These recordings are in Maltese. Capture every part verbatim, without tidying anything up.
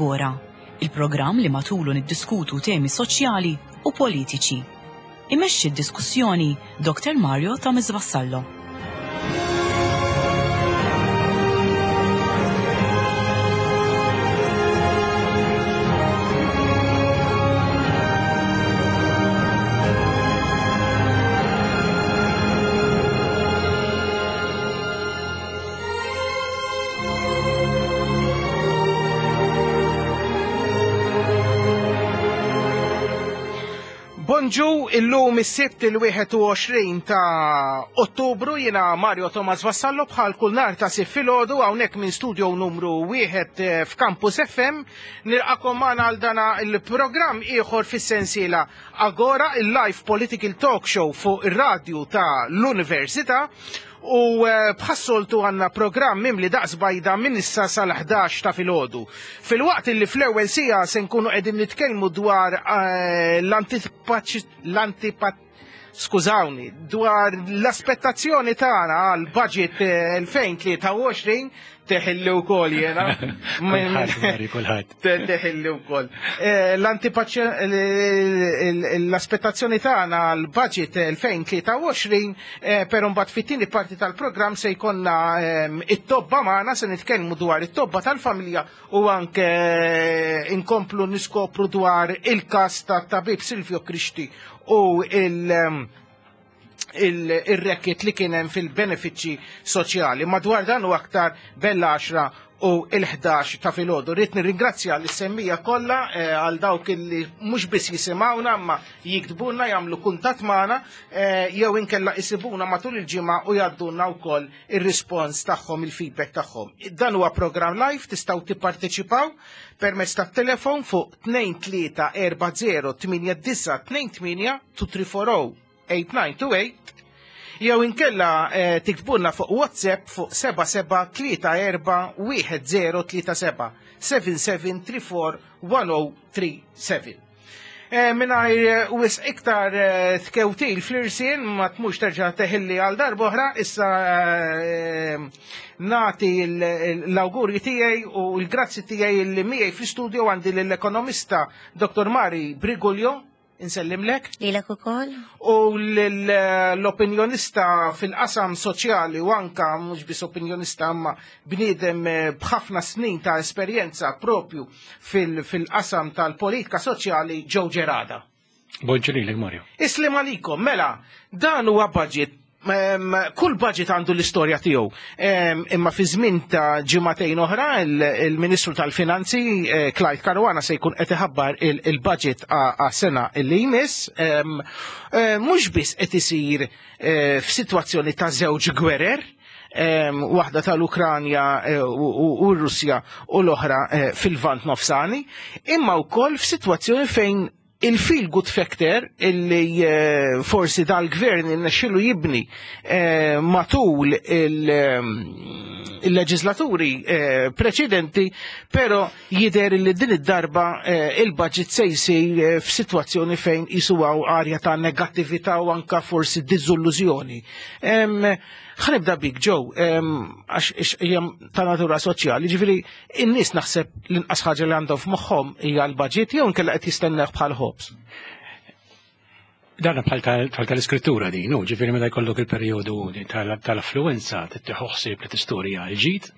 Agora, il-programm li matulu niddiskutu temi soċjali u politiċi. Imexxi d-diskussjoni Doktor Mario Thomas Vassallo. Bonġu, illum is-Sibt il-wieħed u għoxrin ta' Ottubru, jiena Mario Thomas Vassallo bħal kull nhar ta' Sibt filgħodu hawnhekk minn studio numru wieħed eh, f'Campus F M. Nilqakom magħna għal dana il-programm ieħor fis-sensiela Agora, il-live political talk show fuq ir-radju ta' l-Università. U, eh, bħassoltu għanna programm mimli daqs bajda minn issa sal-ħdax ta' filgħodu. Fil-waqt li fl-ewwel sija se nkunu qegħdin nitkellmu dwar, eh, l-antipaċ-, l-antipa-, skużawni, dwar l-aspettazzjoni tagħna għal budget, eh, elfejn tlieta u għoxrin, teħilli wkoll jiena. Kulħadd, Mari, kulħadd. Te-, teħilli wkoll. Eh, l-antipaċ-, l-aspettazzjoni tagħna għal budget elfejn tlieta u għoxrin, eh, però mbagħad fit-tieni parti tal-programm se jkollna, ehm, it-tobba magħna, se nitkellmu dwar it-tobba tal-familja u anke inkomplu niskopru dwar il-każ tat-tabib Silvio Grixti u il-, ehm, il-, il-rekit li kien hemm fil-benefiċċji soċjali. Madwar dan u aktar bella għaxra u il-ħdax ta' filgħodu. Rrid nirringrazzja lis-semmija kollha, eh, għal dawk li mhux biss jisimgħuna imma jiktbulna, jagħmlu kuntatt magħna, eh, jew inkella isibuna matul il-ġimgħa u jgħaddulna wkoll ir-rispons tagħhom, il-feedback tagħhom. Dan huwa programm live, tistgħu tipparteċipaw permezz tat-telefon fuq tnejn tlieta erba' zero tmienja disa' tnejn tmienja two three four oh eight nine two eight jew inkella, eh, tiktbulna fuq WhatsApp fuq seba' seba' tlieta erba' wieħed zero tlieta seba' seven seven three four one oh three seven. Eh, mingħajr, eh, wisq iktar, eh, tkewtil fl-irsien, ma tmux terġa' teħilli għal darb'oħra, issa, eh, nagħti l-, l-, l-awgurji tiegħi u l-grazzi tiegħi li miegħi fl-istudio għandi lill-ekonomista Doktor Mari Briguglio. Insellimlek. Lilek ukoll. U l-, l-opinjonista fil-qasam soċjali u anka mhux biss opinjonista imma bniedem, eh, b'ħafna snin ta' esperjenza propju fil-, fil-qasam tal-politika soċjali, Joe Gerada. Bonġu lilek, Mario. Islim għalikom, mela, dan huwa budget. Em, kull budget għandu l-istorja tiegħu. Em, imma fi żmien ta' ġimagħtejn oħra il-, il-Ministru tal-Finanzi, eh, Clyde Caruana se jkun qed iħabbar il-, il-budget għas-sena li jmiss. Em, eh, mhux biss qed isir, eh, f'sitwazzjoni ta' żewġ gwerer, em, waħda tal-Ukranja, eh, u, u, u r-Russja u l-oħra, eh, fil-Lvant Nofsani, imma wkoll f'sitwazzjoni fejn il-feel good factor illi, eh, forsi dal-gvern innexxielu jibni, eh, matul il, ehm, il-leġislaturi, eh, preċedenti, però jidher li din id-darba, eh, il-budget se jsir, eh, f'sitwazzjoni fejn jisuwaw arja ta' negattività u anka forsi diżillużjoni. Em, ħanibda bik, Joe, em, għax ix-, hija ta' natura soċjali, ġifieri in-nies naħseb l-inqas ħaġa li għandhom f'moħħhom hija l-budget jew inkella qed jistennew bħal ħobż. Dan bħal tal-, bħal tal-iskrittura din, u ġifieri meta jkollok il-perjodu tal-, tal-affluenza tieħu ħsieb li tistorja l-ġid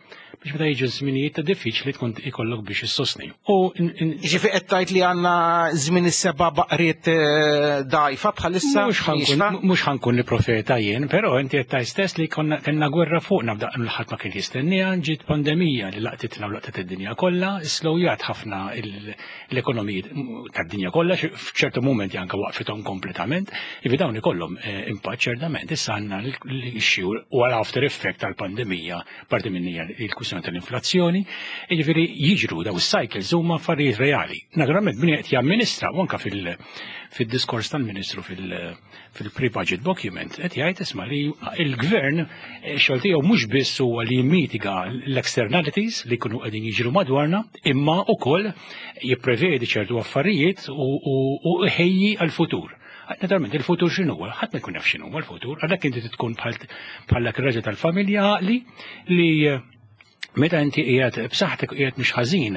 biex meta jiġu żminijiet ta' diffiċli tkun ikollok biex issostni. U in-, in- Ġifieri qed tgħid li għandna żmien is-seba' baqriet, eh, dgħajfa bħalissa? Mhux ħankun, Jixfa? mhux ħankun li profeta jien, però inti qed tgħid stess li konna kellna gwerra fuqna f'daqqa li ħadd ma kien jistenniha, ġiet pandemija li laqtitna u laqtet id-dinja kollha, slowjat ħafna il-, l-ekonomiji tad-dinja kollha, xi-, f'ċertu mumenti anke waqfithom kompletament, jiġifieri dawn ikollhom, eh, impatt ċertament. Issa għandna l-issue u għal after effect tal-pandemija, parti minn hija l-kwistjoni tal-inflazzjoni, jiġifieri jiġru daw is-cycles huma affarijiet reali. Naturalment min qed jamministra u anke fil-, fid-diskors tal-Ministru fil-, fil-pre-budget document qed jgħid isma' li l-gvern xogħol tiegħu mhux biss huwa li jmitiga l-externalities li jkunu qegħdin jiġru madwarna, imma wkoll jipprevedi ċertu affarijiet u, u, u jħejji għall-futur. Naturalment, il-futur x'inhu huwa? Ħadd ma jkun jaf x'inhu huwa l-futur, għalhekk inti tkun bħal, bħal dak ir-raġel tal-familja għaqli li Meta inti qiegħed b'saħħtek u qiegħed mhux ħażin,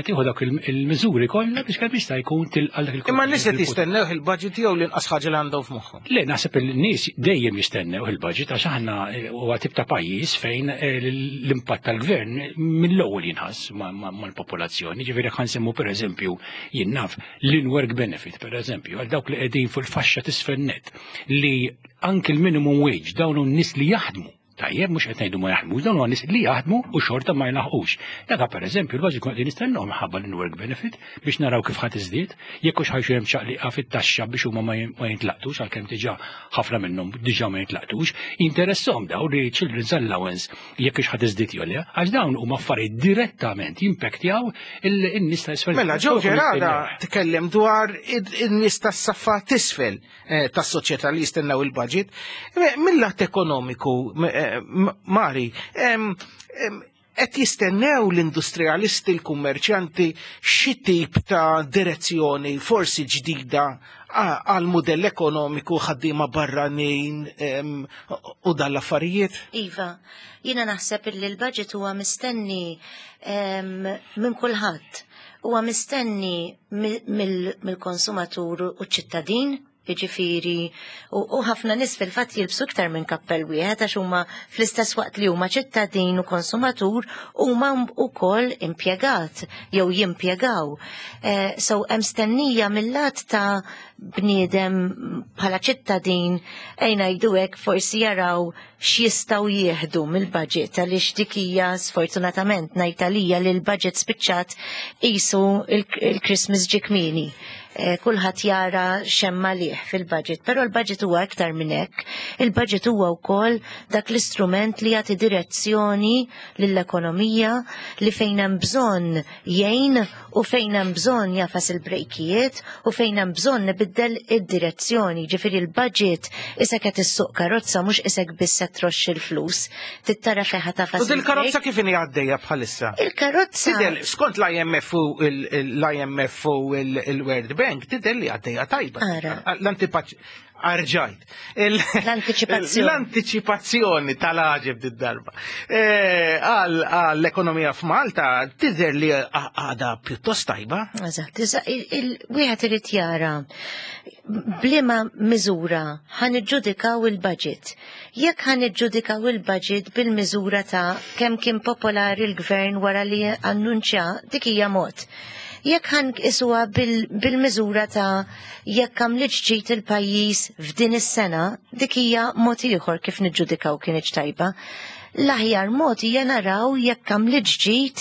tieħu dawk il-miżuri kollha biex kemm jista' jkun tilqa' dak il Imma n-nies qed jistennew il-budget jew l-inqas ħaġa li għandhom f'moħħhom. Le, naħseb il-nies dejjem jistennew il-budget għax aħna huwa tip ta' pajjiż fejn l-impatt tal-gvern mill-ewwel jinħass mal-popolazzjoni. Ġifieri ħa nsemmu, pereżempju, jien naf, l-in-work benefit, pereżempju, għal dawk li qegħdin fuq il-faxxa t'isfel net, li anke l-minimum wage, dawn n-nies li jaħdmu. Tajjeb, mhux qed ngħidu ma jaħdmux, dawn huwa nies li jaħdmu u xorta ma jlaħqux. Daka, pereżempju, l-budget kont qegħdin nistennew minħabba l-work benefit biex naraw kif ħadd iżdied, jekk hux ħa jkun hemm ċaqliqa fit-taxxa biex huma ma jintlaqtux, għalkemm diġà ħafna minnhom diġà ma jintlaqtux. Interessahom daw li children's allowance jekk hux ħadd iżdied jew le, għax dawn huma affarijiet direttament jimpektjaw in-nies ta' isfel. Mela, Joe Gerada tkellem dwar in-nies tas-saffa t'isfel eh, tas-soċjetà li jistennew il-budget. Mill-lat ekonomiku, eh, Mari, qed jistennew l-industrialisti, l-kummerċjanti xi tip ta' direzzjoni forsi ġdida għal modell ekonomiku, ħaddiema barranin u dal-affarijiet? Iva, jiena naħseb li l-budget huwa mistenni minn kulħadd. Huwa mistenni mill-konsumatur u ċittadin, jiġifieri, u ħafna nies fil-fatt jilbsu iktar minn kappell wieħed għax huma fl-istess waqt li huma ċittadin u konsumatur huma wkoll impjegat jew jimpjegaw. Eh, so hemm stennija mill-lat ta' bniedem bħala ċittadin, ejja ngħidu hekk, forsi jaraw x'jistgħu jieħdu mill-budget, għaliex dik hija, sfortunatament ngħid għalija, li l-budget spiċċat qisu il-Christmas ġie kmieni. Eh, kulħadd jara x'hemm għalih fil-budget, però l-budget huwa iktar minn hekk. Il-budget huwa wkoll dak l-istrument li jagħti direzzjoni lill-ekonomija, li fejn hemm bżonn jgħin u fejn hemm bżonn jagħfas il-brejkijiet u fejn hemm bżonn ibiddel id-direzzjoni. Ġifieri l-budget isek qed issuq karozza, mhux isek biss qed troxx il-flus. Trid tara fejn ħa tagħfas. U dil-karozza kif inhi għaddejja bħalissa? Il-karozza. Tidher, skont l-I M F u l-I M F u l-World Bank, tidher li għaddejja tajba. Ara. L-antipaċ Arġajt. L-antiċipazzjoni. L-antiċipazzjoni tal-għaġeb d-darba. Għall-ekonomija f'Malta tidher li għadha pjuttost tajba. Eżatt, wieħed irid jara b'liema miżura ħa niġġudikaw il-budget. Jekk ħa niġġudikaw il-budget bil-miżura ta' kemm kien popolari l-gvern wara li annunċja, dik hija mod. Jekk ħa nqisuha bil-miżura ta' jekk għamlitx ġid il-pajjiż f'din is-sena, dik hija mod ieħor kif niġġudikaw kienx tajba. L-aħjar mod hija naraw jekk għamlitx ġid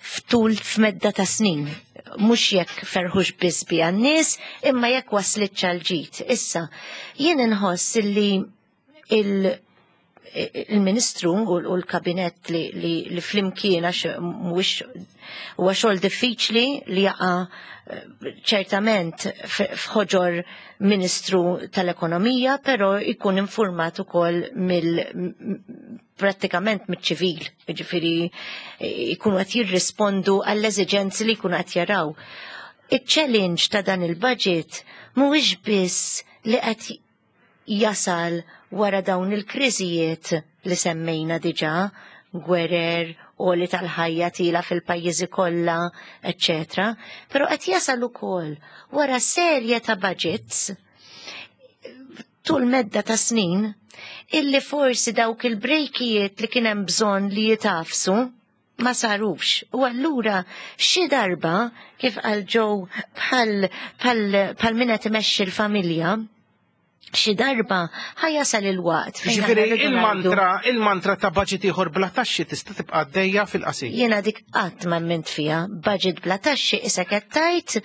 f'tul f'medda ta' snin. Mhux jekk ferħux biss biha n-nies, imma jekk waslitx għal ġid. Issa, jien inħoss illi il- il-ministru u l-kabinet li, li, li flimkien, għax mhuwiex, huwa xogħol diffiċli li jaqa' eh, ċertament f'ħoġor ministru tal-ekonomija, però jkun informat ukoll mill prattikament miċ-ċivil, jiġifieri jkunu qed jirrispondu għall-eżiġenzi li jkunu qed jaraw. Iċ-challenge ta' dan il-budget mhuwiex biss li qed jasal wara dawn il-kriżijiet li semmejna diġà, gwerer, għoli tal-ħajja tila fil-pajjiżi kollha, eċċetera. Però qed jasal ukoll wara serje ta' budgets tul medda ta' snin illi forsi dawk il-brejkijiet li kien hemm bżonn li jitafsu ma sarux. U allura xi darba, kif qal Joe, bħal bħal bħal min qed imexxi l-familja, xi darba ħa jasal il-waqt fejn aħna Ġifieri rridu ngħidu- il-mantra, il-mantra ta' budget ieħor bla taxxi tista' tibqa' għaddejja fil-qasir. Jiena dik qatt ma emmint fiha, budget bla taxxi issa qed tgħid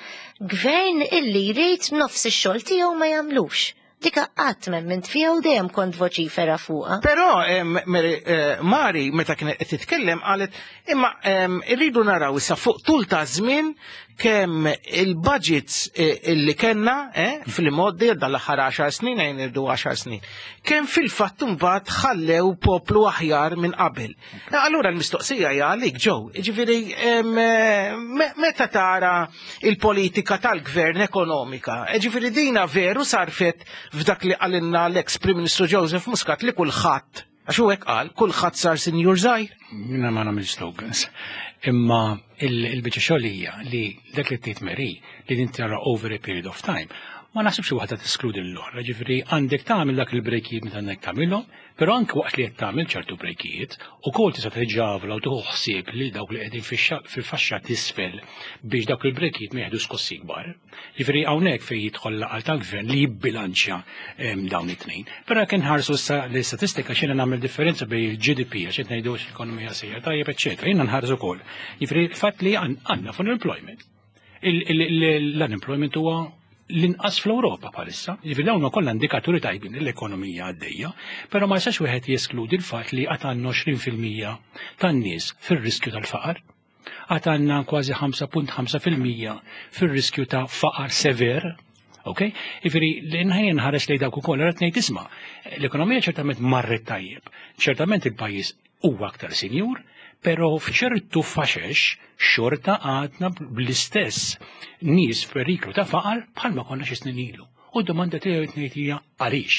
gvern illi jrid nofs ix-xogħol tiegħu ma jagħmlux. Dika qatt ma emmint fiha u dejjem kont voċifera fuqha. Però em, Mary, eh, Mari meta kienet qed titkellem qalet imma em, irridu naraw issa fuq tul ta' żmien kemm il-budgets eh, illi kellna eh, fil-modi dal-aħħar għaxar snin, għajn irdu għaxar snin, kemm fil-fatt imbagħad ħallew poplu aħjar minn qabel. Allura l-mistoqsija hija għalik, Joe, ġifieri em, eh, me- meta tara il-politika tal-gvern ekonomika, eh, ġifieri dina veru sarfet f'dak li qalilna l-ex Prim Ministru Joseph Muscat li kulħadd Għax hu hekk qal, kulħadd sar sinjur żgħir. Jiena ma nagħmel slogans. Imma il-biċċa xogħol hija li dak li tgħid Mary li din tara over a period of time. Ma naħsibx waħda teskludi l-oħra, ġifieri għandek tagħmel dak il-brejkijiet meta għandek tagħmilhom, però anke waqt li qed tagħmel ċertu brejkijiet, ukoll tista' tiġġavla u tieħu ħsieb lil dawk li qegħdin fil-faxxa t'isfel biex dawk il-brejkijiet ma jeħdu skossi kbar. Ġifieri hawnhekk fejn jidħol l-aqal tal-gvern li jibbilanċja dawn it-tnejn. Però jekk inħarsu issa l-istatistika x'jiena nagħmel differenza bejn il-G D P għax qed ngħidu l-ekonomija sejra tajjeb, eċċetera. Jiena nħarsu wkoll. Ġifieri l-fatt li għandna full employment. L-unemployment huwa l-inqas fl-Ewropa bħalissa. Ġifieri dawn kollha indikaturi tajbin l-ekonomija għaddejja, però ma jistax wieħed jeskludi l-fatt li għad għandna għoxrin fil-mija tan-nies fir-riskju tal-faqar. Għad għandna kważi ħamsa punt ħamsa fil-mija fir-riskju ta' faqar sever. Ok? Ġifieri, l-inħajn nħares lejn dawk ukoll, qed ngħid isma', l-ekonomija ċertament marret tajjeb, ċertament il-pajjiż huwa aktar sinjur, pero f'ċertu faxex xorta għadna bl-istess nies f'periklu ta' faqar bħalma konna xi snin ilu. U d-domanda tiegħi qed ngħid hija għaliex?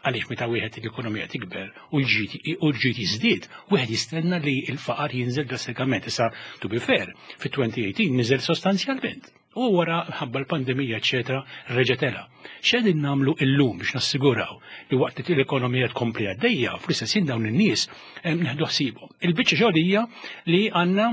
Għaliex meta wieħed l-ekonomija tikber u l-ġid jiżdied, wieħed jistenna li l-faqar jinżel drastikament. Issa, to be fair, fit-elfejn u tmintax niżel sostanzjalment. U wara ħabba l-pandemija, eċetera, reġa' tela'. X'qegħdin nagħmlu illum biex nassiguraw li waqt li l-ekonomija tkompli għaddejja, fl-istess ħin dawn in-nies neħdu ħsiebhom? Il-biċċa xogħol hija li għandna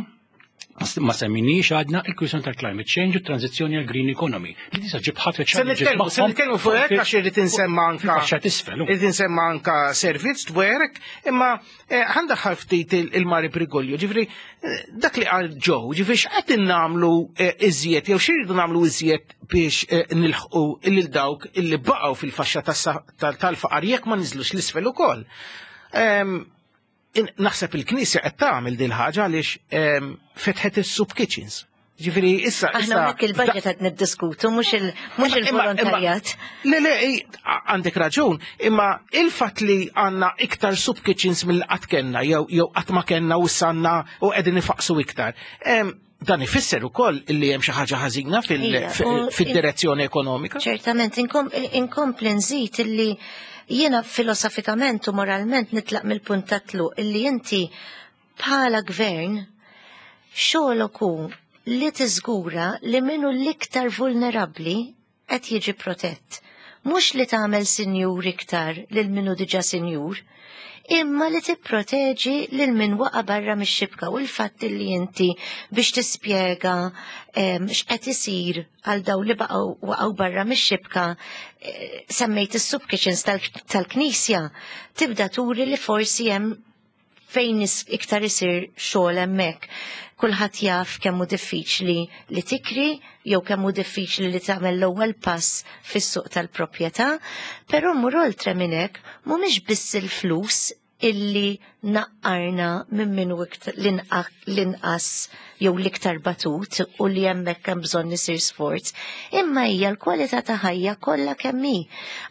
ma semminix għadna il-kwistjoni tal-climate change u tranzizzjoni għal green economy. Li tista' ġib ħafna Se nitkellmu, se nitkellmu fuq hekk għax irrid insemma anka Fil-faxxa t'isfel. Irrid insemma anka servizz dwarek, imma eh, ħandaħħal ftit il-Mari Briguglio, ġifieri eh, dak li qal Joe, ġifieri x'qed nagħmlu eh, iżjed jew x'irridu nagħmlu iżjed biex nilħqu lil dawk illi baqgħu fil-faxxa tal-faqar jekk ma niżlux l-isfel ukoll. Ehm, naħseb il-Knisja qed tagħmel din ħaġa għaliex ehm, fetħet is-soup kitchens. Ġifieri issa. Aħna hawnhekk il-budget qed niddiskutu, mhux il-volontarjat. Le, le, għandek raġun, imma il-fatt li għandna iktar soup kitchens mill qatt kellna jew jew qatt ma kellna u sanna u qegħdin ifaqsu iktar. Ehm, dan ifisser ukoll li hemm xi ħaġa ħażina fid-direzzjoni ekonomika. Ċertament, inkompli nżid illi jiena filosofikament u moralment nitlaq mill-punt ta' tluq illi inti bħala gvern xogħolok hu li tiżgura li minnu l-iktar vulnerabbli qed jiġi protett. Mhux li tagħmel sinjur iktar lil minnu diġà sinjur, imma li tipproteġi lil min waqa barra mix-xibka. U l-fatt li inti biex tispjega x'qed isir għal daw li baqgħu waqgħu barra mix-xibka eh, semmejt is-soup kitchens tal-Knisja, tibda turi li forsi hemm fejn iktar isir xogħol hemmhekk. Kulħadd jaf kemm hu diffiċli li tikri jew kemm hu diffiċli li tagħmel l-ewwel pass fis-suq tal-proprjetà, però mur oltre minn hekk, mhumiex biss il-flus illi naqqarna minn minnu l-inqas jew l-iktar batut u li hemmhekk hemm bżonn isir sforz, imma hija l-kwalità ta' ħajja kollha kemm hi.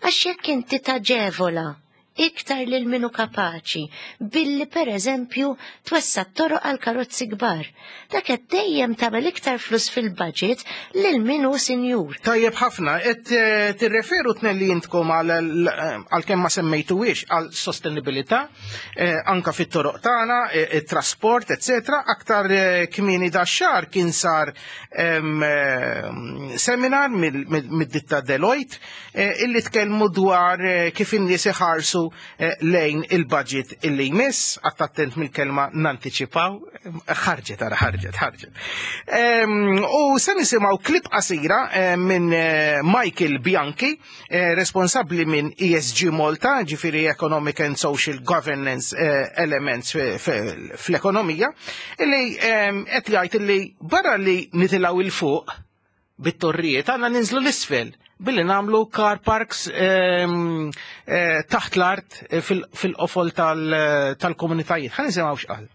Għax jekk inti taġevola iktar lil minu kapaċi billi per eżempju twessa toroq għal karozzi kbar, dak qed dejjem tagħmel iktar flus fil-budget lil minu sinjur. Tajjeb ħafna, qed eh, tirreferu tnejn li intkom għal kemm ma semmejtuwiex għal sostenibilità, eh, anka fit-toroq tagħna, eh, it-trasport, eccetera. Aktar kmieni dax-xahar kien sar seminar mid-ditta Deloitte illi tkellmu dwar kif in-nies iħarsu lejn il-budget illi jmiss, attent mill-kelma nanticipaw, ħarġet ara ħarġet, ħarġet. U se nisimgħu klip qasira minn Michael Bianchi, responsabbli minn E S G Malta, ġifieri Economic and Social Governance Elements fl-ekonomija, illi qed jgħid illi barra li nitilgħu 'il fuq bit-torrijiet għandna ninżlu l-isfel billi nagħmlu car parks ehm, eh, taħt l-art eh, fil-qofol tal-komunitajiet. Ħa nisimgħu x'qal.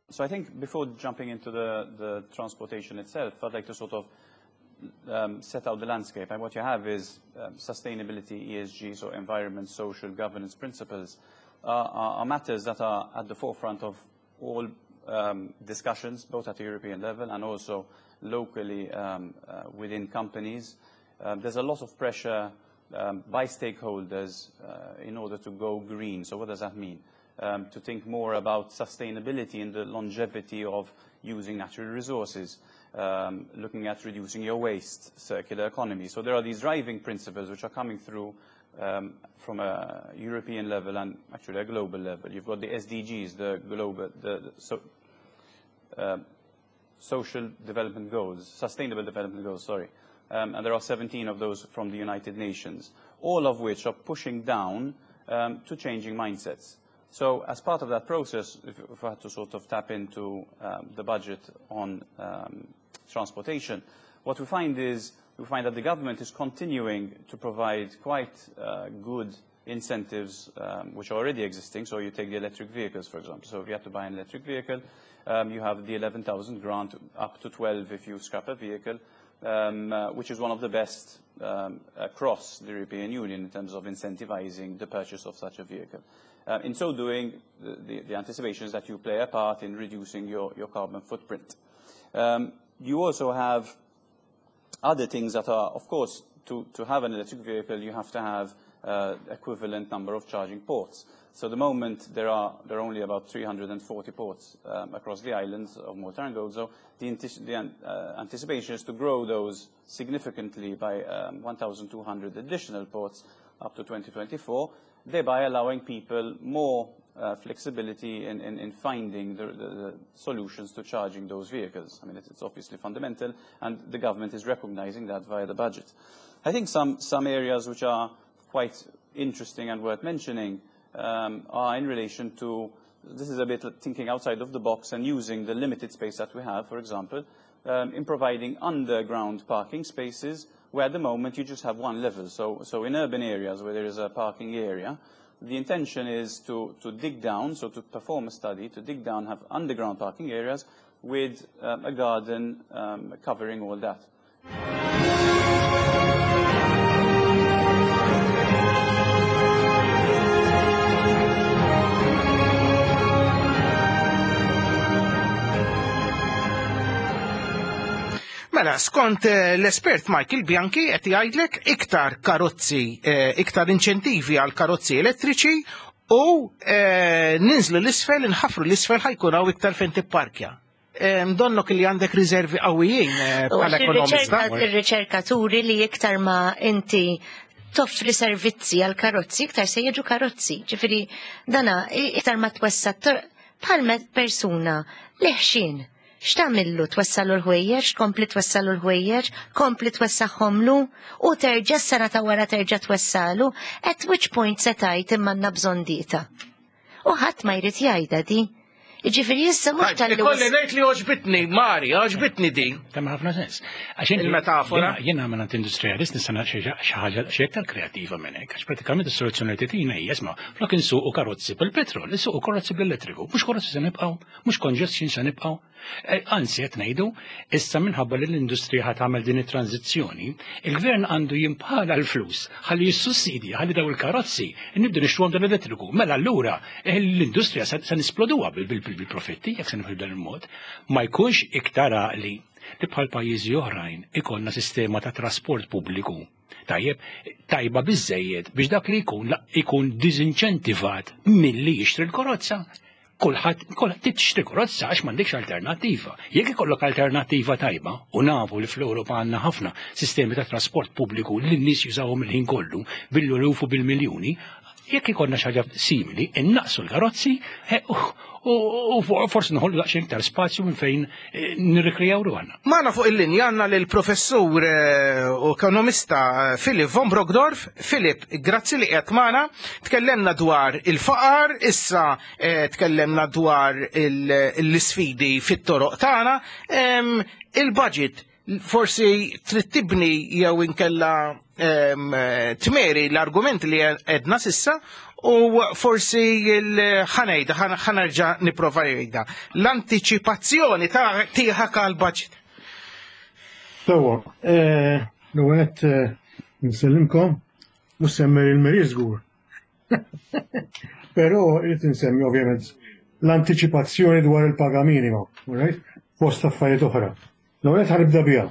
So I think before jumping into the, the transportation itself, I'd like to sort of um, set out the landscape, and what you have is um, sustainability, E S G, so environment, social, governance principles, uh, are, are matters that are at the forefront of all um, discussions, both at the European level and also locally um, uh, within companies. Um, there's a lot of pressure um, by stakeholders uh, in order to go green. So what does that mean? Um, to think more about sustainability and the longevity of using natural resources, um, looking at reducing your waste, circular economy. So there are these driving principles which are coming through um, from a European level and actually a global level. You've got the S D Gs, the global, the, the so, uh, social development goals, sustainable development goals, sorry. Um, and there are seventeen of those from the United Nations, all of which are pushing down um, to changing mindsets. So as part of that process, if, if I had to sort of tap into um, the budget on um, transportation, what we find is we find that the government is continuing to provide quite uh, good incentives um, which are already existing. So you take the electric vehicles, for example. So if you have to buy an electric vehicle, um, you have the eleven thousand grant, up to twelve if you scrap a vehicle, um, uh, which is one of the best um, across the European Union in terms of incentivizing the purchase of such a vehicle. Uh, in so doing, the, the, the anticipation is that you play a part in reducing your, your carbon footprint. Um, you also have other things that are, of course, to, to have an electric vehicle, you have to have uh, equivalent number of charging ports. So at the moment, there are, there are only about three hundred and forty ports um, across the islands of Malta and Gozo. The, the uh, anticipation is to grow those significantly by um, one thousand two hundred additional ports up to twenty twenty-four, thereby allowing people more uh, flexibility in, in, in finding the, the, the solutions to charging those vehicles. I mean, it's, it's obviously fundamental, and the government is recognizing that via the budget. I think some, some areas which are quite interesting and worth mentioning um, are in relation to, this is a bit thinking outside of the box and using the limited space that we have, for example, um, in providing underground parking spaces where at the moment you just have one level. So, so in urban areas where there is a parking area, the intention is to, to dig down, so to perform a study, to dig down, have underground parking areas with um, a garden um, covering all that. Mela, skont l-espert Michael Bianchi qed jgħidlek iktar karozzi, iktar inċentivi għal karozzi elettriċi u ninżlu l-isfel, inħafru l-isfel ħajkun hawn iktar fejn tipparkja. Donnok li għandek riservi qawwijin bħala ekonomista. Ir-riċerkaturi li iktar ma inti toffri servizzi għal karozzi, iktar se jiġu karozzi. Ġifieri dana iktar ma twessa bħal persuna li ħxin. X'tagħmillu twassalu l-ħwejjeġ, kompli twassalu l-ħwejjeġ, kompli twessaħħomlu u terġa' s-sena ta' wara terġa' twassalu, at which point se tgħid imma għandna bżonn dieta. U ħadd ma jrid jgħidha di. Jiġifieri issa mhux tal-li. Ikolli ngħid li għoġbitni, Mari, għoġbitni din. Tagħmel ħafna sens. Għax il-metafora. Jiena minn industrialist nista' xi ħaġa xi iktar kreattiva minn hekk, għax pratikament is-soluzzjoni li titina hija isma' flok insuqu karozzi bil-petrol, insuqu karozzi bl-elettriku, mhux karozzi se nibqgħu, mhux congestion se nibqgħu. Anzi qed ngħidu, issa minħabba li l-industrija ħa tagħmel din it-tranzizzjoni, il-gvern għandu jimpala l-flus ħalli jissussidja ħalli daw il-karozzi nibdu nixtruhom dan l-elettriku. Mela allura l-industrija se nisploduha bil-profitti jekk se nifhmu dan il-mod, ma jkunx iktar għaqli li bħal pajjiżi oħrajn ikollna sistema ta' trasport pubbliku tajjeb tajba biżejjed biex dak li jkun ikun diżinċentivat milli jixtri l-karozza. Kulħadd kulħadd tixtri karozza għax m'għandekx alternattiva. Jekk ikollok alternattiva tajba, u nafu li fl-Ewropa għandna ħafna sistemi ta' trasport pubbliku li n-nies jużawhom il-ħin kollu bil-lufu bil-miljuni, jekk ikollna xi ħaġa simili, innaqsu l-karozzi u forsi noħollu daqsxejn iktar spazju minn fejn nirrikrijaw ruħna. Magħna fuq il-linja għandna lill-professur u ekonomista Philip von Brockdorff. Philip, grazzi li qiegħed magħna. Tkellemna dwar il-faqar, issa tkellemna dwar l-isfidi fit-toroq tagħna. Il-budget forsi trid tibni jew inkella tmeri l-argument li għedna sissa u forsi l-ħanejda, ħanerġa niprofa jgħidha. L-antiċipazzjoni ta' tiegħek għall-budget. Sewwa, l-ewwel nsellimkom, mhux semmer il-meri żgur. Però irrid insemmi ovvjament l-antiċipazzjoni dwar il-paga minima, right? Fost affarijiet oħra. L-ewwel ħa nibda biha.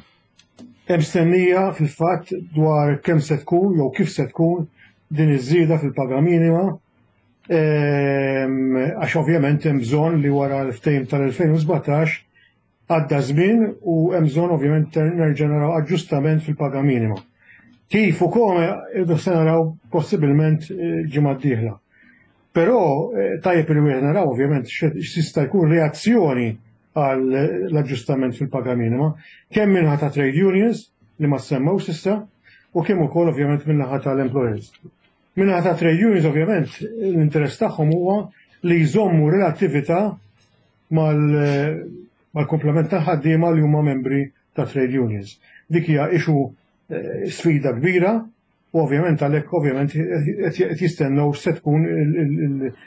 Hemm stennija fil-fatt dwar kemm se tkun jew kif se tkun din iż-żieda fil-paga minima, ehm, għax ovvjament hemm bżonn li wara l-ftehim tal-elfejn u sbatax għadda żmien u hemm bżonn ovvjament nerġa' naraw aġġustament fil-paga minima. Kif u kome irdu se naraw possibilment eh, ġimgħa d-dieħla. Però eh, tajjeb li wieħed naraw ovvjament x'tista' jkun reazzjoni għal l-aġġustament fil-paga minima, kemm min-naħa ta' trade unions li ma semmewx s'issa u kemm ukoll ovvjament min-naħa tal-employers. Min-naħa ta' trade unions, ovvjament l-interess tagħhom huwa li jżommu relattività mal- mal-komplement ta' ħaddiema li huma membri ta' trade unions. Dik hija issue eh, sfida kbira u ovvjament għalhekk ovvjament qed jistennew se tkun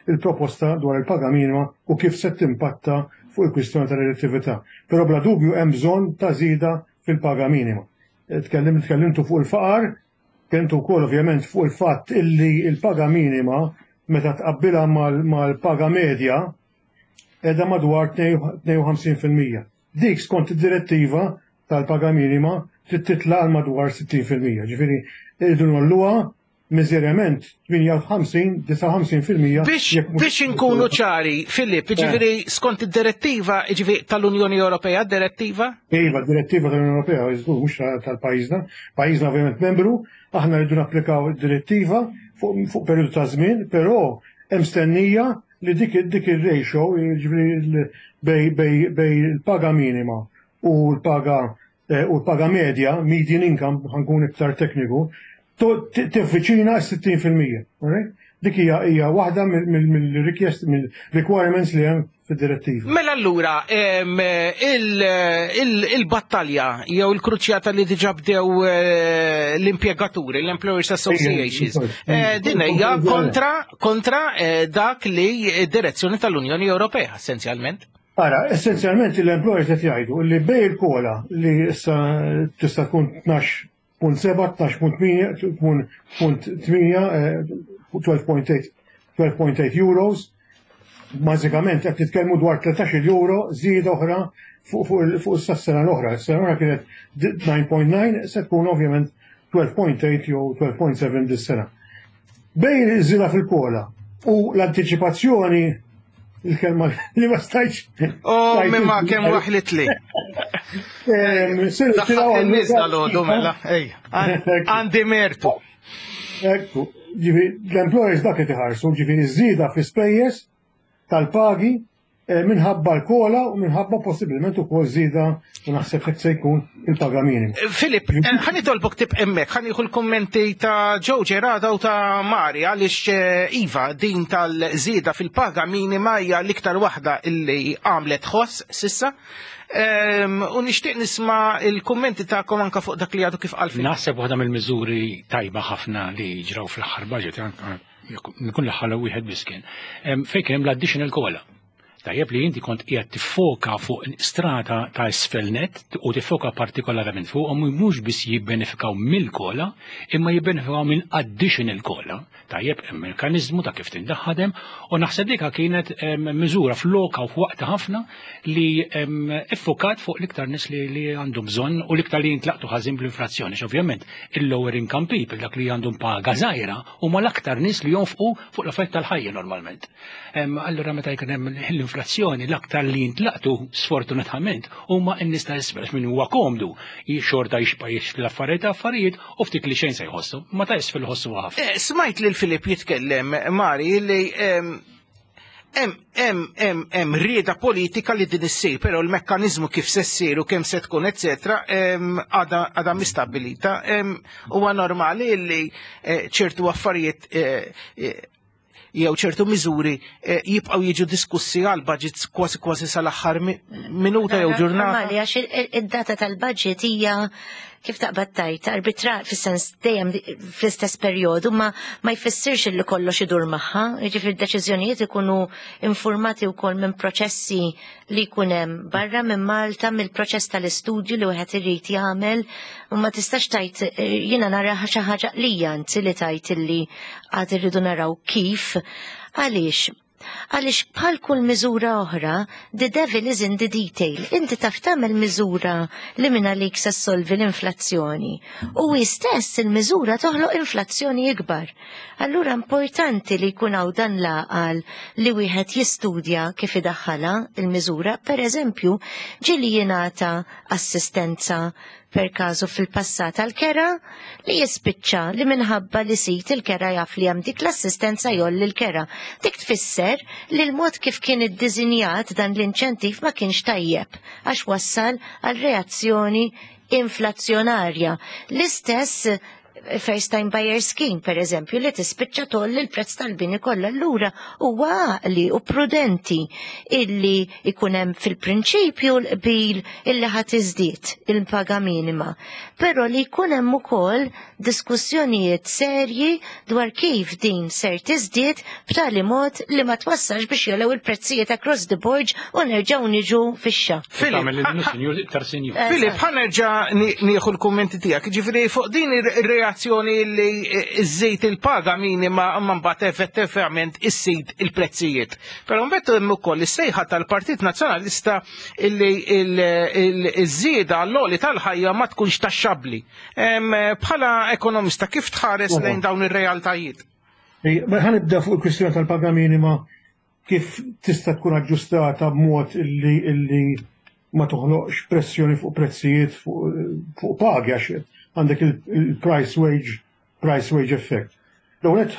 il-proposta dwar il-paga minima u kif se timpatta fuq il-kwistjoni tal-relattività. Però bla dubju hemm bżonn ta' żieda fil-paga minima. Tkellim tkellimtu fuq il-faqar, tkellimtu wkoll ovvjament fuq il-fatt illi il-paga minima meta tqabbilha mal-paga medja qiegħda madwar tnejn u ħamsin fil-mija. Dik skont id-direttiva tal-paga minima trid titla' għal madwar sittin fil-mija. Ġifieri irridu ngħolluha miżerjament tmienja u ħamsin, disgħa u ħamsin fil-mija. Biex, biex inkunu ċari, Filip, ġifieri skont id-direttiva, ġifieri tal-Unjoni Ewropea, direttiva? Iva, direttiva tal-Unjoni Ewropea, żgur mhux tal-pajjiżna. Pajjiżna ovvjament membru, aħna rridu napplikaw id-direttiva fuq fuq periodu ta' żmien, però hemm stennija li dik dik ir-ratio, ġifieri bej bej bej il-paga minima u l-paga eh, u l-paga medja, median income, ħa nkun iktar tekniku, tivviċina sittin fil-mija. Alright? Dik hija hija waħda mill-request mill-requirements li hemm fid-direttiva. Mela allura em, il- il- il-battalja jew il-kruċjata li diġà bdew eh, l-impjegaturi, l-Employers Associations, eh, din hija kontra kontra eh, dak li direzzjoni tal-Unjoni Ewropea essenzjalment. Ara, essenzjalment l-employers qed jgħidu li bej il-COLA li issa tista' tkun tnax punt sebgħa, tnax punt tmienja, tnax punt tmienja, tnax punt tmienja euros, bażikament qed titkellmu dwar tlettax-il euro żieda oħra fuq fuq fuq is-sena l-oħra. Is-sena l-oħra kienet disa punt disa, se tkun ovvjament tnax punt tmienja jew tnax punt sebgħa dis-sena. Bejn iż-żieda fil-COLA u l-antiċipazzjoni, il-kelma li ma stajtx. Oh, mimma kemm waħlit li. Daħħat in-nies dal-għodu mela, ej, għandi mertu. Ekku, ġifieri, l-employers dak qed iħarsu, ġifieri żieda fi spejjeż tal-pagi eh, minħabba l-COLA u minħabba possibilment ukoll żieda u naħseb hekk se jkun il-paga minima. Filip, eh, ħa nitolbok tibqa' hemmhekk, ħa nieħu l-kommenti ta' Joe Gerada u ta' Mari, għaliex eh, Iva, din tal-żieda fil-paga minima hija l-iktar waħda illi għamlet ħoss s'issa. Ehm, U nixtieq nisma' il-kummenti tagħkom anka fuq dak li għadu kif qal Filip. Naħseb waħda mill-miżuri tajba ħafna li ġraw fl-aħħar budget, nkun l-aħħar wieħed biss kien, em, fejn kien hemm l-additional COLA. Tajjeb li inti kont qiegħed tiffoka fuq strata ta' isfel net u tiffoka partikolarment fuq u mhux biss jibbenefikaw mill-COLA, imma jibbenefikaw minn additional COLA. Tajjeb, hemm mekkaniżmu ta' kif tindaħadem u naħseb dika kienet em, miżura f'loka u f'waqta ħafna li em, iffokat fuq l-iktar nies li, li għandhom bżonn u l-iktar li jintlaqtu ħażin bl-inflazzjoni. Ovvjament, il-lower income people, dak li għandhom paga żgħira, huma l-aktar nies li jonfqu fuq l-affarijiet tal-ħajja normalment. Em, Allura meta jkun hemm l-inflazzjoni, l-aktar li jintlaqtu sfortunatament huma n-nies ta' isfel, min huwa komdu xorta jixpa jixtri l-affarijiet affarijiet u ftit li xejn se jħossu, ma ta' isfel jħossu ħafna. Eh, Smajt lil Filip jitkellem, Mari, li em, hemm hemm hemm hemm rieda politika li din issir, però l-mekkaniżmu kif se ssir u kemm se tkun, eċetera, għadha għadha mistabilita. Em, Huwa normali li eh, ċertu affarijiet eh, eh, jew ċertu miżuri eh, jibqgħu jiġu diskussi għal budgets kważi kważi sal-aħħar mi- minuta jew ġurnata. Normali, għax il- il- id-data tal-budget hija Kif taqbad tgħid, arbitra fis-sens dejjem fl-istess perjodu, ma ma jfissirx li kollox idur magħha, jiġifieri d-deċiżjonijiet ikunu informati wkoll minn proċessi li jkun hemm barra minn Malta, mill-proċess tal-istudju li wieħed irid jagħmel, u ma tistax tgħid, jiena nara xi ħaġa li anzi li tgħid illi għad irridu naraw kif. Għaliex? Għaliex bħal kull miżura oħra, the devil is in the detail. Inti taf tagħmel miżura li minn għalik se ssolvi l-inflazzjoni. U stess il-miżura toħloq inflazzjoni ikbar. Allura importanti li jkun hawn dan l-għaqal li wieħed jistudja kif idaħħalha il-miżura. Per eżempju, ġieli jingħata assistenza per każu fil-passat għal-kera li jispiċċa li minħabba li sid il-kera jaf li hemm dik l-assistenza jgħolli l-kera. Dik tfisser li l-mod kif kien iddiżinjat dan l-inċentiv ma kienx tajjeb għax wassal għal reazzjoni inflazzjonarja. L-istess First Time Buyer Scheme, per eżempju, li tispiċċa tgħolli l-prezz tal-bini kollha. Allura huwa għaqli u prudenti illi ikun hemm fil-prinċipju l-qbil illi ħadd iżdied il-paga minima. Però li jkun hemm ukoll diskussjonijiet serji dwar kif din ser tiżdied b'tali mod li ma twassalx biex jogħlew il-prezzijiet across the board u nerġgħu niġu fixxa. Filip, Filip, ħa nerġa' nieħu l-kummenti tiegħek. Ġifieri fuq din ir-reazzjoni li iżżid il-paga minima imma mbagħad effettivament iżżid il-prezzijiet. Però mbagħad hemm ukoll is-sejħa tal-Partit Nazzjonalista illi iż-żieda l-għoli tal-ħajja ma tkunx taxxabbli. Bħala ekonomista, kif tħares lejn dawn ir-realtajiet? Ħa nibda fuq il-kwistjoni tal-paga minima, kif tista' tkun aġġustata b'mod illi illi ma toħloqx pressjoni fuq prezzijiet, fuq pagi, għax għandek il-price wage price wage effect. L-ewwel,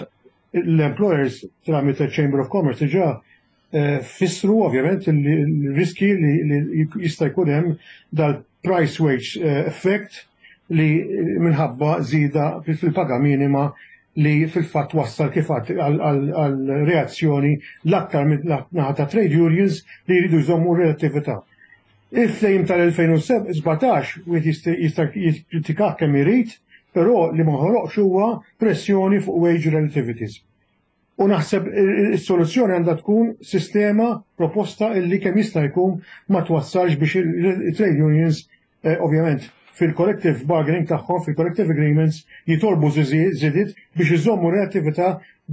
l-employers tramite Chamber of Commerce diġà eh, fissru ovvjament il-riski li jista' jkun hemm dal-price wage eh, effect li minħabba żieda fil-paga minima li fil-fatt wassal kif għal reazzjoni l-aktar naħa ta' trade unions li jridu jżommu relatività. Il-ftehim tal-elfejn u sbatax wieħed jista' jikkritika kemm irid, però li ma ħoloqx huwa pressjoni fuq wage relativities. U naħseb is-soluzzjoni għandha tkun sistema proposta illi kemm jista' jkun ma twassalx biex il-trade unions, eh, ovvjament fil-collective bargaining tagħhom, fil-collective agreements, jitolbu żidiet biex iżommu relattività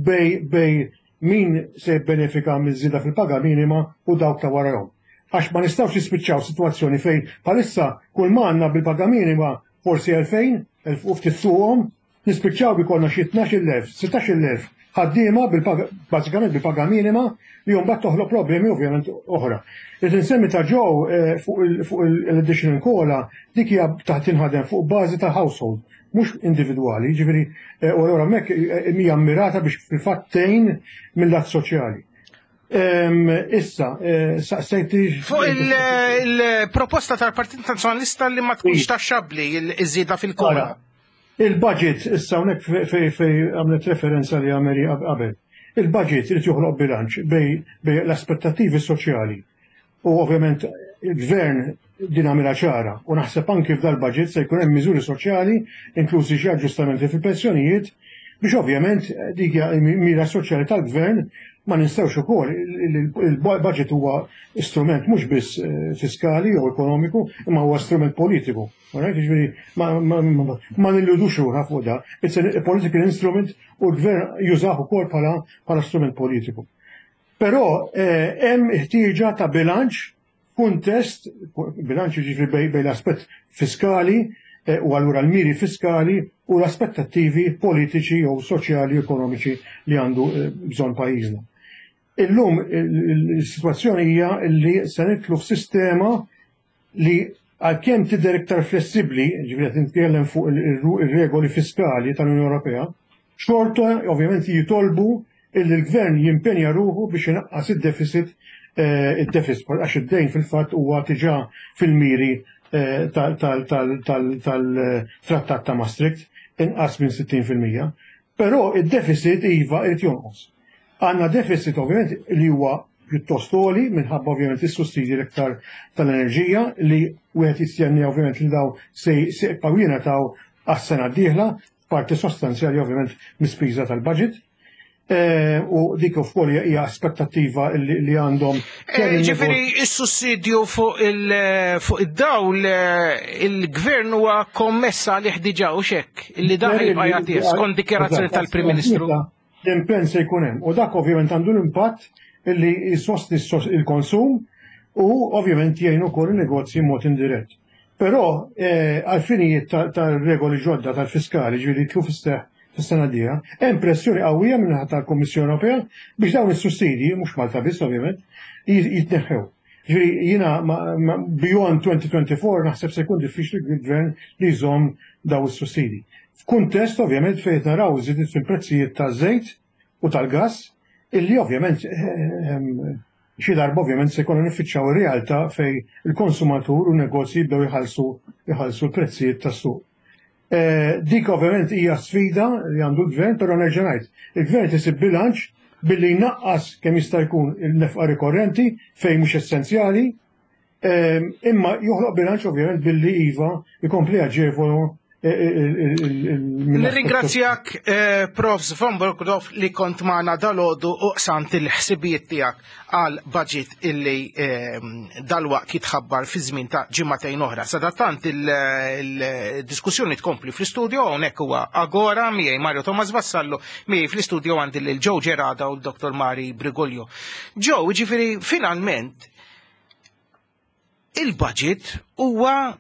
bejn bejn min se jibbenefika miż-żieda fil-paga minima u dawk ta' warahom. Għax ma nistgħux nispiċċaw sitwazzjoni fejn bħalissa kull ma għandna bil-paga minima forsi elfejn, elf u ftit fuqhom, nispiċċaw bi konna xi tnax-il elf, sittax-il elf ħaddiema bażikament bil-paga minima li mbagħad toħloq problemi ovvjament oħra. Irid insemmi ta' ġew eh, fuq l-additional COLA, dik hija taħt tinħadem fuq bażi ta' household, mhux individwali, ġifieri eh, u allura hemmhekk eh, hija mirata biex fil-fatt tgħin mill-lat soċjali. Issa, saqsejti. Fuq il-proposta tal-Partit Nazzjonalista li ma tkunx taxxabbli iż-żieda fil-COLA. Il-budget, issa hawnhekk fej għamlet referenza li għameli qabel. Il-budget irid joħloq bilanċ bejn l-aspettativi soċjali u ovvjament il-gvern din għamilha ċara u naħseb anki f'dal-budget se jkun hemm miżuri soċjali, inklużi xi aġġustamenti fil-pensjonijiet, biex ovvjament dik mira soċjali tal-gvern. Ma ninsewx ukoll il-budget huwa strument mhux biss eh, fiskali jew ekonomiku, imma huwa strument politiku. Ġifieri ma nilludux ruħna fuq da. It's a political instrument u l-gvern jużah ukoll bħala bħala strument politiku. Però eh, hemm ħtieġa ta' bilanċ kuntest, bilanċ ġifieri bejn l-aspett fiskali eh, u allura l-miri fiskali u l-aspettattivi politiċi jew soċjali ekonomiċi li għandu bżonn pajjiżna. Illum il-situazzjoni hija li se nidħlu f'sistema li għalkemm tidher iktar flessibbli, ġifieri qed nitkellem fuq ir-regoli fiskali tal-Unjoni Ewropea, xorta ovvjament jitolbu illi l-gvern jimpenja ruħu biex inaqqas id-deficit eh, id-deficit għax id-dejn fil-fatt huwa diġà fil-miri eh, tal-Trattat ta' Maastricht inqas minn sittin fil-mija. Però id-deficit iva irid jonqos. Għandna deficit ovvjament li huwa pjuttost għoli minħabba ovvjament is-sussidji l-iktar tal-enerġija li wieħed jistenni ovvjament li daw se jibqgħu jingħataw għas-sena d-dieħla, parti sostanzjali ovvjament mispiża tal-budget. Eh, u dik ukoll hija aspettattiva li għandhom. Eh, ġifieri is-sussidju fuq id-dawl eh, il-gvern huwa kommessa li diġà u xek illi dan jibqa' jagħtih skont dikjarazzjoni tal-Prim Ministru. L-impenn se jkun hemm u dak ovvjament għandu l-impatt illi jsostni il-konsum u ovvjament jgħin ukoll il-negozji mod indirett. Però għal-finijiet tal-regoli ġodda tal-fiskali ġifieri tlu fis-seħħ fis-sena d-dieħla, hemm pressjoni qawwija minn tal-Kummissjoni Ewropea biex dawn is-sussidji, mhux Malta biss ovvjament, jitneħħew. Ġifieri jiena beyond twenty twenty-four naħseb se jkun diffiċli l-gvern li jżomm daw is-sussidji. F'kuntest ovvjament fejn naraw żidiet fil-prezzijiet taż-żejt u tal-gass, illi ovvjament eh, xi darba ovvjament se jkollna niffiċċjaw ir-realtà fej il-konsumatur u negozji jibdew jħallsu jħallsu l-prezzijiet tas-suq. Eh, dik ovvjament hija sfida li għandu l-gvern, però nerġa' ngħid, il-gvern isib bilanċ billi jnaqqas kemm jista' jkun il-nefqa rikorrenti fejn mhux essenzjali, eh, imma joħloq bilanċ ovvjament billi iva jkompli jaġevolu. Nirringrazzjak, eh, Profs Von Brockdorff, li kont magħna dalgħodu u qsamt il-ħsibijiet tiegħek għal budget illi dalwaqt jitħabbar fi żmien ta' ġimagħtejn oħra. Sadattant il-diskussjoni tkompli fl-istudio. Hawnhekk huwa Agora, miegħi Mario Thomas Vassallo, miegħi fl-istudio għandi lil Joe Gerada u l-Dottor Mari Briguglio. Joe, ġifieri finalment il-budget huwa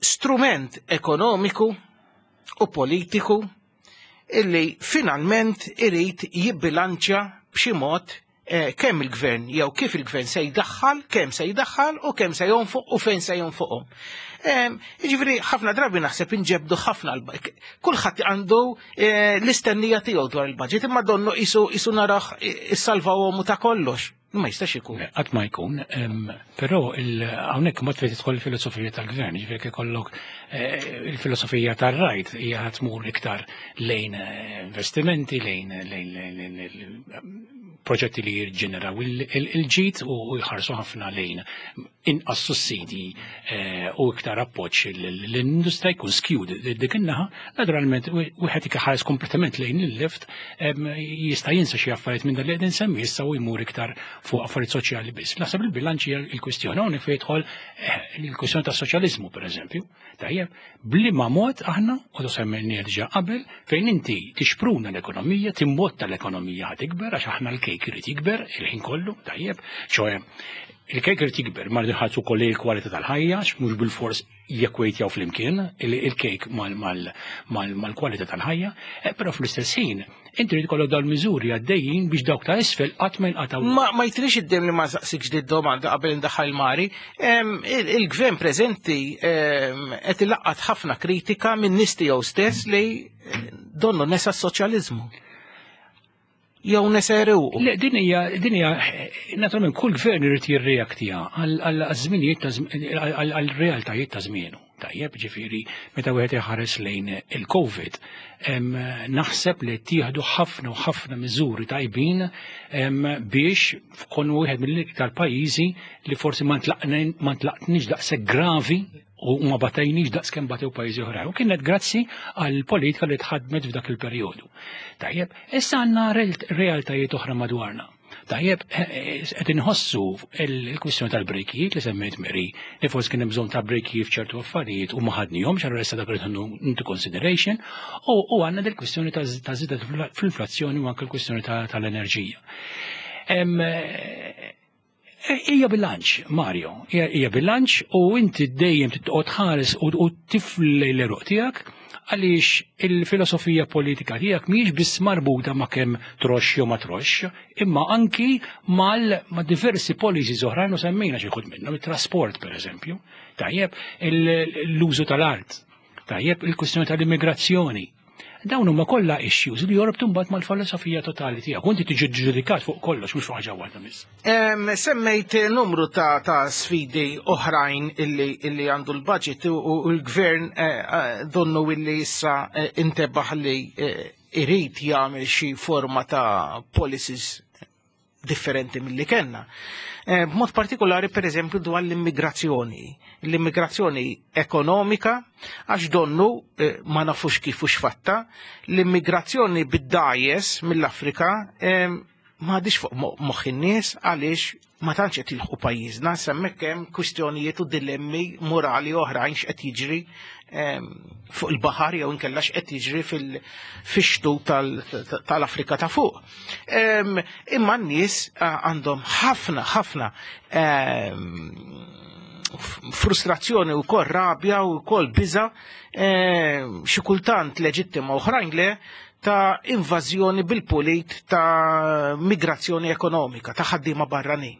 strument ekonomiku u politiku illi finalment irid jibbilanċja b'xi mod eh, kemm il-gvern jew kif il-gvern se jdaħħal, kemm se jdaħħal u kemm se jonfoq u fejn se jonfoqhom. Jiġifieri ħafna drabi naħseb inġebdu ħafna, kulħadd għandu eh, l-istennija tiegħu dwar il-budget, imma donnu isu isu naraħ issalvawhom ta' kollox. Ma jistax ikun. Qatt ma jkun, però hawnhekk mod fejn tidħol il-filosofija tal-gvern, ġifieri ikollok eh, il-filosofija tar-right hija tmur iktar lejn eh, investimenti, lejn lejn proġetti li jirġeneraw il-ġid u jħarsu ħafna lejn inqas sussidji eh, u iktar appoġġ l-industrija, jkun skewed dik in-naħa. Naturalment wieħed ħares kompletament lejn il-left jista' jinsa xi affarijiet minn dan li qegħdin nsemmi issa u jmur iktar fuq affarijiet soċjali biss. Naħseb il-bilanċ hija l-kwistjoni hawnhekk fejn jidħol eh, il-kwistjoni tas-soċjaliżmu, pereżempju. Tajjeb, bliema mod aħna, u semmejni diġà qabel, fejn inti tixpruna l-ekonomija, timbotta l-ekonomija ħa tikber, għax aħna l-kejk irid jikber il-ħin kollu, tajjeb, ċoè il-kejk irid jikber, ma rridu ukoll il-kwalità tal-ħajja, mhux bil-fors jekwejtjaw flimkien il-kejk mal-kwalità tal-ħajja, eh, però fl-istess ħin inti trid ikollok dawn miżuri għaddejjin biex dawk ta' isfel qatt ma jinqataw. Ma ma jtrix id-dem li ma saqsikx di domanda qabel indaħħal Mari. Il-gvern preżenti qed ilaqqat ħafna kritika minn nies tiegħu stess li donnu nesa s-soċjaliżmu jew neseru. Le, din hija din hija naturalment kull gvern irid jirreaktija għal żminijiet, għal realtajiet ta' żmienu. Tajjeb, ġifieri meta wieħed iħares lejn il-Covid, naħseb li tieħdu ħafna u ħafna miżuri tajbin biex fkun wieħed mill-iktar pajjiżi li forsi ma ntlaqtniex daqshekk gravi u ma batajniex daqs kemm batew pajjiżi oħrajn. U kienet grazzi għal politika li tħadmet f'dak il-perjodu. Tajjeb, issa għandna realtajiet oħra madwarna. Tajjeb, qed inħossu il-kwistjoni tal-brejkijiet li semmejt Mary, li forsi kien hemm bżonn ta' brejkijiet f'ċertu affarijiet u ma ħadnihomx, allura issa dak into consideration, u għandna dil-kwistjoni ta' żieda fl-inflazzjoni u anke l-kwistjoni tal-enerġija. Hija bilanċ, Mario, hija bilanċ u inti dejjem titqgħod ħares u tifli l-eruq tiegħek, għaliex il-filosofija politika tiegħek mhijiex biss marbuta ma' kemm troxx jew ma troxx, imma anki mal ma' diversi policies oħrajn u semmejna xi wħud minnhom, it-trasport pereżempju, tajjeb, l-użu tal-art, tajjeb, il-kwistjoni tal-immigrazzjoni. Dawn huma kollha issues li jorbtu mbagħad mal-filosofija totali tiegħek. U inti tiġi ġudikat fuq kollox, mhux fuq ħaġa waħda biss. Em, Semmejt numru ta', ta' sfidi oħrajn illi, illi għandu l-budget u, u l-gvern eh, eh, donnu illi issa eh, intebaħ li eh, irid jagħmel xi forma ta' policies Differenti mill-li kellna. Eh, b'mod partikolari, per eżempju, dwar l-immigrazzjoni. L-immigrazzjoni ekonomika, għax donnu eh, ma nafux kif u x'fatta, l-immigrazzjoni bid-dgħajjes mill-Afrika eh, ma għadix fuq moħħ in-nies għaliex ma tantx qed jilħqu pajjiżna, hemmhekk hemm kwistjonijiet u dilemmi morali oħrajn x'qed jiġri fuq il-baħar jew inkella x'qed jiġri fix-xtu tal-Afrika ta' fuq. Imma n-nies għandhom ħafna ħafna frustrazzjoni u kol rabja u kol biża, xi kultant leġittima, oħrajn le, ta' invażjoni bil-pulit ta' migrazzjoni ekonomika, ta' ħaddiema barranin.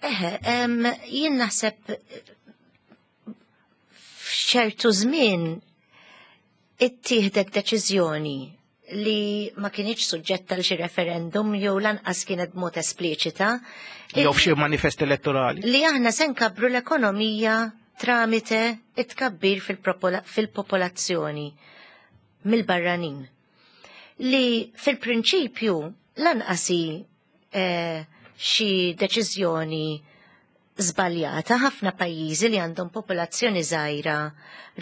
Eħe, jien naħseb f'ċertu żmien ittieħdet deċiżjoni li ma kienx suġġetta għal xi referendum jew lanqas kienet b'mod espliċita. Jew f'xi manifest elettorali. Li aħna se nkabbru l-ekonomija tramite it-tkabbir fil-popolazzjoni mill-barranin. Li fil-prinċipju lanqas hi eh, xi deċiżjoni żbaljata. Ħafna pajjiżi li għandhom popolazzjoni żgħira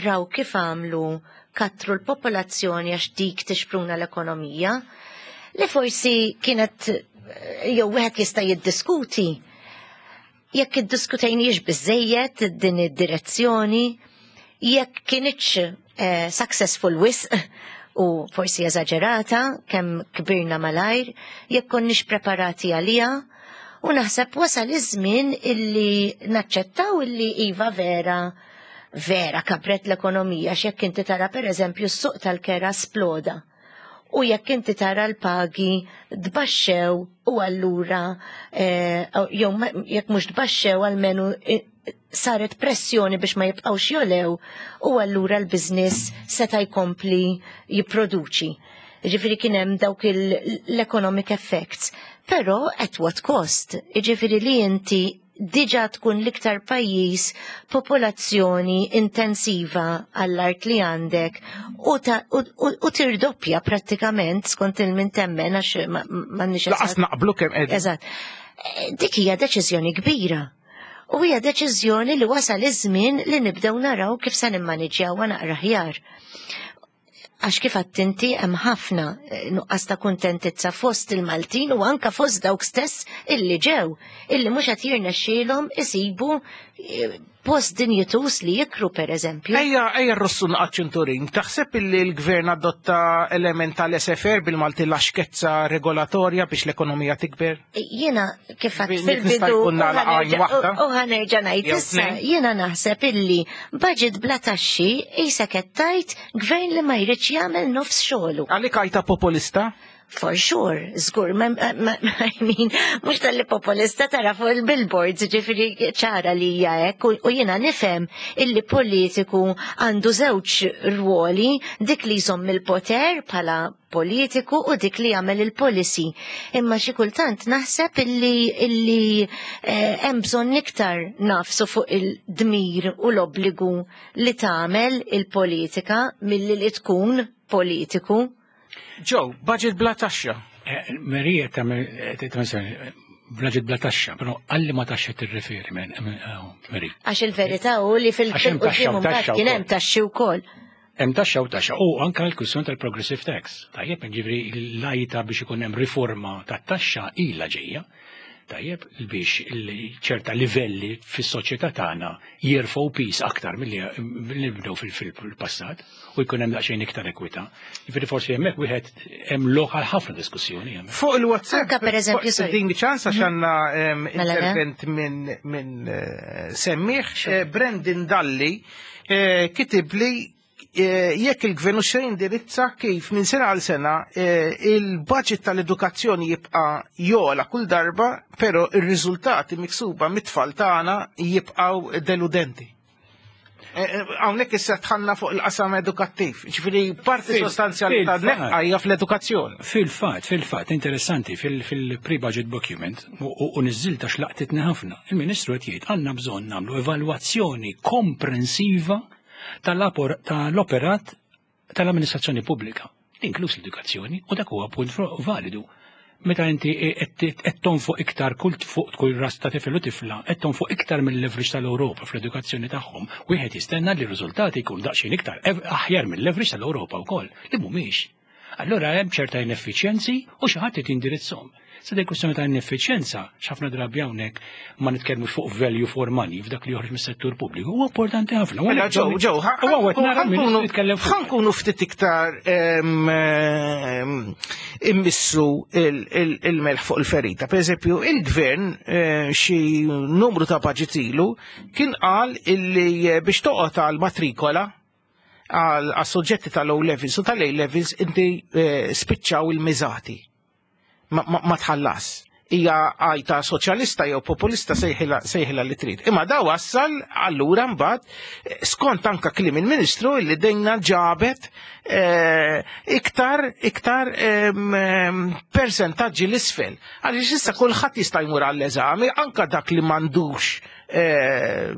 raw kif għamlu, katru l-popolazzjoni għax dik tixpruna l-ekonomija, li forsi kienet jew wieħed jista' jiddiskuti jekk iddiskutejniex biżejjed din id-direzzjoni, jekk kienitx eh, successful wisq u forsi eżaġerata kemm kbirna malajr, jekk konniex preparati għalija, u naħseb wasal iż-żmien illi naċċettaw illi iva, vera, vera kabret l-ekonomija, x'jekk inti tara, per eżempju, s-suq tal-kera sploda. U jekk inti tara l-pagi tbaxxew u allura eh, jew jekk mhux tbaxxew, almenu eh, saret pressjoni biex ma jibqgħux jogħlew u allura l-biznis seta' jkompli jipproduċi. Ġifieri kien hemm dawk l-economic effects. Però at what cost? Ġifieri li inti diġa tkun l-iktar pajjiż popolazzjoni intensiva għall-art li għandek u, ta, u, u, u tirdoppja prattikament skont il-min temmen, għax ma nix. Lanqas naqblu kemm qegħdin. Eżatt. Eh, Dik hija deċiżjoni kbira. U hija deċiżjoni li wasal iż-żmien li nibdew naraw kif se nimmaniġjawha naqra aħjar. Għax kif għedt inti, hemm ħafna eh, nuqqas ta' kuntentizza fost il-Maltin u anka fost dawk stess illi ġew, illi mhux qed jirnexxielhom isibu eh, post dinjitus li jikru, per eżempju. Ejja, ejja rrossu ċinturin. Taħseb illi l-gvern adotta element tal-laissez-faire, bil-Malti laxkezza regolatorja, biex l-ekonomija tikber? Jiena kif għedt Nista' fil-bidu jkun nagħlaq għajn waħda? u ħa nerġa' ngħid Jew issa, tnejn? jiena naħseb illi budget bla taxxi qisek qed tgħid gvern li ma jridx jagħmel nofs xogħlu. Għalik għajta populista? For sure, żgur, ma, ma, ma, I mean, mhux talli populista, tara fuq il-billboards, ġifieri ċara li hija hekk, u, u jiena nifhem illi politiku għandu żewġ rwoli, dik li jżomm il-poter bħala politiku u dik li jagħmel il-policy. Imma xi kultant naħseb illi illi eh, hemm bżonn iktar nagħfsu fuq il-dmir u l-obbligu li tagħmel il-politika milli li tkun politiku. Joe, budget bla taxxa. Eh, Marija tagħmel budget bla taxxa, però għal liema taxxa tirreferi, Mary? Għax il-verità u li Għax hemm taxxa u fil-qudiem taxxa kien hemm wkoll. Taxxi wkoll. Hemm taxxa u taxxa u anka l-kwistjoni tal-progressive tax. Tajjeb, ġifieri l-għajta biex ikun hemm riforma tat-taxxa ilha ġejja. Tajjeb, biex il- ċerta livelli fis-soċjetà tagħna jirfgħu piż aktar milli milli bdew fil- fil-passat u jkun hemm daqsxejn iktar ekwità. Ġifieri forsi hemmhekk wieħed hemm lokal ħafna diskussjoni hemmhekk. Fuq il-WhatsApp, Anka per eżempju, sorry. Din ċans għax għandna em, Mela le. intervent minn min, eh, semmiħ, eh, Brendan Dalli eh, kitib li eh, jekk il-gvern se jindirizza kif minn sena għal sena eh, il-budget tal-edukazzjoni jibqa' jogħla kull darba, però ir-riżultati miksuba mit-tfal tagħna jibqgħu deludenti. Eh, eh, Hawnhekk issa dħalna fuq il-qasam edukattiv, ġifieri parti Fil- sostanzjali ta' fil-fatt. nefqa hija fl-edukazzjoni. Fil-fat, fil-fat, interessanti, fil-pre-budget document, u- u u niżżilta x'laqtitni ħafna, il-Ministru qed jgħid għandna bżonn nagħmlu evalwazzjoni komprensiva tal-apor- tal-operat tal-amministrazzjoni pubblika, inkluż l-edukazzjoni, u dak huwa punt validu. Meta inti qed tonfoq iktar kull fuq kull ras ta' tifel u tifla, qed tonfoq iktar mill-leverage tal-Ewropa fl-edukazzjoni tagħhom, wieħed jistenna li r-riżultati jkun daqsxejn iktar aħjar mill-leverage tal-Ewropa wkoll, li mhumiex. Allura hemm ċerta ineffiċjenzi u xi ħadd jindirizzhom. Se dik kwestjoni ta' ineffiċjenza, x'ħafna drabi hawnhekk ma nitkellmux fuq value for money f'dak li joħroġ mis-settur pubbliku, huwa importanti ħafna. Mela ġew, ġew, ħa nkunu ftit iktar immissu il-melħ fuq il-ferita. Per eżempju, il-gvern eh, xi numru ta' budget ilu kien qal illi eh, biex toqgħod għal matrikola għal soġġetti tal-O levels u tal-A levels inti eh, spiċċaw il-miżati ma tħallas. Hija għajta soċjalista jew populista sejħila li trid. Imma da wassal allura mbagħad skont anka kliem il-Ministru li dejna ġabet eh, iktar iktar persentaġġi l-isfel. Għaliex issa kulħadd jista' jmur għall-eżami anka dak li m'għandux eh,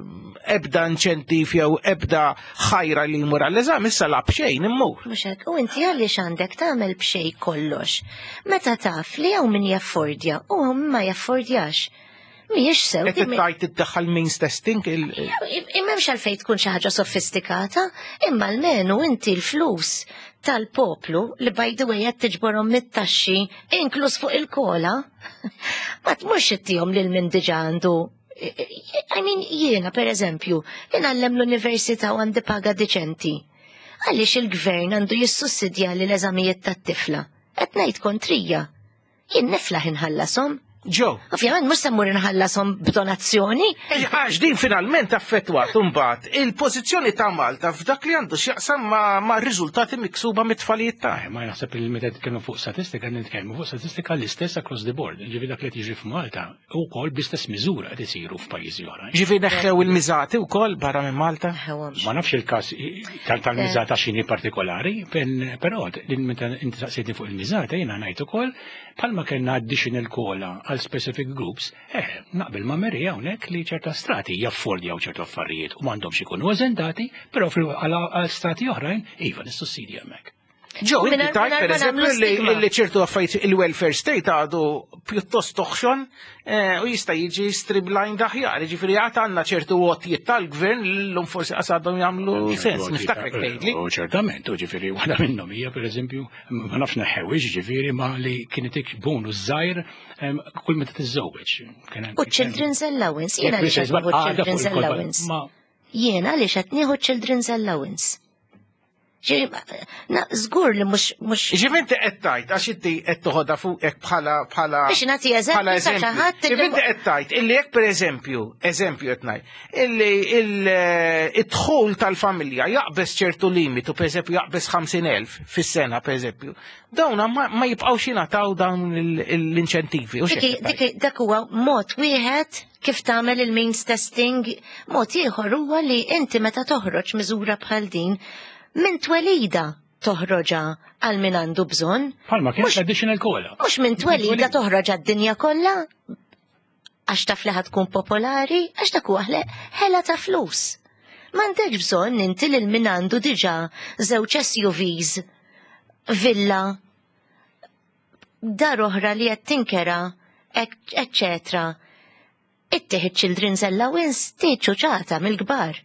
ebda inċentiv jew ebda ħajra li jmur għall-eżami issa la b'xejn immur. Mhux hekk, u inti għaliex għandek tagħmel b'xejn kollox. Meta taf li hawn min jaffordja u hawn ma jaffordjax. Mhijiex sew. Qed tgħid iddaħħal means testing il- M'hemmx għalfejn tkun xi ħaġa sofistikata, imma almenu inti l-flus tal-poplu li by the way qed tiġborhom mit-taxxi inkluż fuq il-COLA, ma tmurx ittihom lil min diġà għandu. I mean, jiena per eżempju, ingħallem l-università u għandi paga deċenti. Għaliex il-gvern għandu jissussidja li l-eżamijiet tat-tifla? Qed ngħid kontrija. Jien niflaħ inħallasom. Ġo. Ovvjament mhux se mmur inħallasom b'donazzjoni. Għax din finalment affettwat imbagħad il-pożizzjoni ta' Malta f'dak li għandu x'jaqsam ma', ma' riżultati miksuba mit-tfalijiet ta' Ma naħseb li meta nitkellmu fuq statistika, nitkellmu fuq statistika l-istess across the board. Ġifieri dak li qed jiġri f'Malta wkoll bl-istess miżura qed isiru f'pajjiżi oħrajn. Ġifieri neħħew il-miżati wkoll barra minn Malta? Ma nafx il-każ tal-miżata x'inhi partikolari, però meta inti saqsejtni fuq il-miżata jiena ngħid ukoll bħalma kellna additional COLA għal specific groups, eh, naqbel ma' Mary hawnhekk li ċerta strati jaffordjaw ċertu affarijiet u m'għandhomx ikunu eżentati, però għal strati oħrajn iva nissussidja hemmhekk. Ġo, inti tajt per eżempju li ċertu affarijiet il-welfare state għadu pjuttost toħxon eh, u jista' jiġi streamlined aħjar. Ġifieri għad għandna ċertu għotjiet tal-gvern li l-lum forsi għadhom jagħmlu sens. Niftakrek tgħidli. U ċertament, u ġifieri waħda minnhom hija pereżempju ma nafx neħewix ġifieri ma li kienet bonus żgħir kull meta tiżżewweġ. U children's allowance, jiena li children's allowance. Jiena li qed nieħu children's allowance. Żgur li mhux mhux. Ġifieri inti qed tgħid għax inti qed toħodha fuqek bħala bħala. Biex nagħti eżempju ta' ħadd. Ġifieri inti qed tgħid illi jekk pereżempju, eżempju qed ngħid, illi il-dħul tal-familja jaqbeż ċertu limitu, pereżempju jaqbeż ħamsin elf fis-sena pereżempju, dawn ma jibqgħux jingħataw dawn l-inċentivi. Dak huwa mod wieħed kif tagħmel il-means testing, mod ieħor huwa li inti meta toħroġ miżura bħal din minn twelida toħroġa għal min għandu bżonn. Palma kien additional COLA. Mhux minn twelida toħroġa d-dinja kollha. Għax taf li tkun popolari, għax dak huwa ħela ta' flus. M'għandekx bżonn inti lil min għandu diġà żewġ S U Vs, villa, dar oħra li qed tinkera, eccetera. Ittih children's allowance tiċ ċata mill-kbar.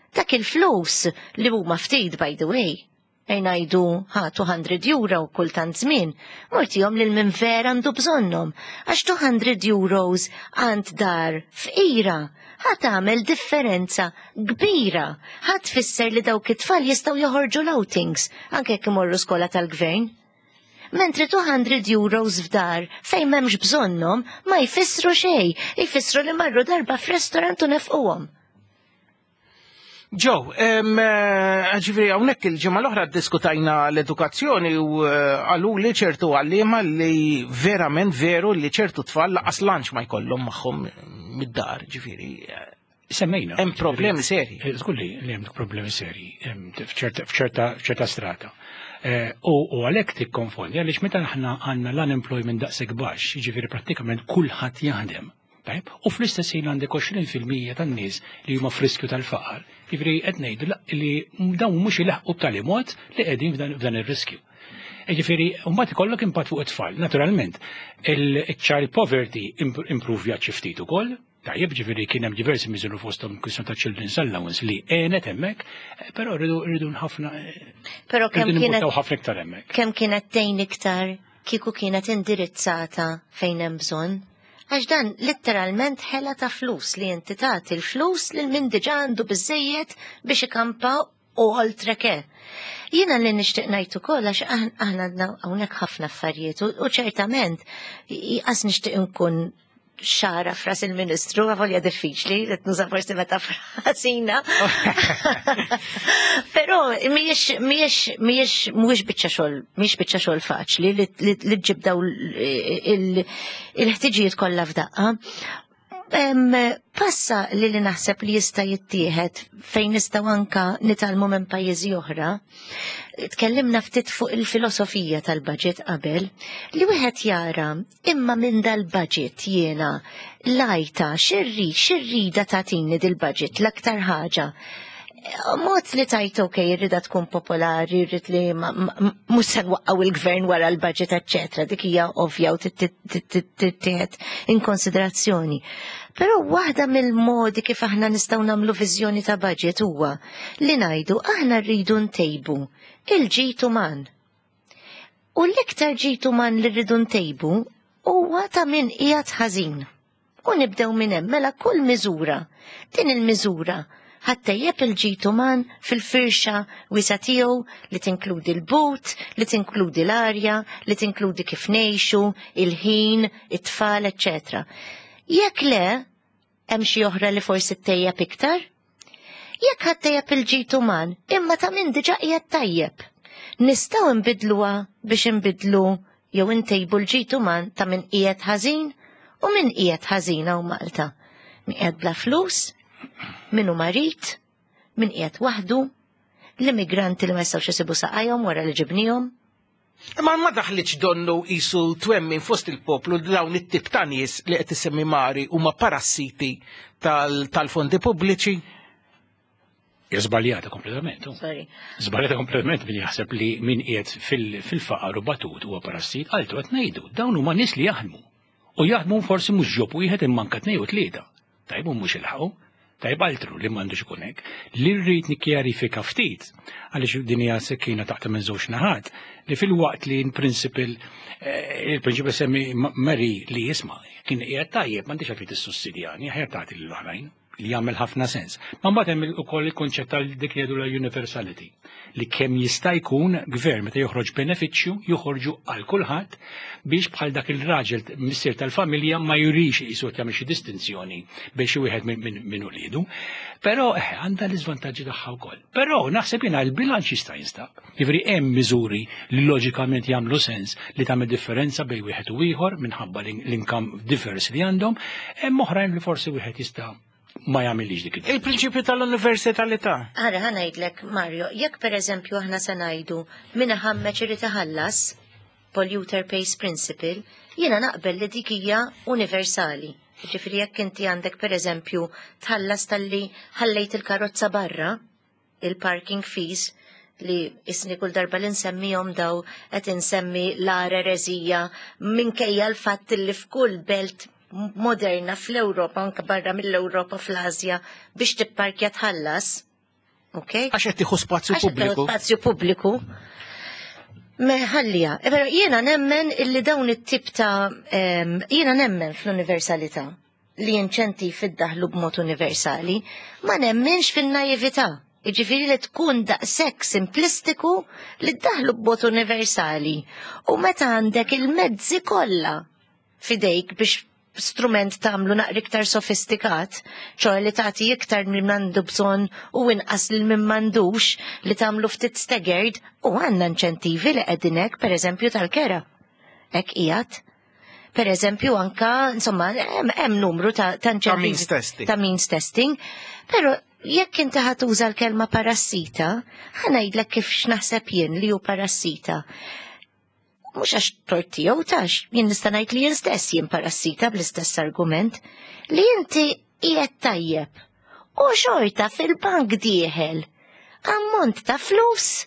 Dak il-flus li huma ftit, by the way, ngħidu ħa two hundred euro kultant żmien, mortihom lil min vera għandu bżonnhom, għax two hundred euros għand dar fqira ħa tagħmel differenza kbira, ħa tfisser li dawk it-tfal jistgħu joħorġu l-outings anke jekk imorru skola tal-gvern. Mentri two hundred euros f'dar fejn m'hemmx bżonnhom ma jfissru xejn, jfissru li marru darba f'restorant u nefquhom. Ġo, ġifieri hawnhekk il-ġimgħa l-oħra diskutajna l-edukazzjoni u qalu li ċertu għalliema li verament veru li ċertu tfal lanqas lunch ma jkollhom magħhom mid-dar, ġifieri. Semmejna. Hemm problemi seri. Żgur li hemm problemi seri f'ċerta strata. U għalhekk tikkonfondi għaliex meta aħna għandna l-unemployment daqshekk baxx, jiġifieri prattikament kulħadd jaħdem. Tajb, u fl-istess ħin għandek għoxrin fil-mija tan-nies li huma f'riskju tal-faqar. Jiġifieri qed ngħidu li dawn mhux ilaħqu b'tali mod li qegħdin f'dan ir-riskju. Ġifieri, mbagħad ikollok impatt fuq it-tfal. Naturalment, il-child poverty improvja xi ftit ukoll. Tajjeb, ġifieri kien hemm diversi miżuri, fosthom kwistjoni ta' children's allowance li għenet hemmhekk, però rridu rridu ħafna. Però kemm kienet ħafna iktar hemmhekk. Kemm kienet tgħin iktar kieku kienet indirizzata fejn hemm bżonn? Għax dan letteralment ħela ta' flus li inti tagħti l-flus lil min diġà għandu biżejjed biex ikampa u oltre ke. Jiena li nixtieq ngħid ukoll, għax aħna għandna hawnhekk ħafna affarijiet u ċertament qas nixtieq nkun xagħra f'ras il-ministru, għavolja diffiċli, qed nuża forsi metafora ħażina. Però mhijiex mhijiex mhijiex mhuwiex biċċa xogħol, mhijiex biċċa xogħol faċli li ġġib daw il-ħtiġijiet kollha f'daqqa. Passa li li naħseb li jista' jittieħed fejn nistgħu anka nitgħallmu minn pajjiżi oħra. Tkellimna ftit fuq il-filosofija tal-budget qabel, li wieħed jara imma minn dal-budget jiena lajta xirri xirrida tagħtini dil-budget l-aktar ħaġa. Mod li tajt, ok, irrida tkun popolari, irrid li mhux se nwaqqgħu il-gvern wara l-budget, eccetera. Dik hija ovvja u tittieħed in konsiderazzjoni. Però waħda mill-modi kif aħna nistgħu nagħmlu viżjoni ta' budget huwa li ngħidu aħna rridu ntejbu il-ġid uman. U l-iktar ġid uman li rridu ntejbu huwa ta' min qiegħed ħażin. U nibdew minn hemm, mela kull miżura, din il-miżura ħa ttejjeb il-ġid uman fil-firxa wiesgħa tiegħu li tinkludi l-but, li tinkludi l-arja, li tinkludi kif ngħixu, il-ħin, it-tfal, eċċetera. Jekk le, hemm xi oħra li forsi ttejjeb iktar? Jekk ħa ttejjeb il-ġid uman, imma ta' min diġà qiegħed tajjeb. Nistgħu nbidluha biex nbidlu jew intejbu l-ġid uman ta' min qiegħed ħażin, u min qiegħed ħażin hawn Malta? Min qiegħed bla flus, min hu marid, min qiegħed waħdu, l-immigranti li ma jistgħux isibu saqajhom wara li ġibnihom. Imma ma daħlitx donnu qisu twemmin fost il-poplu li dawn it-tip ta' nies li qed isemmi Mari huma parassiti tal-fondi pubbliċi? Żbaljata kompletament. Sorry. Żbaljata kompletament min jaħseb li min qiegħed fil-faqar u batut huwa parassit, altru qed ngħidu, dawn huma nies li jaħdmu. U jaħdmu forsi mhux job wieħed imma anke tnejn u tlieta. Tajb, mhux ilħaqu. Tajb, altru li m'għandux ikun hekk. Li rrid nikkjarifika ftit, għaliex din hija sekkina taħt minn żewġ naħat, li fil-waqt li in principle eh, il-prinċipju semmi Mary li jisma' kien qiegħed tajjeb m'għandix għalfejn tissussidjani, aħjar tagħti lill-oħrajn, li jagħmel ħafna sens. Ma mbagħad hemm ukoll il-konċett tal dik li jgħidu la universality, li kemm jista' jkun gvern meta joħroġ benefiċċju joħorġu għal kulħadd biex bħal dak il-raġel missier tal-familja ma jurix qisu qed jagħmel xi distinzjoni biex xi wieħed minn uliedu. Però eh, għandha l-iżvantaġġi tagħha wkoll. Però naħseb jiena l-bilanċ jista' jinstab. Jiġifieri hemm miżuri li loġikament jagħmlu sens li tagħmel differenza bejn wieħed u ieħor minħabba l-income difference li għandhom, hemm oħrajn li forsi wieħed jista' ma jagħmilx dik. Il-prinċipju tal-universalità. Ara, ħa ngħidlek, Mario, jekk per eżempju aħna se ngħidu min ħammeġ irid iħallas, polluter pays principle, jiena naqbel li dik hija universali. Ġifieri jekk inti għandek per eżempju tħallas talli ħallejt il-karozza barra, il-parking fees, li isni kull darba li nsemmihom daw qed insemmi l-ara erezija minkejja l-fatt li f'kull belt moderna fl-Ewropa, anke barra mill-Ewropa, fl-Asja, biex tipparkja tħallas. Ok? Għax qed tieħu spazju Għax qed tieħu pubbliku. spazju pubbliku. Meħallija, e però jiena nemmen illi dawn it-tip ta' em, jiena nemmen fl-universalità li inċentiv iddaħlu b'mod universali, ma nemmenx fin-naività. Jiġifieri li tkun daqshekk simplistiku li ddaħlu b'mod universali. U meta għandek il-mezzi kollha fidejk biex strument tagħmlu naqra iktar sofistikat, ċoè li tagħti iktar minn għandu bżonn u inqas lil min m'għandux, li tagħmlu ftit staggered, u għandna inċentivi li qegħdin hekk, pereżempju tal-kera. Hekk qiegħed. Per eżempju, anka, insomma, hemm hemm numru ta' ta' Ta' means inċentivi testing. Ta' means testing. Però jekk inti ħa tuża l-kelma parassita, ħa ngħidlek kif x'naħseb jien li hu parassita. Mhux għax tort tiegħu tax, jien nista' ngħid li jien stess jien parassita bl-istess argument, li inti qiegħed tajjeb. U xorta fil-bank dieħel ammont ta' flus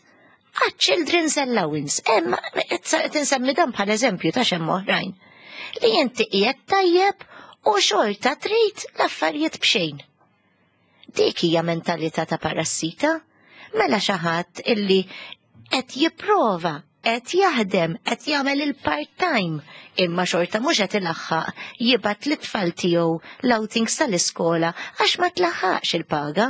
għad children's allowance. Emma, qed insemmi dan bħal eżempju ta' xemm oħrajn. Li inti qiegħed tajjeb u xorta trid l-affarijiet b'xejn. Dik hija mentalità ta' parassita. Mela xi ħadd illi qed jipprova, qed jaħdem, qed jagħmel il-part-time, imma xorta mhux qed ilaħħaq jibgħat lit-tfal tiegħu l-outings tal-iskola għax ma tlaħħaqx il-paga.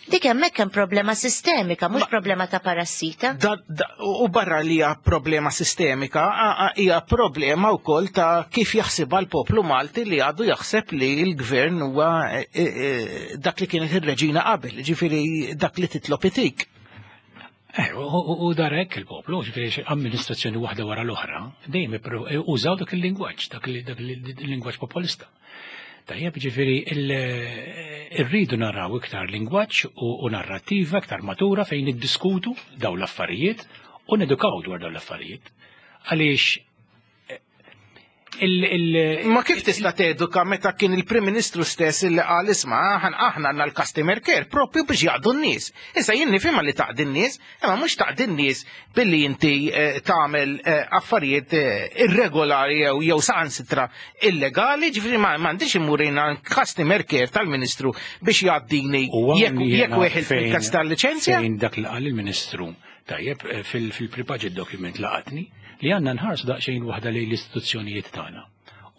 Dik hemmhekk hemm problema sistemika, mhux problema ta' parassita. Da, da, u barra li hija problema sistemika, a- a- hija problema wkoll ta' kif jaħsibha l-poplu Malti li għadu jaħseb li l-gvern huwa eh, eh, dak li kienet ir-reġina qabel, ġifieri dak li titlob itik. Eh, u- u u darek il-poplu, ġifieri amministrazzjoni waħda wara l-oħra, dejjem ipru- użaw dak il-lingwaġġ, dak il- dak il-lingwaġġ populista. Tajjeb, ġifieri il- irridu naraw iktar lingwaġġ u u narrativa iktar matura fejn niddiskutu daw l-affarijiet u nedukaw dwar daw l-affarijiet. Għaliex eh, il- il- Ma kif tista' teduka meta kien il-Prim Ministru stess illi qal isma' aħna aħna għandna l-customer care propju biex jaqdu n-nies. Issa jien nifhimha li taqdi n-nies, imma mhux taqdi n-nies billi inti eh, tagħmel eh, affarijiet eh, irregolari jew jew saħansitra illegali, ġifieri ma m'għandix immur jiena customer care tal-Ministru biex jgħaddini U jekk hawn jekk jiena weħel fejn- fil-każ tal-liċenzja. Fejn dak li qal il-Ministru, tajjeb, eh, fil- fil-pre-budget document laqatni, li għandna nħarsu daqsxejn waħda lejn l-istituzzjonijiet tagħna.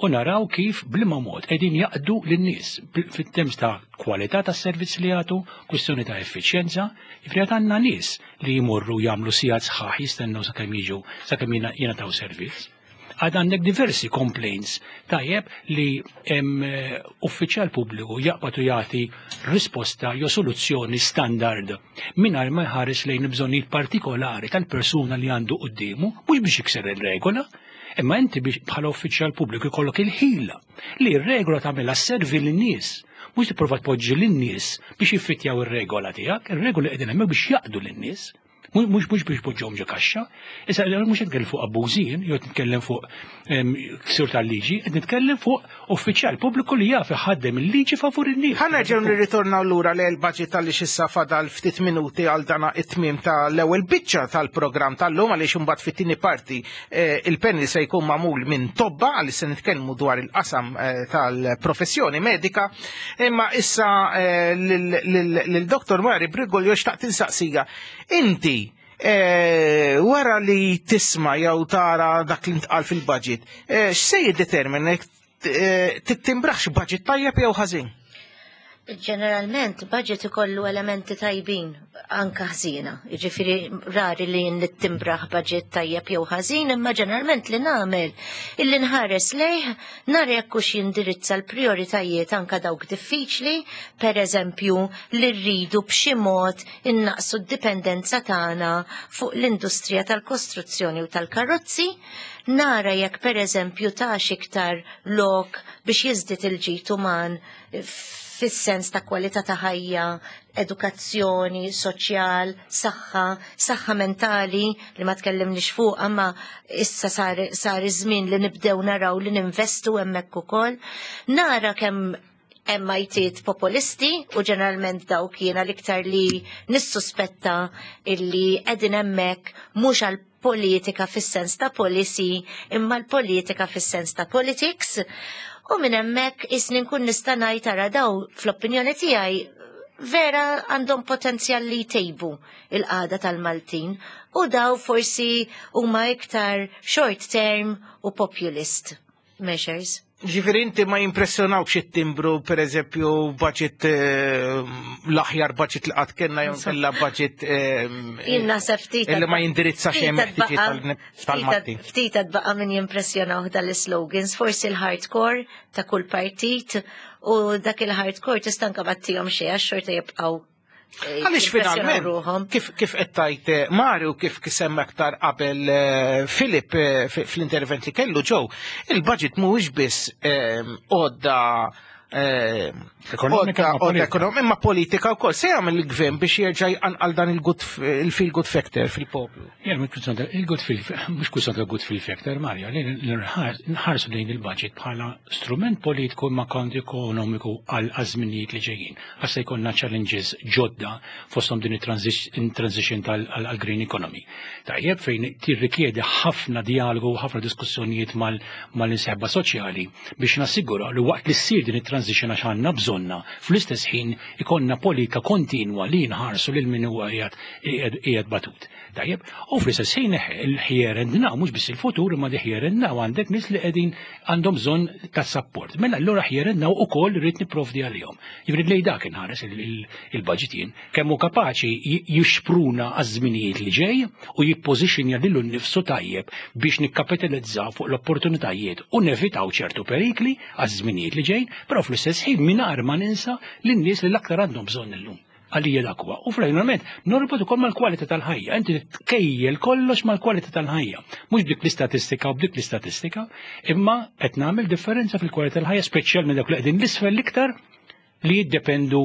U naraw kif bliema mod qegħdin jaqdu lin-nies bil- fit-terms ta' kwalità tas-servizz li jagħtu, kwistjoni ta' effiċjenza, jiġifieri għad għandna nies li jmorru jagħmlu sigħat sħaħ jistennew sakemm jiġu sakemm jingħ- jingħataw servizz. Għad għandek diversi complaints tajjeb li hemm eh, uffiċjal pubbliku jaqbad u jagħti risposta jew soluzzjoni standard mingħajr ma jħares lejn bżonnijiet partikolari tal-persuna li għandu quddiemu, mhux biex jikser ir-regola, imma inti biex bħala uffiċjal pubbliku jkollok il-ħila li r-regola tagħmilha servi lin-nies, mhux tipprova tpoġġi lin-nies biex jiffittjaw ir-regola tiegħek, ir-regola qegħdin hemmhekk biex jaqdu lin-nies. Mhux mhux biex poġġhom ġo kaxxa. Issa mhux qed nitkellem fuq abbużin, jew qed nitkellem fuq em, ksur tal-liġi, qed nitkellem fuq uffiċjal pubbliku li jaf iħaddem il-liġi favur in-nies. Ħa nerġgħu nirritornaw lura li l-budget tal issa fadal ftit minuti għal dana it-tmiem tal-ewwel biċċa tal-programm tal-lum, għaliex imbagħad fit-tieni parti eh, il-panel se jkun magħmul minn tobba għaliex se nitkellmu dwar il-qasam eh, tal-professjoni medika. Imma issa eh, lil Doktor Mari Brigolio xtaqt insaqsija. Inti eh, wara li tisma' jew tara dak li ntqal fil-budget, eh, x'se jiddetermina eh, tittimbraħx budget tajjeb jew ħażin? Ġeneralment, budget ikollu elementi tajbin anka ħżiena. Jiġifieri rari li nittimbraħ budget tajjeb jew ħażin, imma ġeneralment li nagħmel illi nħares lejh nara jekk hux jindirizza l-prioritajiet anka dawk diffiċli, per eżempju li rridu b'xi mod innaqsu d-dipendenza tagħna fuq l-industrija tal-kostruzzjoni u tal-karozzi, nara jekk per eżempju tax iktar lok biex jiżdied il-ġid uman fis-sens ta' kwalità ta' ħajja, edukazzjoni, soċjal, saħħa, saħħa mentali li ma tkellimniex fuq, imma issa sar, sar iż-żmien li nibdew naraw li ninvestu hemmhekk ukoll. Nara kemm hemm għajtiet populisti u ġeneralment dawk jiena l-iktar li nissuspetta illi qegħdin hemmhekk mhux għal politika fis-sens ta' policy imma l-politika fis-sens ta' politics. U minn hemmhekk isni nkun nista' ngħid ara daw fl-opinjoni tiegħi vera għandhom potenzjal li jtejbu il-qagħda tal-Maltin u daw forsi huma iktar short term u populist measures. Ġifieri inti ma jimpressjonawx it-timbru, per eżempju, budget eh, l-aħjar budget li qatt kellna jew kellha budget eh, Jien naħseb ftit illi ma jindirizza xejn meħtieġiet tal-Maltin. Ftit baqa min jimpressjonaw dal-slogans, forsi l-hardcore ta' kull partit u dak il-hardcore tista' anka battihom xejn għax xorta jibqgħu eh, Għaliex jimpressjonaw finalment, ruħhom. kif kif qed tajt eh, Mario, kif semma aktar qabel eh, Filip eh, fi- fl-intervent li kellu ġew, il-budget mhuwiex biss eh, għodda Ekonomika imma politika wkoll. Se jagħmel il-gvern biex jerġa' jqanqal dan il-feel good factor fil-poplu? Il-good feel, mhux kwistjoni ta' good feel factor, Mario, li nħarsu lejn il-budget bħala strument politiku imma kont ekonomiku għal żminijiet li ġejjin. Għax se jkollna challenges ġodda fosthom din it-transition tal-green economy. Tajjeb fejn tirrikjedi ħafna dialogu u ħafna diskussjonijiet mal-insieħba soċjali biex nassigura li waqt li ssir din it-transition għax għandna bżonna fl-istess ħin ikonna politika kontinwa li nħarsu lil min huwa qiegħed batut. Tajjeb, u fl-istess ħin il-here and now, mhux biss il-futur imma di here and now għandek nies li qegħdin għandhom bżonn ta' support. Mela allura here and now ukoll rrid nipprovdi għalihom. Jiġifieri lejn dak inħares il-budget jien kemm hu kapaċi jixpruna għaż-żminijiet li ġej u jippożixxinja lilu nnifsu tajjeb biex nikkapitalizzaw fuq l-opportunitajiet u nevitaw ċertu perikli għaż-żminijiet li ġejn, però fl-istess ħin mingħajr ma ninsa lin-nies li l-aktar għandhom bżonn illum. Għalija dak huwa. U finalment norbot ukoll mal-kwalità tal-ħajja. Inti tkejjel kollox mal-kwalità tal-ħajja. Mhux b'dik l-istatistika u b'dik l-istatistika, imma qed nagħmel differenza fil-kwalità tal-ħajja, speċjalment dawk li qegħdin l-isfel l-iktar li jiddependu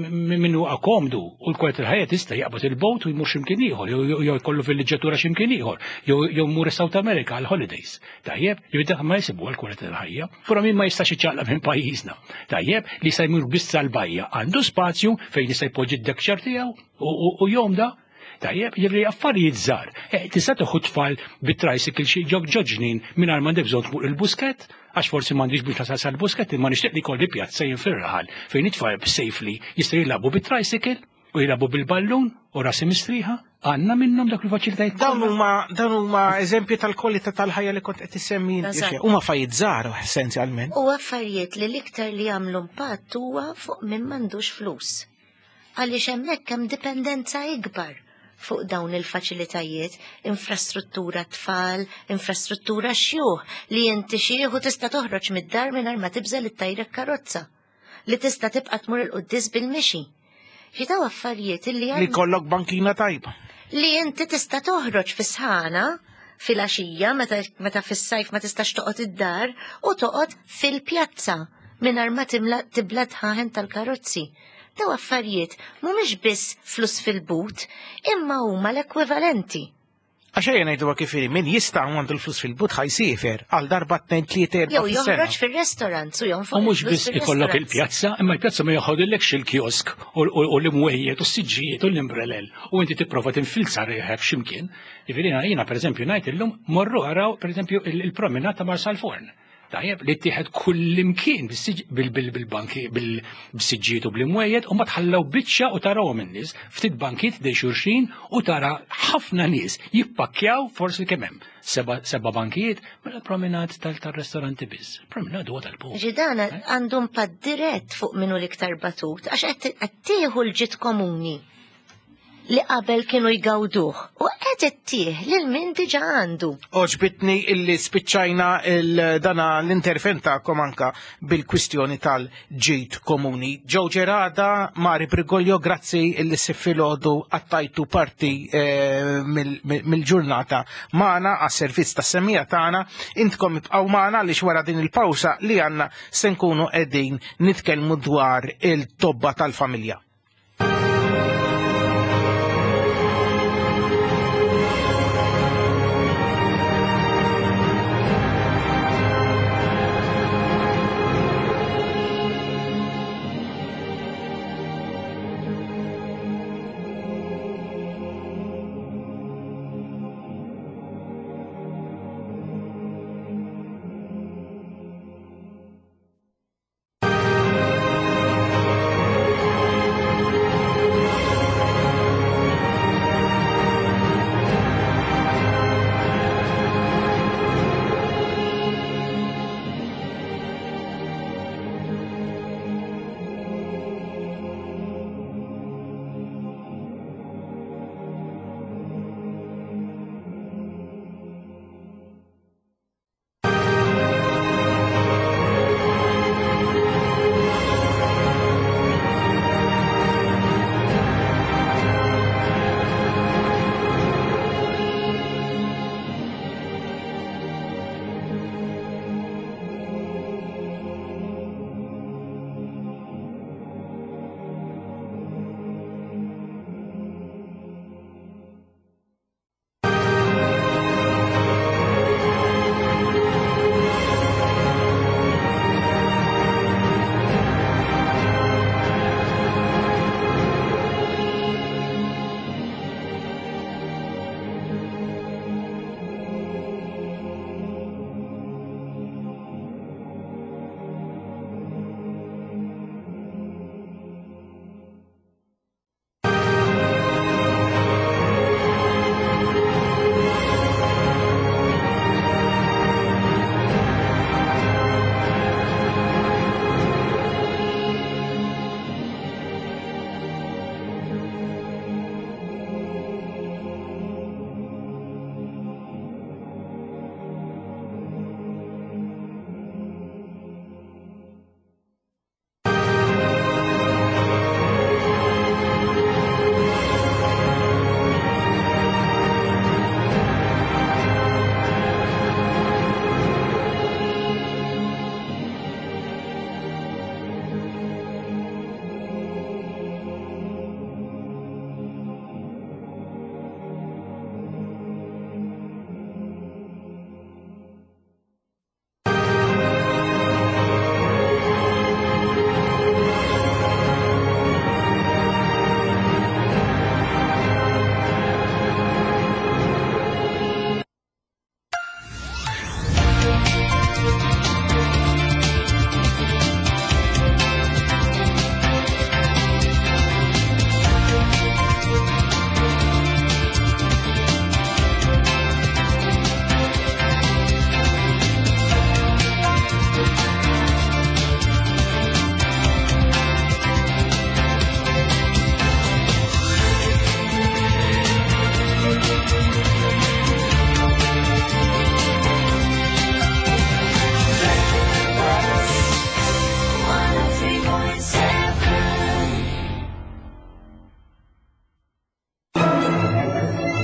minnu akomdu u l-kwalità tal-ħajja tista' jaqbad il-bot u jmur x'imkien ieħor, jew jkollu fil-liġġatura x'imkien ieħor, jew jmur South America għal holidays. Tajjeb, jew dak ma jsibu għall-kwalità tal-ħajja, però min ma jistax iċċaqlaq minn pajjiżna. Tajjeb, li se jmur biss għall-bajja, għandu spazju fejn jista' jpoġġi d-dekxar tiegħu u jomda. Tajjeb, jiġri affarijiet żgħar. Tista' tieħu tfal bit-tricycle xi ġoġnin mingħajr m'għandek bżonn tmur il-buskett, għax forsi m'għandix biex tasal sal-buskett, imma nixtieq li jkolli pjazza jien fir-raħal fejn it-tfal safely jistgħu jilagħbu bit-tricycle u jilagħbu bil-ballun u rasi mistrieħa. Għandna minnhom dak il-faċilitajiet. Dawn huma dawn huma eżempji tal-kwalità tal-ħajja li kont qed issemmi inti. Huma affarijiet żgħar essenzjalment. U affarijiet li l-iktar li jagħmlu impatt huwa fuq min m'għandux flus. Għaliex hemmhekk hemm dipendenza ikbar fuq dawn il-faċilitajiet, infrastruttura tfal, infrastruttura xjuħ, li inti xieħu tista' toħroġ mid-dar mingħajr ma tibżel it-tajrek karozza, li tista' tibqa' tmur il-quddis bil-mixi. Xi daw affarijiet illi li kollok bankina tajba. Li inti tista' toħroġ fis-sħana fil-għaxija meta, meta fis-sajf ma tistax toqgħod id-dar u toqgħod fil-pjazza mingħajr ma timla tibla tħaħen tal-karozzi. Daw affarijiet mhumiex biss flus fil-but, imma huma l-ekwivalenti. Għax ejja ngħidu kif min jista' għandu l-flus fil-but ħajsiefer għal darba tnejn tlieta erba' Jew joħroġ fir-restaurant u jonfoq. U mhux biss ikollok il-pjazza, imma l-pjazza ma joħodilekx il-kiosk u l-imwejjed u s-siġġijiet u l-imbrelel u inti tipprova tinfilza riħek x'imkien. Jiġifieri jiena pereżempju ngħid illum morru araw pereżempju il-promenata ta' Marsalforn. Tajjeb, li ttieħed kullimkien bil-banki, bil-siġġiet u bl-imwejjed, u ma tħallew biċċa u tarawhom in-nies, ftit bankiet dej xulxin u tara ħafna nies jippakkjaw forsi kemm hemm. Seba' bankijiet, mela promenad tal-ristoranti biss. Promenad huwa tal-poplu. Ġidana għandu impatt dirett fuq minnu l-iktar batut, għax qed tieħu l-ġid komuni li qabel kienu jgawduh u qed ittih lil min diġà għandu. Oġbitni illi spiċċajna il-dana l-intervent tagħkom anka bil-kwistjoni tal-ġid komuni. Joe Gerada, Mari Briguglio, grazzi illi s-filgħodu għattajtu parti eh, mill-ġurnata magħna għas-servizz tas-semija tagħna. Intkom ibqgħu magħna għaliex wara din il-pawsa li għandna se nkunu qegħdin nitkellmu dwar il-tobba tal-familja.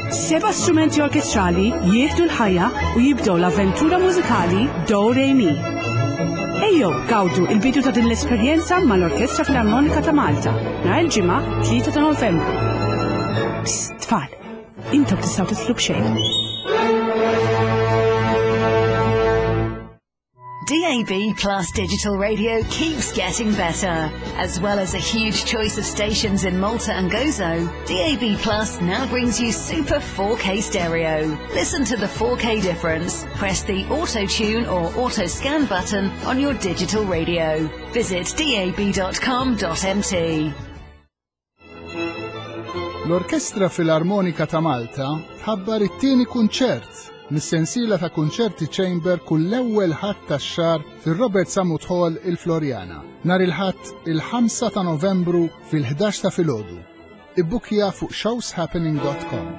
Seba' strumenti orkestrali jieħdu l-ħajja u jibdew l-avventura mużikali Do Re Mi. Ejjew gawdu il-bidu ta' din l-esperjenza mal-Orkestra Filarmonika ta' Malta nhar il-Ġimgħa tlieta ta' Novembru. Psst, tfal, intom tistgħu tidħlu b'xejn. D A B Plus Digital Radio keeps getting better. As well as a huge choice of stations in Malta and Gozo, D A B Plus now brings you Super four K stereo. Listen to the four K difference. Press the Auto Tune or Auto Scan button on your digital radio. Visit D A B dot com dot M T. L-Orkestra Filarmonika ta' Malta tħabbar it-tieni kunċert mis-sensiela ta' kunċerti Chamber kull l-ewwel Ħadd tax-xahar fir-Robert Sammut Hall, il-Floriana. Nhar il-Ħadd il-ħamsa ta' Novembru fil-ħdax ta' filgħodu. Ibbukja fuq showshappening dot com.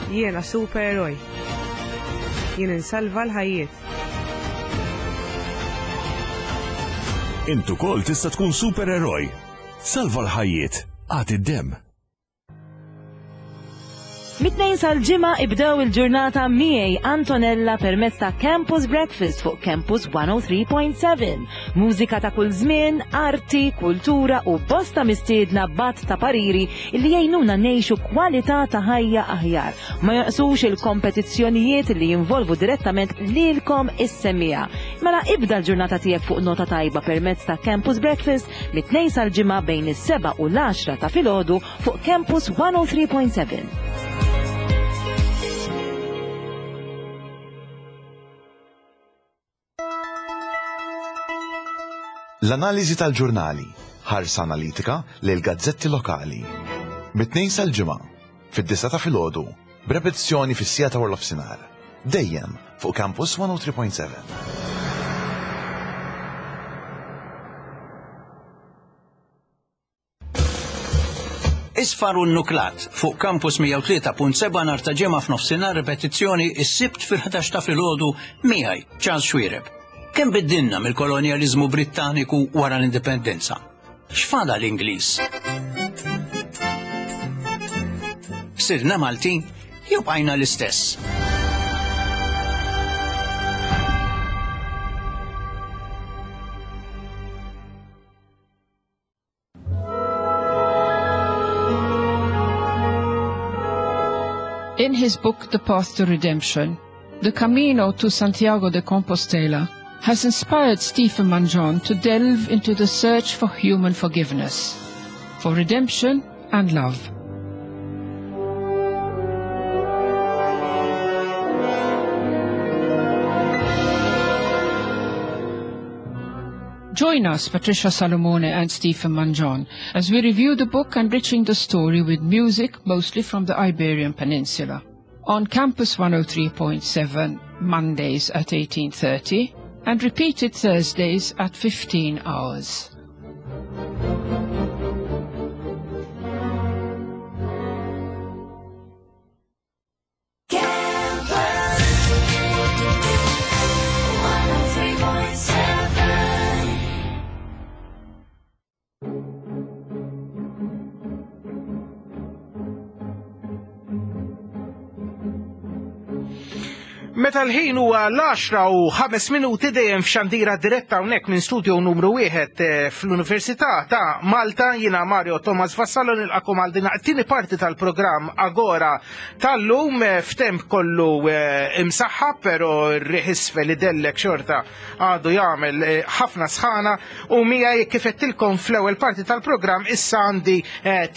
Jiena supereroj. Jien insalva l-ħajjiet. Int ukoll tista' tkun supereroj. Salva l-ħajjiet. Agħti d-demm. Mit-Tnejn sal-Ġimgħa ibdew il-ġurnata miegħi Antonella permezz ta' Campus Breakfast fuq Campus mija u tlieta punt seba'. Mużika ta' kull żmien, arti, kultura u bosta mistiedna b'għadd ta' pariri li jgħinuna ngħixu kwalità ta' ħajja aħjar. Ma jonqsux il-kompetizzjonijiet li jinvolvu direttament lilkom is-semmiegħa. Mela ibda l-ġurnata tiegħek fuq nota tajba permezz ta' Campus Breakfast mit-Tnejn sal-Ġimgħa bejn is-seba' u l-għaxra ta' filgħodu fuq Campus mija u tlieta punt seba'. L-analiżi tal-ġurnali, ħarsa analitika lil gazzetti lokali. Mit-Tnejn sal-Ġimgħa, fid-disgħa ta' filgħodu, b'repetizzjoni fis-siegħa ta' nofsinhar. Dejjem fuq Campus mija u tlieta punt seba'. Isfar u Nuklat fuq Campus mija u tlieta punt seba' nhar ta' Ġimgħa f'nofsinhar, ripetizzjoni is-Sibt fil-ħdax ta' filgħodu miegħi Charles Xuereb. Kemm biddilna mill-kolonjaliżmu Brittaniku wara l-indipendenza? X'fadal Ingliż? Sirna Maltin jew bqajna l-istess? In his book, The Path to Redemption, The Camino to Santiago de Compostela has inspired Stephen Mangion to delve into the search for human forgiveness, for redemption and love. Join us, Patricia Salomone and Stephen Mangion, as we review the book, enriching the story with music mostly from the Iberian Peninsula. On Campus one oh three point seven, Mondays at eighteen thirty and repeated Thursdays at fifteen hours. Campus one oh three point seven. Meta l-ħin huwa l-għaxra u ħames minuti, dejjem f'xandira diretta hawnhekk minn studio numru wieħed eh, fl-Università ta' Malta, jiena Mario Thomas Vassallo nilqakom għal din it-tieni parti tal-programm Agora tal-lum eh, f'temp kollu eh, imsaħħa, però r-riħ isfel idellek xorta għadu jagħmel ħafna sħana, u miegħi, kif għedtilkom fl-ewwel parti tal-programm, issa għandi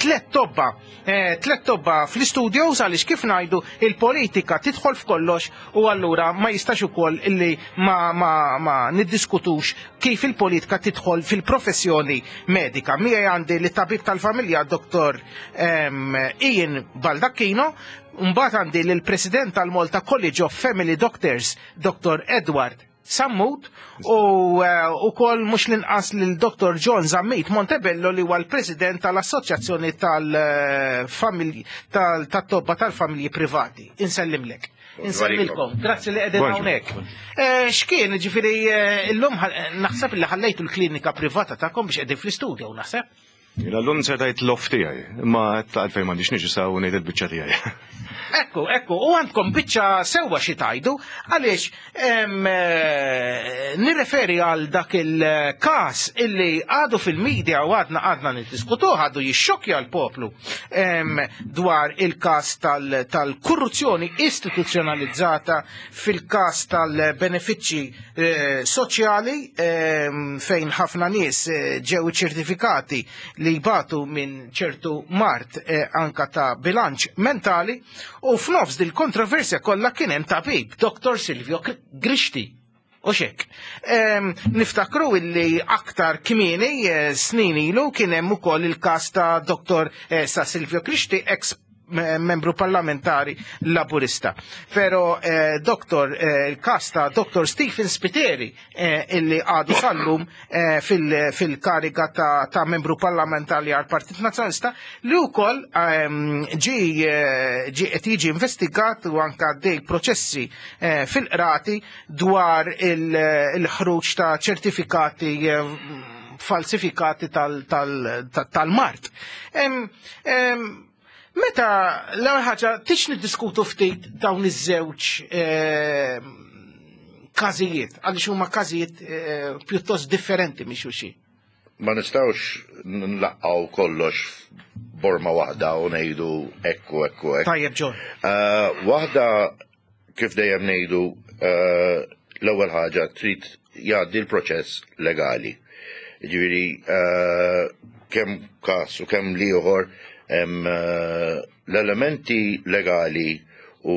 tliet tobba tliet tobba fl-istudio, għaliex, kif ngħidu, il-politika tidħol f'kollox u allura ma jistax ukoll illi ma, ma, ma niddiskutux kif il-politika tidħol fil-professjoni medika. Miegħi għandi lit-tabib tal-familja Doktor um, Ian Baldacchino, mbagħad għandi lill-President tal-Malta College of Family Doctors, Doktor Edward Sammut, u ukoll mhux l-inqas lil Doktor John Zammit Montebello, li huwa l-President tal-Assoċjazzjoni tal-Familji tal-Tobba tal-Familji Privati. Insellimlek. Insellmilkom, grazzi li qegħdin hawnhekk. Eh, x'kien, ġifieri eh, illum naħseb li ħallejtu l-klinika privata tagħkom biex qegħdin fl-istudio, naħseb. Jiena llum sertajt l-off tiegħi, imma għalfejn m'għandix niġi saw ngħid il-biċċa tiegħi. Ekku, ekku, u għandkom biċċa sewwa xi tajdu, għaliex nirreferi għal dak il-każ illi għadu fil-medja u għadna għadna niddiskutuh, għadu jixxokja l-poplu dwar il-każ tal-korruzzjoni istituzzjonalizzata fil-każ tal-benefiċċji eh, soċjali fejn ħafna nies eh, ġew ċertifikati li jbatu minn ċertu mard eh, anka ta' bilanċ mentali, u f'nofs dil kontroversja kollha kien hemm tabib, Doktor Silvio Grixti. U xek. Niftakru illi aktar kmieni eh, snin ilu kien hemm ukoll il-każ ta' Doktor eh, sa' Silvio Grixti, ex membru parlamentari laburista. Pero eh, doktor, eh, il-kas ta' Doktor Stephen Spiteri eh, illi għadu sallum eh, fil-kariga fil ta', ta' membru parlamentari għal Partit Nazzjonalista li wkoll ġi ġi qed jiġi investigat u anka dej proċessi eh, fil-qrati dwar il-ħruġ ta' ċertifikati eh, falsifikati tal-mart. Tal, tal Meta l-ewwel ħaġa tix niddiskutu ftit dawn iż-żewġ każijiet, għaliex huma każijiet pjuttost differenti minn xulxin. Ma nistgħux nlaqqgħu kollox borma waħda u ngħidu ekku ekku ekku. Tajjeb John. Waħda kif dejjem ngħidu l-ewwel ħaġa trid jgħaddi l-proċess legali. Jiġifieri kemm każ u kemm l-ieħor l-elementi legali u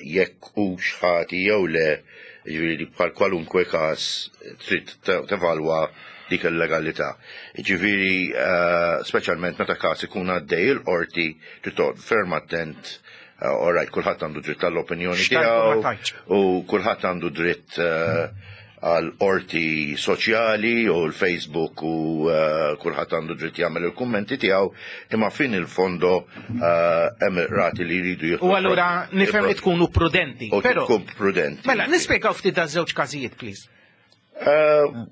jekk hux ħati jew le, jiġifieri bħal kwalunkwe każ trid tevalwa dik il-legalità. Jiġifieri speċjalment meta każ ikun għaddej il-qorti trid toqgħod ferm attent, all right, kulħadd għandu dritt għall-opinjoni tiegħu u kulħadd għandu dritt għal qorti soċjali u l-Facebook u kulħadd għandu dritt jagħmel il-kummenti tiegħu, imma fin il-fondo hemm rati li jridu jieħdu. U allura nifhem li tkunu prudenti. U tkun prudenti. Mela, nispjegaw ftit daż-żewġ każijiet, please.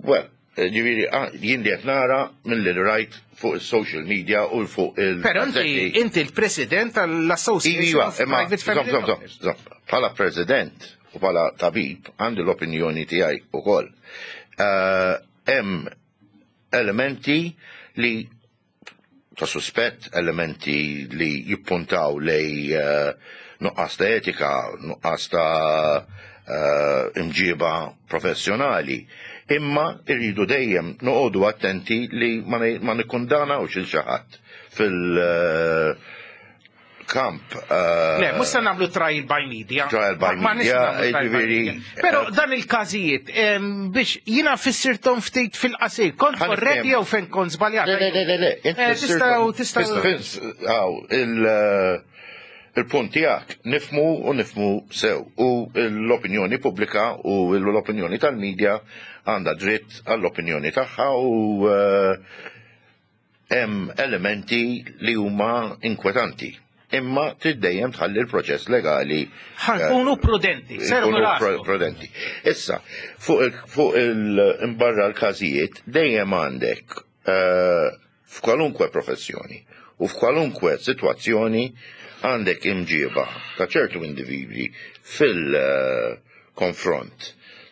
Well, ġifieri jien li qed nara milli rajt fuq is-social media u fuq il- Però inti inti l-president tal-Association of Private Family. Bħala president u bħala tabib għandi l-opinjoni tiegħi ukoll. Hemm elementi li ta' suspett, elementi li jippuntaw lej nuqqas ta' etika, nuqqas ta' imġiba professjonali. Imma irridu dejjem noqogħdu attenti li ma nikkundanawx il xi ħadd fil- kamp. Le, mhux se nagħmlu trial by media. Trial by media, ġifieri. Però dan il-każijiet biex jiena fissirthom ftit fil-qasir, kont korrett jew fejn kont żbaljat? Le, le, le, le. Tistgħu tistgħu. Il-punt tiegħek nifmu u nifmu sew u l-opinjoni pubblika u l-opinjoni tal-medja għandha dritt għall-opinjoni tagħha u hemm elementi li huma inkwetanti. Imma trid dejjem tħalli l-proċess legali. Ħankunu prudenti, servu prudenti. Issa, fuq il-imbarra l-każijiet dejjem għandek f'kwalunkwe professjoni u f'kwalunkwe sitwazzjoni għandek imġiba ta' ċertu individwi fil-konfront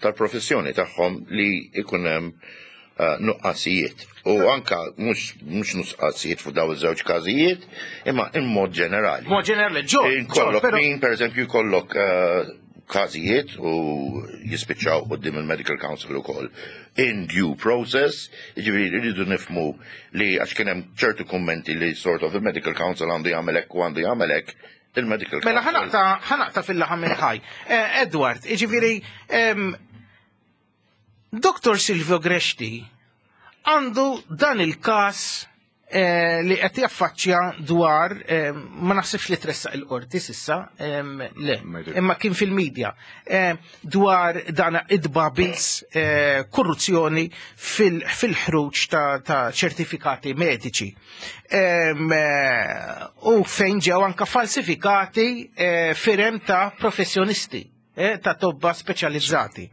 tal-professjoni tagħhom li ikun hemm nuqqasijiet. U anka mhux nuqqasijiet fuq daw iż-żewġ każijiet, imma in mod ġenerali. Mod ġenerali, ġo. Jkollok min, pereżempju, jkollok każijiet u jispiċċaw quddiem il-Medical Council ukoll in due process, jiġifieri rridu nifhmu li għax kien hemm ċertu kummenti li sort of il-Medical Council għandu jagħmel hekk u għandu jagħmel hekk, il-Medical Council. Mela ħanaqta fil-laħam il-ħaj. Edward, jiġifieri Doktor Silvio Grixti għandu dan il-kas eh, li qed jaffaċċja dwar eh, ma naħsibx li tressaq il-qorti s'issa, em, le, imma kien fil-medja eh, dwar dan id-babils eh, korruzzjoni fil- fil-ħruġ ta' ta' ċertifikati mediċi. Em, eh, U fejn ġew anka falsifikati eh, firem ta' professjonisti eh, ta' tobba speċjalizzati.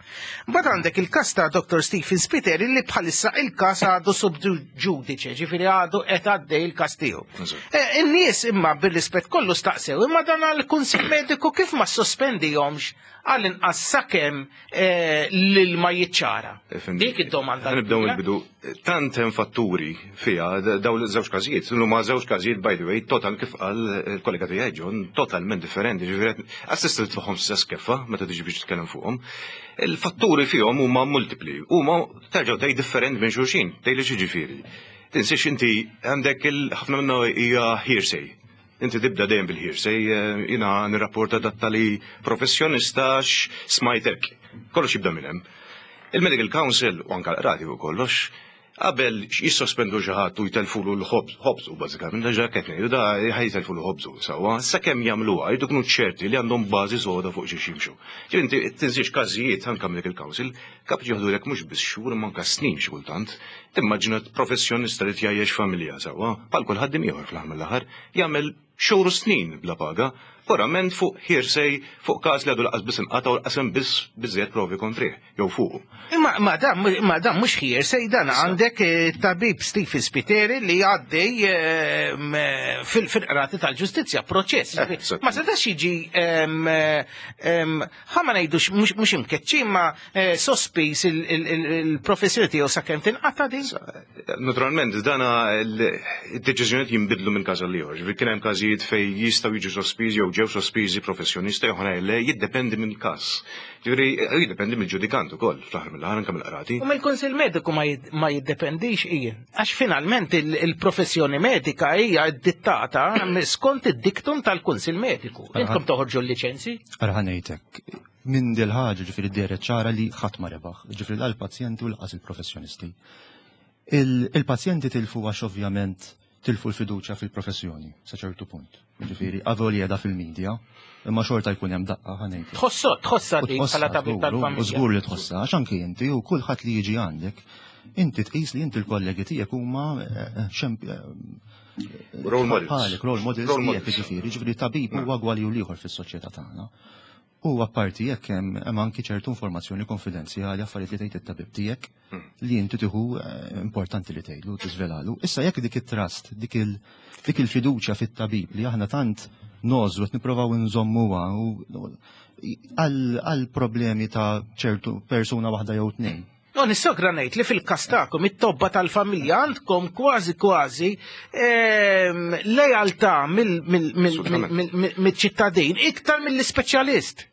Mbagħad għandek il-każ ta' Dr. Stephen Spiteri li bħalissa il-każ għadu sub judice, ġifieri għadu qed għaddej il-każ tiegħu. Eh, In-nies imma bir-rispett kollu staqsew, imma dan għall-Kunsill Mediku kif ma sospendihomx għall-inqas sakemm eh, l-ilma jiċċara. Dik id-domanda. Nibdew mill-bidu. Tant hemm fatturi fiha daw żewġ każijiet, huma żewġ każijiet by the way, total kif qal il-kollega tiegħi John, totalment differenti, ġifieri assist tagħhom stess keffa meta tiġi biex titkellem fuqhom. Il-fatturi fihom huma multipli, huma terġgħu tgħid differenti minn xulxin, tgħid li ġifieri. Tinsiex inti għandek il-ħafna minnu hija hearsay. Inti tibda dejjem bil-hearsay, eh, jiena nirrapporta dat-tali professjonista smajtek. Kollox jibda minn hemm. Il-Medical Council u anka l-qrati u kollox, qabel jissospendu xi ħadd u jtelfulu l-ħobż, ħobżu bażikament, diġà qed ngħidu da ħajtelfulu ħobżu sewwa, sakemm jagħmluha jridu jkunu ċerti li għandhom bażi soda fuq xi jimxu. Ġifieri inti tinsiex każijiet anke Medical Council kapaċi jieħdulek mhux biss xhur imma anke snin xi kultant. Timmaġina professjonista li tjajjex familja sewwa, bħal kull ħaddiem ieħor fl-aħħar mill-aħħar, jagħmel xhur u snin bla paga, purament fuq hearsay fuq każ li għadu lanqas biss inqata u lanqas biss biżżejjed provi kontrih, jew fuq. Imma ma dan ma dan mhux hearsay dan għandek eh, tabib Stephen Spiteri li għaddej eh, m- fil- fil-qrati tal-ġustizzja proċess. Eh, Ma setax jiġi em, em, ħa ma ngħidux mhux mhux imkeċċi ma eh, sospiż il- il- il- il-professjoni tiegħu sakemm tinqata din. Naturalment, dana il-deċiżjonijiet jinbidlu minn każ għal ieħor. Ġifieri kien hemm każijiet fejn jistgħu jiġu sospiżi jew ġew sospiżi professjonisti jew oħrajn le, jiddependi minn każ. Ġifieri jiddependi mill-ġudikant ukoll fl-aħħar mill-aħħar anke mill-qrati. U mill-Kunsill Mediku ma jid- ma jiddependix ija. Għax finalment il- il-professjoni medika hija dittata skont id-diktum tal-Kunsill Mediku. Intkom toħorġu l-liċenzi? Ara ħa ngħidlek, minn dil-ħaġa ġifieri dehret ċara li ħadd ma rebaħ, ġifieri la l-pazjenti u lanqas il-professjonisti. Il- Il-pazjenti tilfu għax ovvjament tilfu l-fiduċja fil-professjoni, sa ċertu punt. Ġifieri, avolja da fil-medja, imma xorta jkun hemm daqqa ħa ngħidlek. Tħossot, tħossa U di tħossha bħala tabib żgur, U tal-familja. żgur li tħossha, għax anki inti u kulħadd li jiġi għandek, inti tqis li inti l-kollegi tiegħek huma eh, xemp- eh, Role models. Bħalek, role models Role tiegħek models. ġifieri, ġifieri tabib huwa gwali u l-ieħor fis-soċjetà tagħna. U apparti jekk hemm hemm anki ċertu informazzjoni konfidenzjali affarijiet li tgħid it-tabib tiegħek li inti tieħu eh, importanti li tgħidlu tiżvelalu. Issa jekk dik it-trust, dik il dik il-fiduċja fit-tabib li aħna tant nożu qed nipprovaw nżommuha u għal għal problemi ta' ċertu persuna waħda jew tnejn. No, nissogra ngħid li fil-każ tagħkom it-tobba tal-familja għandkom kważi kważi ehm, lejaltà mill-ċittadin iktar mill-ispeċjalist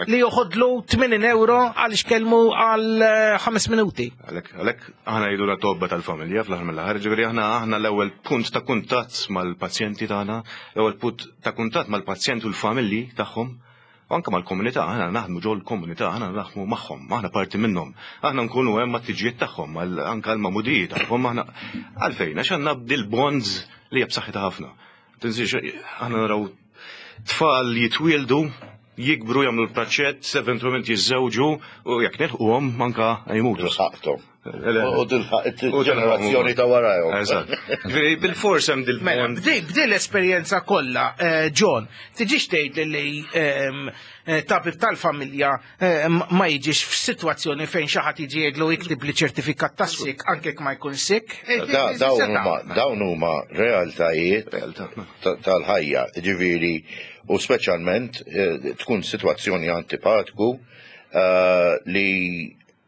li joħodlu tmenin euro għal xkelmu għal eh, ħames minuti. Għalek, għalek, aħna jgħidu la tobba tal-familja fl-aħħar mill-aħħar, ġifieri aħna aħna l-ewwel punt ta' kuntatt mal-pazjenti tagħna, l-ewwel punt ta' kuntatt mal-pazjenti u l-familji tagħhom, u anke mal-komunità, aħna naħdmu ġol komunità, aħna naħdmu magħhom, aħna parti minnhom. Aħna nkunu hemm mat-tiġijiet tagħhom, anke l-magħmudijiet tagħhom, aħna għalfejn, għax għandna dil-bonds li hija b'saħħitha ħafna. Tinsiex, aħna naraw tfal jitwieldu jikbru jagħmlu l-praċett, eventualment jiżżewġu u jekk nilħquhom anka jmutu. Tilħaqthom. U tilħaq il-ġenerazzjoni ta' warajhom. Eżatt. Ġifieri bil-fors hemm Mela, dil-bond. b'di b'di l-esperjenza kollha, eh, John, tiġix tgħid li ehm, eh, tabib tal-familja eh, ma jiġix f'sitwazzjoni fejn xi ħadd jiġi jgħidlu iktib li ċertifikat ta' sick anke jekk ma jkun sick. Eh, Da- eh, Dawn seta'. huma dawn huma realtajiet ta- tal-ħajja, ġifieri u speċjalment eh, tkun sitwazzjoni antipatku eh, li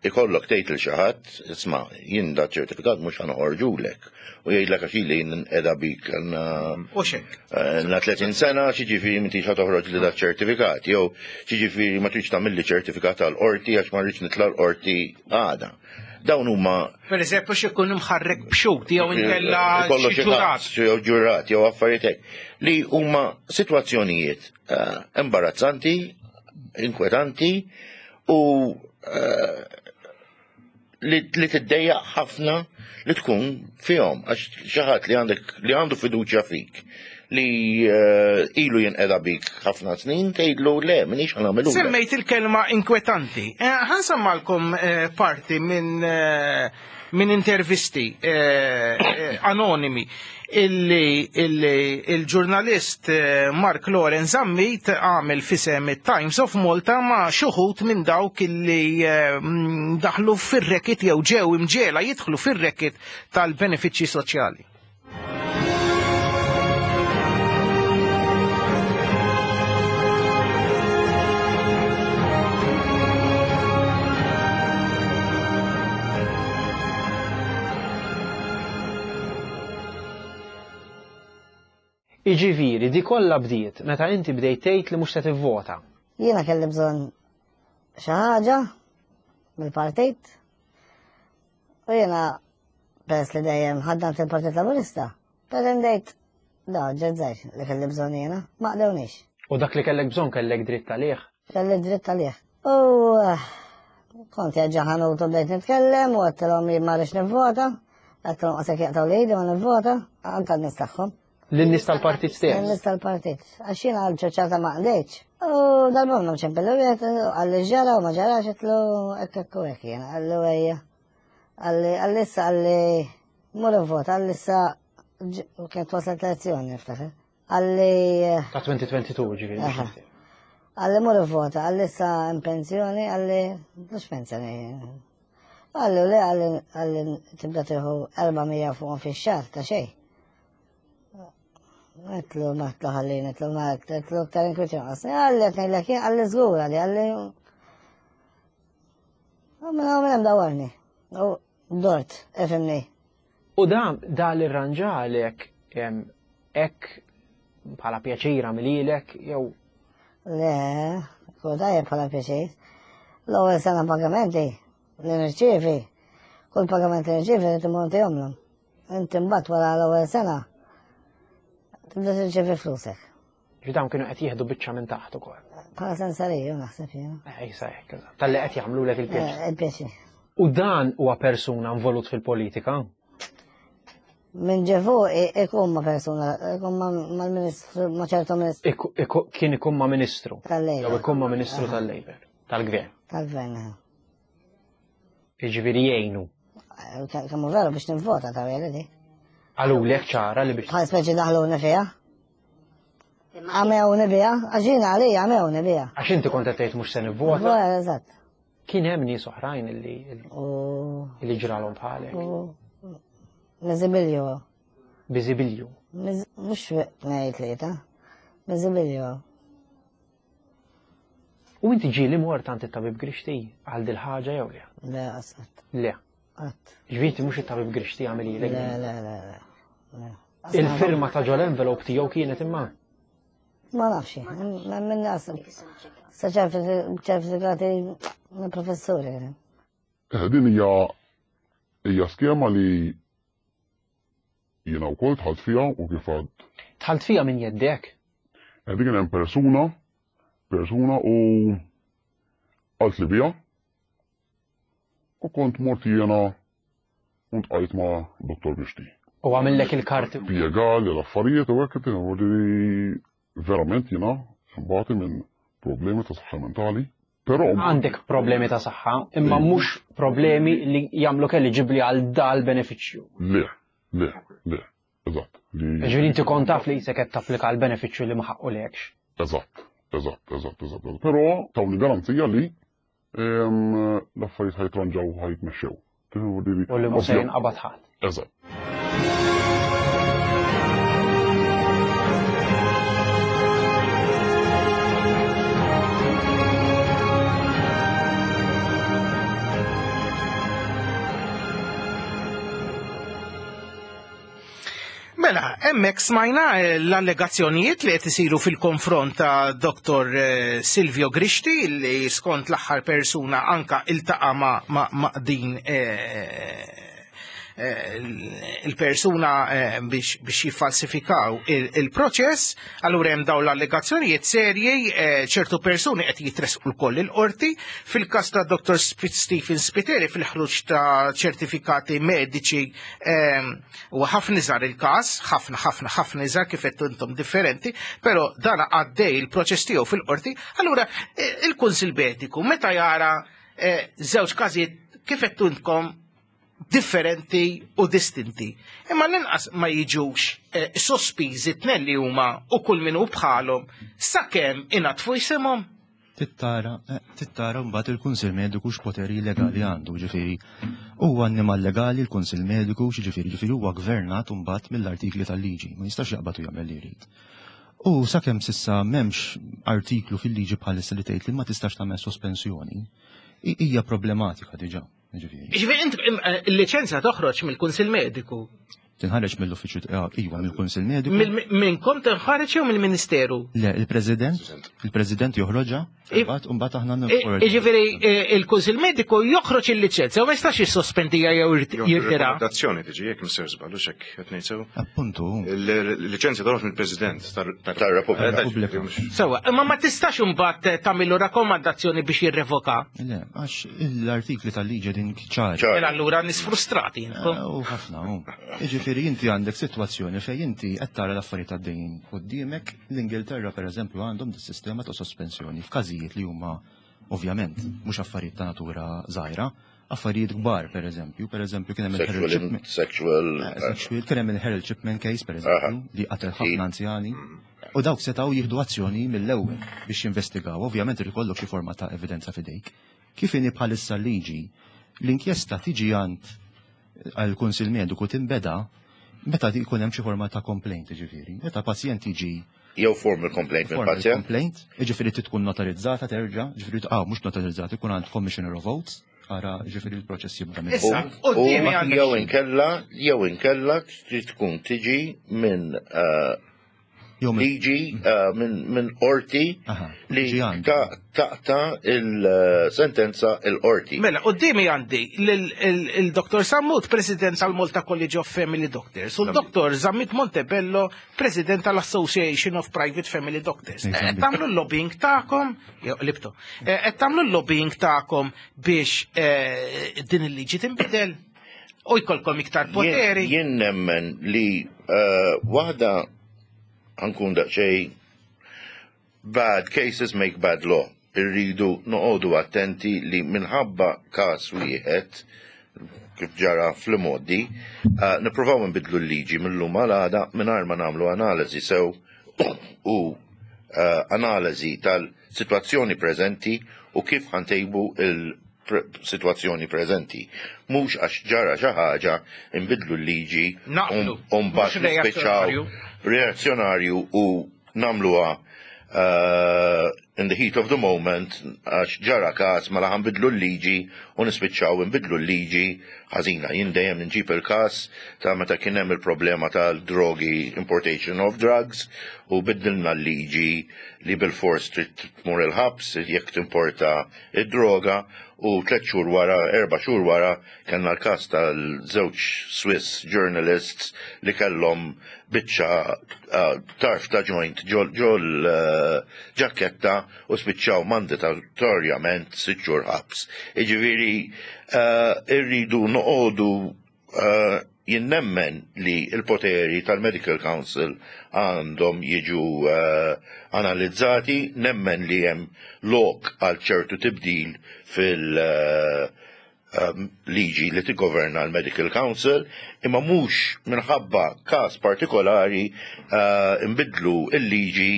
ikollok tgħid lil xi ħadd, isma' jien da ċertifikat mhux ħa noħorġulek. U jgħidlek għax ili jien qiegħda bik għandna U xek. na tletin sena, xiġifieri m'intix ħa toħroġ li da ċertifikat, jew xiġifieri ma tridx tagħmilli ċertifikat tal-qorti għax ma rridx nitla' l-qorti għada. Dawn huma Per eżempju, xi jkun imħarrek b'xhud jew inkella kollu xi xi ġurat. ħadd, jew ġurat jew affarijiet hekk li huma sitwazzjonijiet eh, imbarazzanti, inkwetanti u eh, li, li tiddejjaq ħafna li tkun fihom għax xi ħadd li għandek li għandu fiduċja fik li eh, ilu jinqeda bik ħafna snin tgħidlu le m'iniex ħa nagħmelu. Semmejt il-kelma inkwetanti. Eh, ħa nsemmalkom eh, parti minn eh, minn intervisti eh, eh, anonimi illi illi il-ġurnalist eh, Mark Loren Zammit għamel f'isem Times of Malta ma' xi wħud minn dawk illi eh, mm, daħlu fir-racket jew ġew imġiegħla jidħlu fir-racket tal-benefiċċji soċjali. Iġifieri, di kollha bdiet meta inti bdejt tgħid li mhux se tivvota. Jiena kelli bżonn xi ħaġa mill-partit u jiena peress li dejjem ħaddamt il-Partit Laburista, pretendejt da ġezzajx li kelli bżonn jiena, ma qdewnix. U dak li kellek bżonn kellek dritt għalih. Kelli dritt għalih. U eh, kont ġo ħanut u bdejt nitkellem u għedtilhom li ma rridx nivvota, għedtilhom qasek jaqtgħu li ma nivvota, anka n-nies tagħhom. Lin-nies tal-partit stess. Lin-nies tal-partit. Għax jiena għal ċoċata ma qdejtx. U dal-bom ċempillu wieħed qalli ġara u ma ġarax għedtlu hekk hekk u hekk jiena qalli ejja. Qalli qalli issa qalli mur vota qalli issa kienet waslet elezzjoni niftakar. Qalli Ta' twenty twenty-two ġifieri. Aha. Qalli mur vota, qalli issa in pensjoni, qalli mhux pensjoni. Qalli le qalli qalli tibda tieħu erba' mija fuqhom fix-xahar ta' xejn. Għedtlu ma għedtlu ħallini, għedtlu ma għedtlu aktar inkwiet jonqosni. Qalli qed ngħidlek jien, qalli żgur qalli qalli. U minn hawn minn hemm dawarni. U dort, ifhimni. U da da li rranġalek hekk bħala pjaċira mililek jew Le, kull tajjeb bħala pjaċir. L-ewwel sena pagamenti li nirċievi, kull pagament li nirċievi li timmonti jomlhom. Inti mbagħad wara l-ewwel sena tibda tirċievi flusek. Ġi dawn kienu qed jieħdu biċċa minn taħt ukoll. Bħala sensariju naħseb jiena. Eh, Issa hekk, eżatt. Talli qed jagħmlulek il-pjaċir. Eh, Il-pjaċir. U dan huwa persuna involut fil-politika? Minn ġefu ikun ma persuna, ikun ma' mal-ministru, ma' ċertu ministru Iku- iku- Kien ikun ma' ministru. Tal-Labour. Jew ikun ma' ministru tal-Labour, tal-gvern. Tal-gvern. Jiġifieri jgħinu. Eh, Kemm hu veru biex nivvota ta' di. Qalulek ċara li biex. Bħal speċi daħluni fiha. Għamewni biha, għax jiena għalija għamewni biha. Għax inti kont qed tgħid mhux se nivvota. Vota, eżatt. Kien hemm nies oħrajn illi illi ġralhom bħalek. Miżibilju. Biżibilju. Mhux tnejn tlieta. Miżibilju. U inti ġieli mort għand it-tabib Grixti għal dil ħaġa jew le? Le, qatt. Le. Qatt. Ġifieri mhux it-tabib Grixti għamilhielek. Le, le, le, le. Il-firma ta' ġol envelope tiegħu kienet imma. Ma nafx, minn nas. Sa ċertifikati minn professuri. Eh, din hija hija skema li jiena wkoll dħalt fiha u kif għad Dħalt fiha minn jeddek. Eh, Din kien hemm persuna, persuna u qalt li bija u kont mort jiena u ltqajt ma' Dottor Grixti. U għamillek il-karti. Spjegali l-affarijiet u hekk li verament jiena mbati minn problemi ta' saħħa mentali. Però Għandek problemi ta' saħħa, imma mhux problemi li jagħmlu eliġibbli għal dal benefiċċju. Le, le, le, eżatt. Li Ġifieri inti kont taf li qisek qed tapplika għal benefiċċju li ma ħaqqulekx. Eżatt, eżatt, eżatt, eżatt. Però tawni garanzija li em, l-affarijiet ħa jitranġaw ħa jitmexxew. U li mhux se jinqabad ħadd. Eżatt. Mela, hemmhekk smajna eh, l-allegazzjonijiet li qed isiru fil-konfront ta' Doktor eh, Silvio Grixti li skont l-aħħar persuna anka iltaqa' ma', ma, ma din eh, il-persuna eh, biex biex jiffalsifikaw il- il-proċess, allura hemm dawn l-allegazzjonijiet serji, eh, ċertu persuni qed jitresqu lkoll il-qorti. Fil-każ ta' Dottor Stephen Spiteri fil-ħruġ ta' ċertifikati mediċi ehm, u ħafna iżgħar il-każ, ħafna ħafna ħafna iżgħar kif qed intom differenti, però dan għaddej il-proċess tiegħu fil-qorti, allura eh, il-Kunsil Mediku meta jara eh, żewġ każijiet kif qed intkom differenti u distinti. Imma l-inqas ma jiġux eh, sospiżi tnejn li huma u kull min hu bħalhom sakemm inatfu jisimhom. Tittara, eh, tittara mbagħad il-Kunsil Mediku x'poteri legali għandu, ġifieri. Huwa annimal legali l-Kunsil Mediku, ġifieri, ġifieri huwa gvernat mbagħad mill-artikli tal-liġi, ma jistax jaqbad u jagħmel li jrid. U sakemm s'issa m'hemmx artiklu fil-liġi bħalissa li tgħid li ma tistax tagħmel sospensjoni, i- hija problematika diġà, ġifieri. Ġifieri int eh, il-liċenzja toħroġ mill-Kunsil Mediku. Tinħareġ mill-uffiċċju, eh, iva, mill-Kunsil Mediku. Mill- Minnkom tinħareġ jew mill-Ministeru? Le, il-President, il-President joħroġha, mbagħad mbagħad aħna nħorġu. Ġifieri eh, il-Kunsil Mediku joħroġ il-liċenzja u ma jistax jissospendiha jew jirtira. Rakkomandazzjoni tiġi jekk Mister żball, hux hekk qed ngħid sew? Appuntu. Il-liċenzja toħroġ mill-President tar-Repubblika. Sewa, imma ma tistax imbagħad tagħmillu rakkomandazzjoni biex jirrevoka. Le, għax l-artikli tal-liġi din ċari. Mela allura nies frustrati intom. U ħafna, u. Jiġifieri inti għandek sitwazzjoni fejn inti qed tara l-affarijiet għaddejjin quddiemek. L-Ingilterra pereżempju għandhom dis-sistema ta' sospensjoni f'każijiet li huma ovvjament mhux affarijiet ta' natura żgħira, affarijiet kbar pereżempju, pereżempju kien hemm il-Harold Sexual, Shipman. sexual, Eh, sexual, kien hemm il-Harold Shipman case pereżempju li qatel ħafna anzjani. U dawk setgħu jieħdu azzjoni mill-ewwel biex jinvestigaw. Ovvjament irid ikollok xi forma ta' evidenza f'idejk. Kif inhi bħalissa l-liġi, l-inkjesta tiġi għand għal-Kunsil Mediku tinbeda meta jkun hemm xi forma ta' complaint, ġifieri. Meta pazjent jiġi jew formal complaint formal mill-pazjent. complaint, ġifieri tkun notarizzata terġa', ġifieri ah mhux notarizzata, ikun għand Commissioner of Oaths, ara ġifieri l-proċess jibda minn Issa, U qudiemi għandek jew inkella, jew inkella trid tkun tiġi minn eh, liġi eh, minn minn qorti li ta- taqta il-sentenza il-qorti. Mela, qudiemi għandi il-Dottor Sammut, President tal-Malta College of Family Doctors, u l-Dottor Zammit Montebello, President tal-Association of Private Family Doctors. Qed tagħmlu l-lobbying tagħkom, jew libto, qed tagħmlu l-lobbying tagħkom biex eh, din il-liġi tinbidel u jkollkom iktar poteri. Jien nemmen li eh, waħda ħa nkun daqsxejn bad cases make bad law. Irridu noqogħdu attenti li minħabba każ wieħed kif ġara fl-modi, uh, nippruvaw nbidlu l-liġi mill-lum għal għada mingħajr ma nagħmlu analiżi sew u uh, analiżi tal-sitwazzjoni preżenti u kif ħa ntejbu il-sitwazzjoni preżenti. Mhux għax ġara xi ħaġa nbidlu l-liġi Naqblu. u mbagħad Mhux nispiċċaw reazzjonarju. reazzjonarju u nagħmluha uh, in the heat of the moment għax ġara każ mela ħa nbidlu l-liġi u nispiċċaw nbidlu l-liġi ħażina. Jien dejjem nġib il-każ ta' meta kien hemm il-problema tal-drogi, importation of drugs, u biddilna l-liġi li bil-fors trid tmur il-ħabs jekk timporta id-droga u tliet xhur wara, erba' xhur wara kellna l-każ tal-żewġ Swiss journalists li kellhom biċċa uh, tarf ta' joint ġol ġol uh, ġaketta u spiċċaw mandatorjament sitt xhur ħabs. Jiġifieri uh, irridu noqogħdu uh, jien nemmen li il-poteri tal-Medical Council għandhom jiġu uh, analizzati, nemmen li hemm lok għal ċertu tibdil fil- uh, um, liġi li tigoverna l-Medical Council, imma mhux minħabba każ partikolari uh, imbidlu il-liġi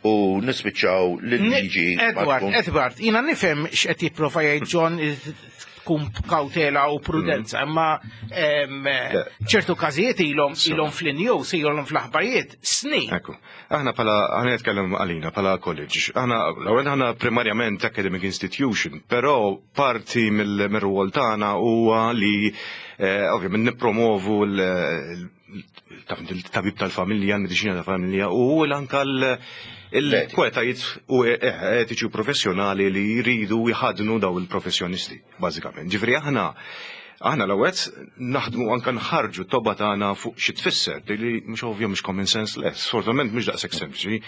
u nispiċċaw l-liġi ma Edward, tkun- Edward, jiena nifhem x'qed jipprova jgħid John tkun kawtela u prudenza, imma em, ċertu każijiet ilhom ilhom fl-news, ilhom fl-aħbarijiet snin. Ekku. Aħna pala, aħna nitkellem għalina pala college. Aħna, l-ewwel aħna primarjament academic institution, però parti mill-rwol tagħna huwa li eh, ovvjament nippromovu l- il-tabib tal-familja, l-mediċina tal-familja u l-anka l- il-kwalitajiet u e- etiċi u professjonali li jridu jħadnu daw il-professjonisti, bażikament. Ġifieri aħna Aħna l-ewwel naħdmu anke nħarġu t-tobba tagħna fuq xi tfisser, li mhux ovvja mhux common sense less, sfortunatament mhux daqshekk sempliċi.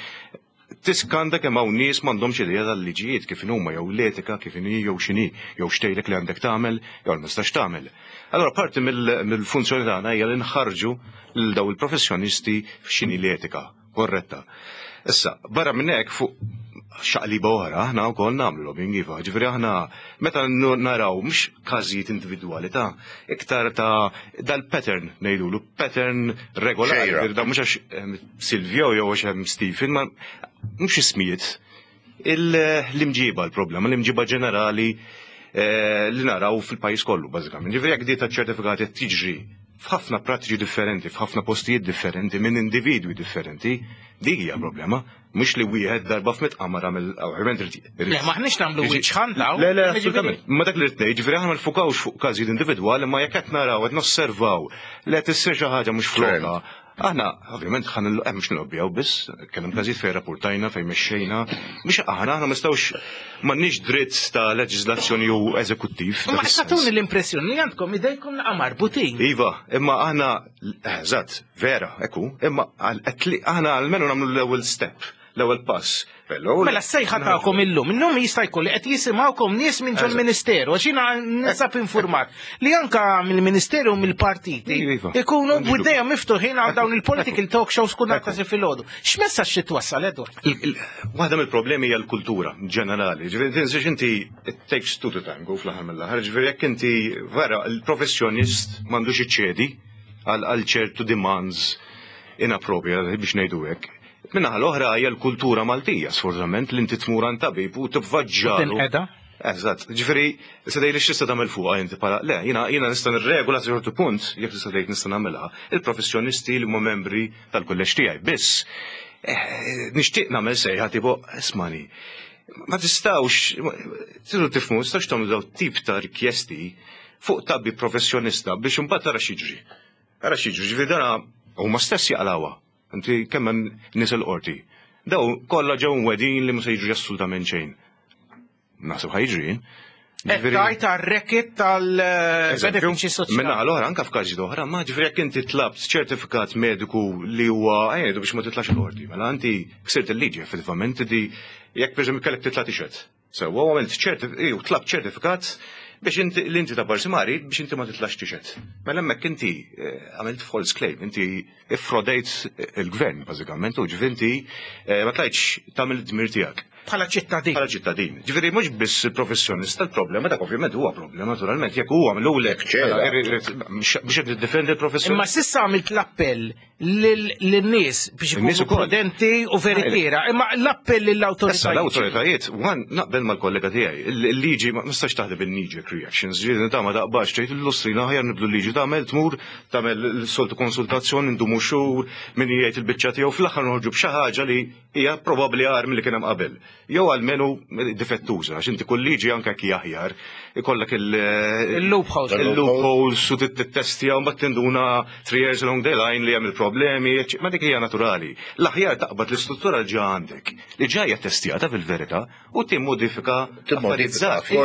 Tiskanta kemm hawn nies m'għandhomx idea tal-liġijiet kif huma jew l-etika kif inhi jew x'inhi jew x'tgħidlek li għandek tagħmel jew ma tistax tagħmel. Allora parti mill-funzjoni tagħna hija li nħarġu lil daw il-professjonisti f'x'inhi l-etika korretta. Issa, barra minn hekk fuq xaqliba oħra, aħna wkoll nagħmlu lobbying iva, ġifieri aħna meta naraw mhux każijiet individwali ta' iktar ta' dal-pattern ngħidulu, pattern regolari, ġifieri da mhux għax Silvio jew għax hemm Stephen, ma mhux ismijiet. L-imġiba l-problema, l-imġiba ġenerali li naraw fil-pajjiż kollu bażikament. Ġifieri jekk di ta' ċertifikati tiġri f'ħafna prattiċi differenti, f'ħafna postijiet differenti, minn individwi differenti, dik hija problema. Mhux li wieħed darba f'mitt qamar għamel, ovvjament irid. Le, maħniex nagħmlu witch hunt hawn. Le, le, assolutament. Ma dak li rrid ngħid, ġifieri aħna ma nfukawx fuq każijiet individwali, ma jekk qed naraw qed nosservaw li qed issir xi ħaġa mhux flokha. Aħna, ovvjament, ħan il- mhux nlobbjaw biss, kellem każijiet fejn rapportajna, fejn mexxejna, biex aħna aħna ma nistgħux m'għandniex dritt ta' leġiżlazzjoni u eżekuttiv. Ma tagħtuni l-impressjoni li għandkom idejkom naqa' marbutin. Iva, imma aħna, eżatt, vera, ekku, imma aħna almenu nagħmlu l-ewwel step, l-ewwel pass. Mela s-sejħa tagħkom illum, illum jista' jkun li qed jisimgħukom nies minn ġol ministeru, għax jiena ninsab informat li anka mill-ministeru u mill-partiti ikunu b'idejhom miftuħin għal dawn il-political talk shows kull nhar ta' filgħodu. X'messaġġ xi twassal, Edward? Waħda mill-problemi hija l-kultura ġenerali. Ġifieri tinsiex inti it takes two to tango fl-aħħar mill-aħħar. Ġifieri jekk inti vera il-professjonist m'għandux iċċedi għal ċertu demands inappropriate biex ngħidu hekk. Minnaħa l-oħra hija l-kultura Maltija, sfortunatament, li inti tmur għand tabib u tivvaġġalu. Eżatt, ġifieri, se tgħidli x'tista' tagħmel fuqha inti bħala, le, jiena jiena nista' nirregola sa ċertu punt, jekk tista' tgħid nista' nagħmilha, il-professjonisti li huma membri tal-kulleġġ tiegħi. Biss, nixtieq nagħmel sejħa tipo, ismani, ma tistgħux, tridu tifhmu, tistgħux tagħmlu daw tip ta' rikjesti fuq tabib professjonista biex imbagħad tara x'jiġri. Tara x'jiġri, ġifieri dana huma stess jaqlawha. Inti kemm hemm nies il-qorti. Daw kollha ġew wedin li ma se jiġri assolutament xejn. Naħseb ħa jiġri. Tajt għar-racket tal-benefiċċji soċjali. Minna l-oħra anka f'każi oħra, ma ġifieri jekk inti tlabt ċertifikat mediku li huwa għajdu biex ma titlax il-qorti, mela inti ksirt il-liġi effettivament di jekk pereżempju kellek titla' tixhed. Sewwa għamilt ċertif tlabt ċertifikat biex inti l-inti ta' parsimari biex inti ma titlax tixhed. Mela hemmhekk inti għamilt false claim, inti iffrodejt il-gvern bażikament u ġifieri inti ma tlajtx tagħmel id-dmir tiegħek. Bħala ċittadin. Bħala ċittadin. Ġifieri mhux biss il-professjonista l-problema dak ovvjament huwa problema naturalment jekk huwa għamlulek biex qed tiddefendi l-professjonista. Imma s'issa għamilt l-appell lin-nies biex ikunu prudenti u veritiera. Imma l-appell lill-awtoritajiet. Issa l-awtoritajiet, wan naqbel mal-kollega tiegħi, il-liġi ma nistax taħdem bil-knee-jerk reactions, ġifieri ta' ma taqbax tgħid l-lustrina aħjar nibdu l-liġi tagħmel tmur tagħmel soltu konsultazzjoni ndumu xhur min jgħid il-biċċa tiegħu fl-aħħar noħorġu b'xi ħaġa li hija probabbli agħar milli kien hemm qabel. Jew almenu difettuża, għax inti kull liġi anke jekk aħjar, ikollek il-loopholes. Il-loopholes u tittestja u mbagħad tinduna three years along the line li hemm il-problemi, ma dik hija naturali. L-aħjar taqbad l-istruttura li ġa għandek, li ġa hija testjata fil-verità u timmodifika affarijiet.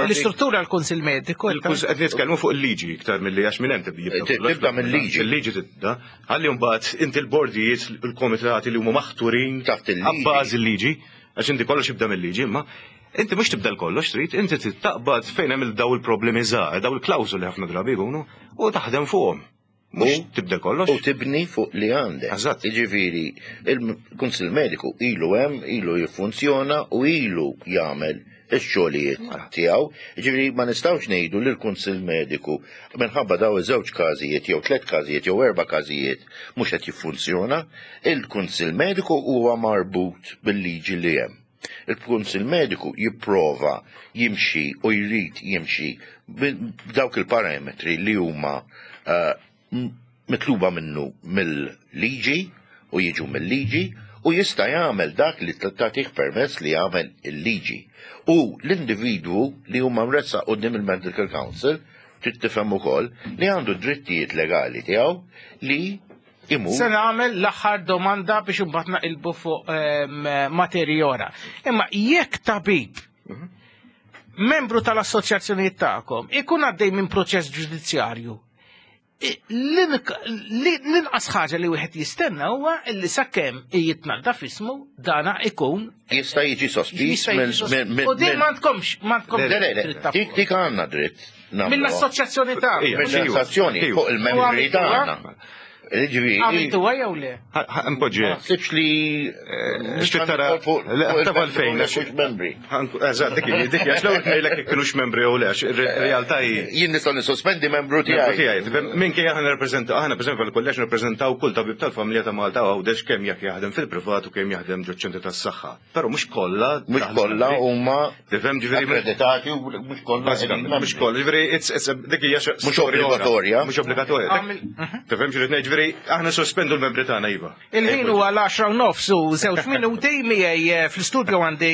L-istruttura l-Kunsill Mediku. Qed nitkellmu fuq il-liġi iktar milli għax minn hemm tibda. Tibda mill-liġi. Il-liġi tibda. Ħalli mbagħad inti l-bordijiet, il-komitati li huma maħturin taħt il-liġi. Abbażi l-liġi, għax inti kollox jibda mill-liġi, imma inti mhux tibda l-kollox trid, inti taqbad fejn hemm daw il-problemi żgħar, daw il-klawżoli ħafna drabi jkunu u taħdem fuqhom. Mhux tibda kollox. U tibni fuq li għandek. Eżatt. Jiġifieri, il-Kunsill Mediku ilu hemm, ilu jiffunzjona u ilu jagħmel ix-xogħlijiet tiegħu. Jiġifieri ma nistgħux ngħidu li l-Kunsill Mediku minħabba daw iż-żewġ każijiet jew tliet każijiet jew erba' każijiet mhux qed jiffunzjona, il-Kunsill Mediku huwa marbut bil-liġi li hemm. Il-Kunsill Mediku jipprova jimxi u jrid jimxi b'dawk il-parametri li huma mitluba minnu mill-liġi u jiġu mill-liġi u jista' jagħmel dak li tagħtih permess li jagħmel il-liġi. U l-individwu li huma mressaq quddiem il-Medical Council trid tifhem ukoll li għandu drittijiet legali tiegħu li imur. Se nagħmel l-aħħar domanda biex imbagħad naqilbu fuq materji oħra. Imma jekk tabib Membru tal-assoċjazzjonijiet tagħkom ikun għaddej minn proċess ġudizzjarju. L-inqas ħaġa li wieħed jistenna huwa li sakemm jitnaddaf ismu dana ikun jista' jiġi sospiż minn. U din m'għandkomx m'għandkomx. Le, le, le, dik dik għandna dritt. Mill-assoċjazzjoni tagħna. Mill-assoċjazzjoni fuq il-membri tagħna. Għamiltu jew le? Npoġġi. Sibx li. Xtrid tara. Taf għalfejn. Membri. Eżatt, dik dik għax l-ewwel ngħidlek jekk kienux membri jew le, għax realtà hi. Jien nistgħu nisospendi membru tiegħi. Minkejja aħna nirrappreżentaw, aħna pereżempju fil-kulleġġ nirrappreżentaw kull tabib tal-familja ta' Malta Għawdex kemm jekk jaħdem fil-privat u kemm jaħdem ġo ċentru tas-saħħa. Però mhux kollha. Mhux kollha huma Tifhem ġifieri. Akkreditati u mhux kollha. Mhux kollha, ġifieri dik hija mhux obbligatorja. Mhux obbligatorja. Tifhem xi ngħid ġifieri aħna sospendu l-membri tagħna iva. Il-ħin huwa l-għaxra u nofs u żewġ minuti miegħi fl-istudio għandi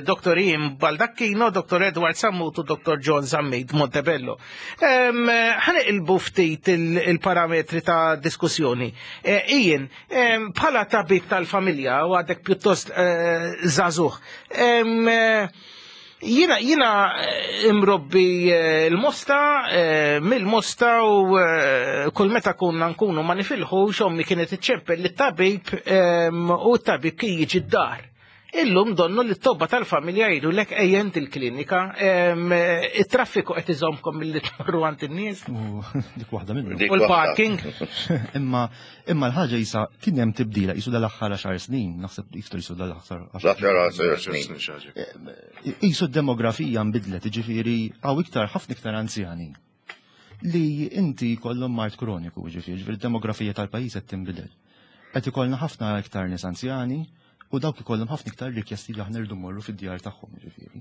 Doktor Ian Baldacchino, Doktor Edward Sammut u Doktor John Zammit Montebello. Ħaneqilbu ftit il-parametri ta' diskussjoni. Ian, bħala tabib tal-familja u għadek pjuttost żagħżugħ. Jina, jina imrobbi l-Mosta, mill-Mosta u kull meta kunna nkunu ma nifilħu xommi kienet iċċempel lit-tabib u t-tabib kien jiġi d-dar. Illum donnu li t-tobba tal-familja jgħidu lek ejjent il-klinika, it-traffiku qed iżommkom milli tmorru għand in-nies. Dik waħda minnu. U l-parking. Imma imma l-ħaġa jisa kien hemm tibdila jisu dal-aħħar għaxar snin, naħseb iktar jisu dal-aħħar għaxar snin. Jisu d-demografija nbidlet, jiġifieri hawn iktar ħafna iktar anzjani li inti kollhom mard kroniku, jiġifieri, ġifieri d-demografija tal-pajjiż qed tinbidel. Qed ikollna ħafna iktar nies anzjani u dawk ikollhom ħafna iktar rikjesti li aħna rridu mmorru fid-djar tagħhom, jiġifieri.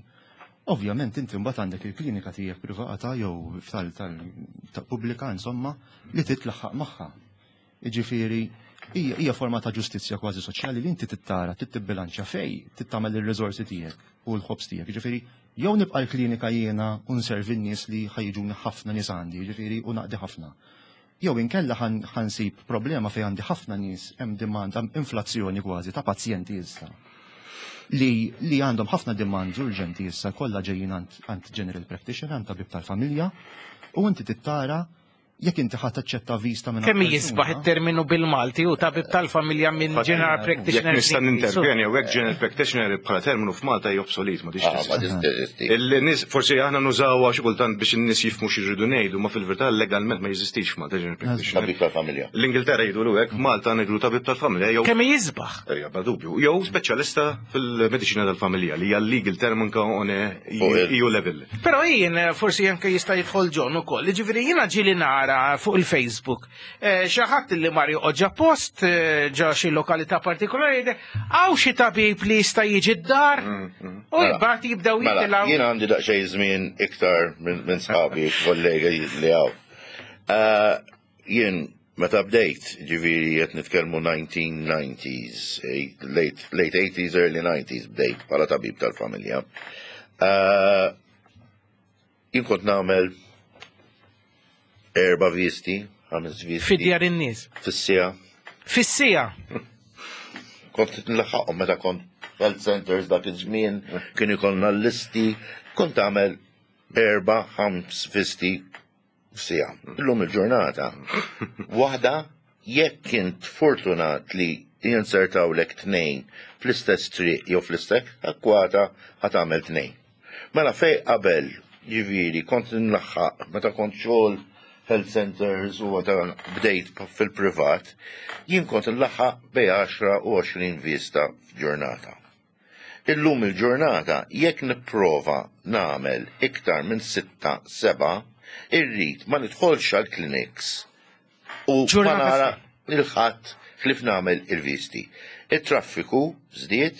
Ovvjament inti mbagħad għandek il-klinika tiegħek privata jew tal-pubblika insomma li titlaħħaq magħha. Jiġifieri hija forma ta' ġustizzja kważi soċjali li inti tittara, titbilanċja fej, tittamel ir-riżorsi tiegħek u l-ħobs tiegħek. Jiġifieri jew nibqa' l-klinika jiena u nservi n-nies li ħajġuni ħafna nies għandi, jiġifieri u naqdi ħafna. Jew inkella ħansib problema fejn għandi ħafna nies hemm demand, hemm inflazzjoni kważi ta' pazjenti issa. Li, li għandhom ħafna demands urġenti issa kollha ġejjin għand general practitioner, għand tabib tal-familja, u inti tittara jekk inti ħadd taċċetta vista minn kemm jisbaħ it-terminu bil-Malti u tabib tal-familja minn general practitioner. Jekk nista' nintervjeni hawnhekk general practitioner bħala terminu f'Malta hija obsolet, ma tix. Il-nies forsi aħna nużawha xi kultant biex in-nies jifhmu xi jridu ngħidu, ma fil-verità legalment ma jeżistix f'Malta general practitioner. Tabib tal-familja. L-Ingilterra jgħidulu hekk, Malta ngħidulu tabib tal-familja jew kemm jisbaħ? Ejja, bla dubju. Jew speċjalista fil-mediċina tal-familja li hija legal term anke on E U level. Però jien forsi anke jista' jidħol John ukoll. Jiġifieri jiena ġieli nara fuq il-Facebook. Xi ħadd li mar joqgħod ġa post, ġa xi lokalità partikolari, hawn xi tabib li jista' jiġi d-dar u mbagħad jibdew jitilgħu. Jien għandi daqsxejn żmien iktar minn sħabi, kollegi li hawn. Jien meta bdejt, ġifieri qed nitkellmu nineteen nineties, late eighties, early nineties bdejt bħala tabib tal-familja. Jien kont nagħmel erba' visti, ħames visti. Fid-djar in-nies. Fis-sija. Fis-sija. Kont nlaħħaqhom meta kont health centers dak iż-żmien, kien ikollna l-listi, kont tagħmel erba' ħams visti f'sija. Illum il-ġurnata. Waħda jekk kint fortunat li jinsertawlek tnejn fl-istess triq jew fl-istess akkwata ħa tagħmel tnejn. Mela fej qabel ġifieri kont nlaħħaq meta kont xogħol health centers u bdejt fil-privat, jien kont nlaħħaq bej għaxra u għoxrin vista f'ġurnata. Illum il-ġurnata jekk nipprova nagħmel iktar minn sitta seba' irrid ma nidħolx għall-clinics u ma nara il-ħadd ħlief nagħmel il-visti. Il-traffiku żdied,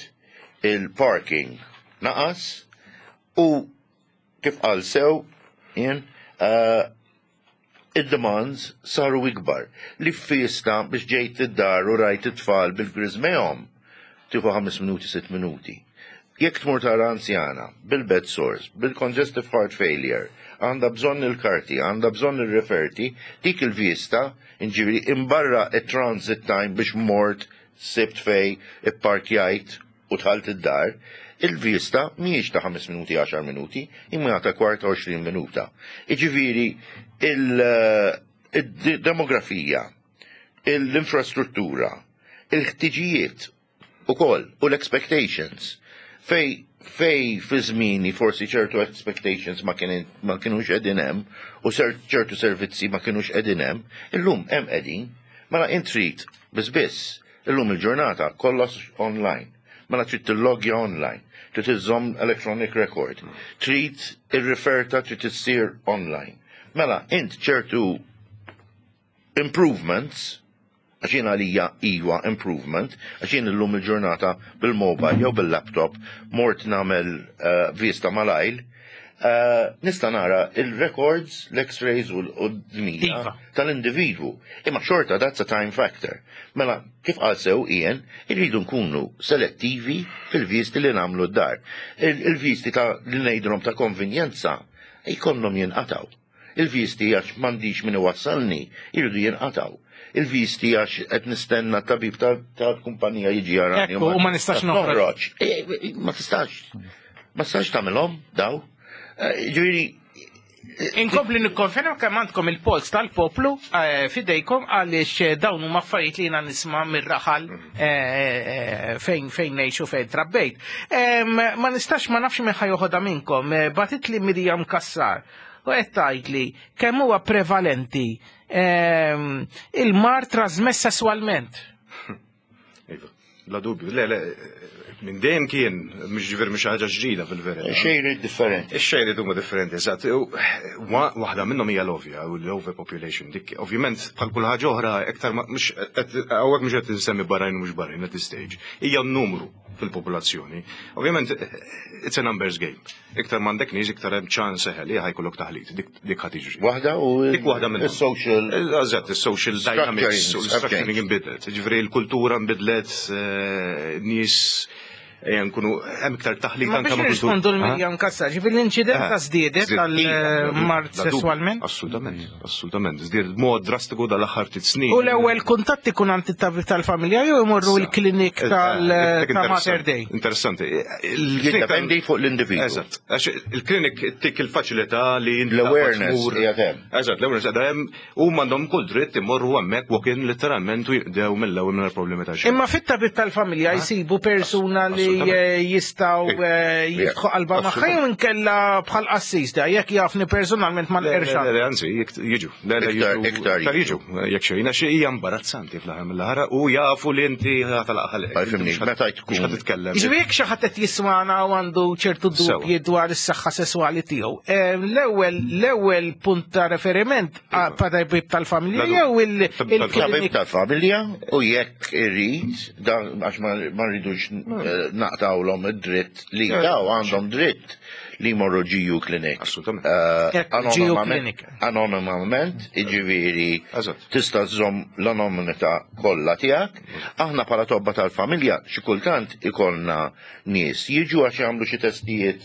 il-parking naqas u kif qal sew jien id-demands saru ikbar. Li fista biex ġejt id-dar u rajt it-tfal bil-grizmejhom tieħu ħames minuti, sitt minuti. Jekk tmur tara anzjana bil-bed sores, bil-congestive heart failure, għandha bżonn il-karti, għandha bżonn il-referti, dik il-vista, inġifieri imbarra it-transit time biex mort, sibt fej, ipparkjajt u dħalt id-dar, il-vista mhijiex ta' ħames minuti, għaxar minuti, imma ta' kwarta, għoxrin minuta. Iġifieri il-demografija, l-infrastruttura, il-ħtiġijiet ukoll u l-expectations fej fej fi żmieni forsi ċertu expectations ma kien ma kienux qegħdin hemm u ċertu servizzi ma kienux qegħdin hemm, illum hemm qegħdin. Mela int trid biss biss illum il-ġurnata kollox online. Mela trid tillogja online, trid iżżomm electronic record, trid ir-referta trid issir online. Mela int ċertu improvements, għax jien għalija iwa improvement, għax jien illum il-ġurnata bil-mobile jew bil-laptop mort nagħmel uh, vista malajr, uh, nista' nara il-records, l-x-rays u d-dmija Iva. tal-individwu. Imma xorta that's a time factor. Mela, kif qal sew Ian, irridu nkunu selettivi fil-visti li nagħmlu d-dar. Il-visti ta' li ngħidulhom ta' konvenjenza jkollhom jinqataw. Il-visti għax m'għandix min iwassalni, irridu jinqataw. Il-visti għax qed nistenna tabib tal-kumpanija jiġi jarani. Ekku, u ma nistax noħroġ. E, e, Ma tistax. Ma tistax tagħmilhom daw. Eh, Ġifieri Inkompli nikkonferma kemm għandkom il-pols tal-poplu eh, fidejkom, għaliex eh, dawn huma affarijiet li jiena nisma' mir-raħal eh, fejn fejn ngħixu, fejn trabbejt. Em, Ma nistax ma nafx min ħa joħodha minnkom, eh, bagħtitli Mirjam Kassar u qed tgħidli kemm huwa prevalenti em, il-mard trasmess sesswalment. Iva, bla dubju. Le, le, minn dejjem kien, mhux ġifier mhux ħaġa ġdida fil-verità. Xejrid differenti. Ix-xejrid huma differenti, eżatt. U wa- Waħda minnhom hija l-ovja, u l-overpopulation. Dik, ovvjament, bħal kull ħaġa oħra, iktar ma mhux qed hawnhekk mhux qed insemmi barranin u mhux barranin at this stage. Hija n-numru fil-popolazzjoni. Ovvjament, it's a numbers game. Iktar m'għandek nies, iktar hemm ċans seħel li ħa jkollok taħlit. Dik dik ħa tiġri. Waħda u Dik waħda minnhom. Il-social Eżatt, il-social dynamics u l-structuring inbidlet. Ġifieri l-kultura nbidlet, eh, nies ejja nkunu hemm iktar taħlit Ma anke biex ma' kultura. nirrispondu l-Mirjam Kassar, ġifieri l-inċidenza żdiedet tal-mard sesswalment? Assolutament, assolutament. Żdiedet b'mod drastiku dal-aħħar ftit snin. U l-ewwel kuntatt ikun għand it-tabib tal-familja jew imorru l-klinik tal Eh, ta' Mater Dei? Interessanti. Jiddependi fuq l-individwu. Eżatt. Għax il-klinik tik il-faċilità li inti L-awareness tmur- qiegħed hemm. Eżatt, l-awareness qiegħda hemm u m'għandhom kull dritt imorru hemmhekk walk-in letteralment u jinqdew mill-ewwel minn problemi ta' xejn. Imma fit-tabib tal-familja jsibu persuna li Assolutament. eh, jistgħu eh, jiftħu qalba magħha jew inkella bħal qassis da jekk jafni personalment ma Le, le, nqerxa. le, anzi, jek- jiġu. Le, le, Iktar- jiġu. Iktar Iktar jiġu. Jekk xejn, għax hija imbarazzanti fl-aħħar mill-aħħar u jafu li inti ħatalaq ħalq. Fimni, meta tkun. Mhux ħa titkellem. Ġifieri jekk xi ħadd qed jismana u għandu ċertu dubji dwar is-saħħa sesswali tiegħu. eh, L-ewwel l-ewwel punt ta' referiment pa' tabib tal-familja jew Tabib il-klinik tal-familja u jekk irrid, dan għax ma ma rridux eh, naqtawlhom id-dritt li daw għandhom dritt li jmorru G U clinic. Assolutament. Eh, Ekku, G U anonimament- clinic. Anonimament, iġifieri tista' żżomm l-anonimità kollha tiegħek. Aħna bħala tobba tal-familja xi kultant ikollna nies jiġu għax jagħmlu xi testijiet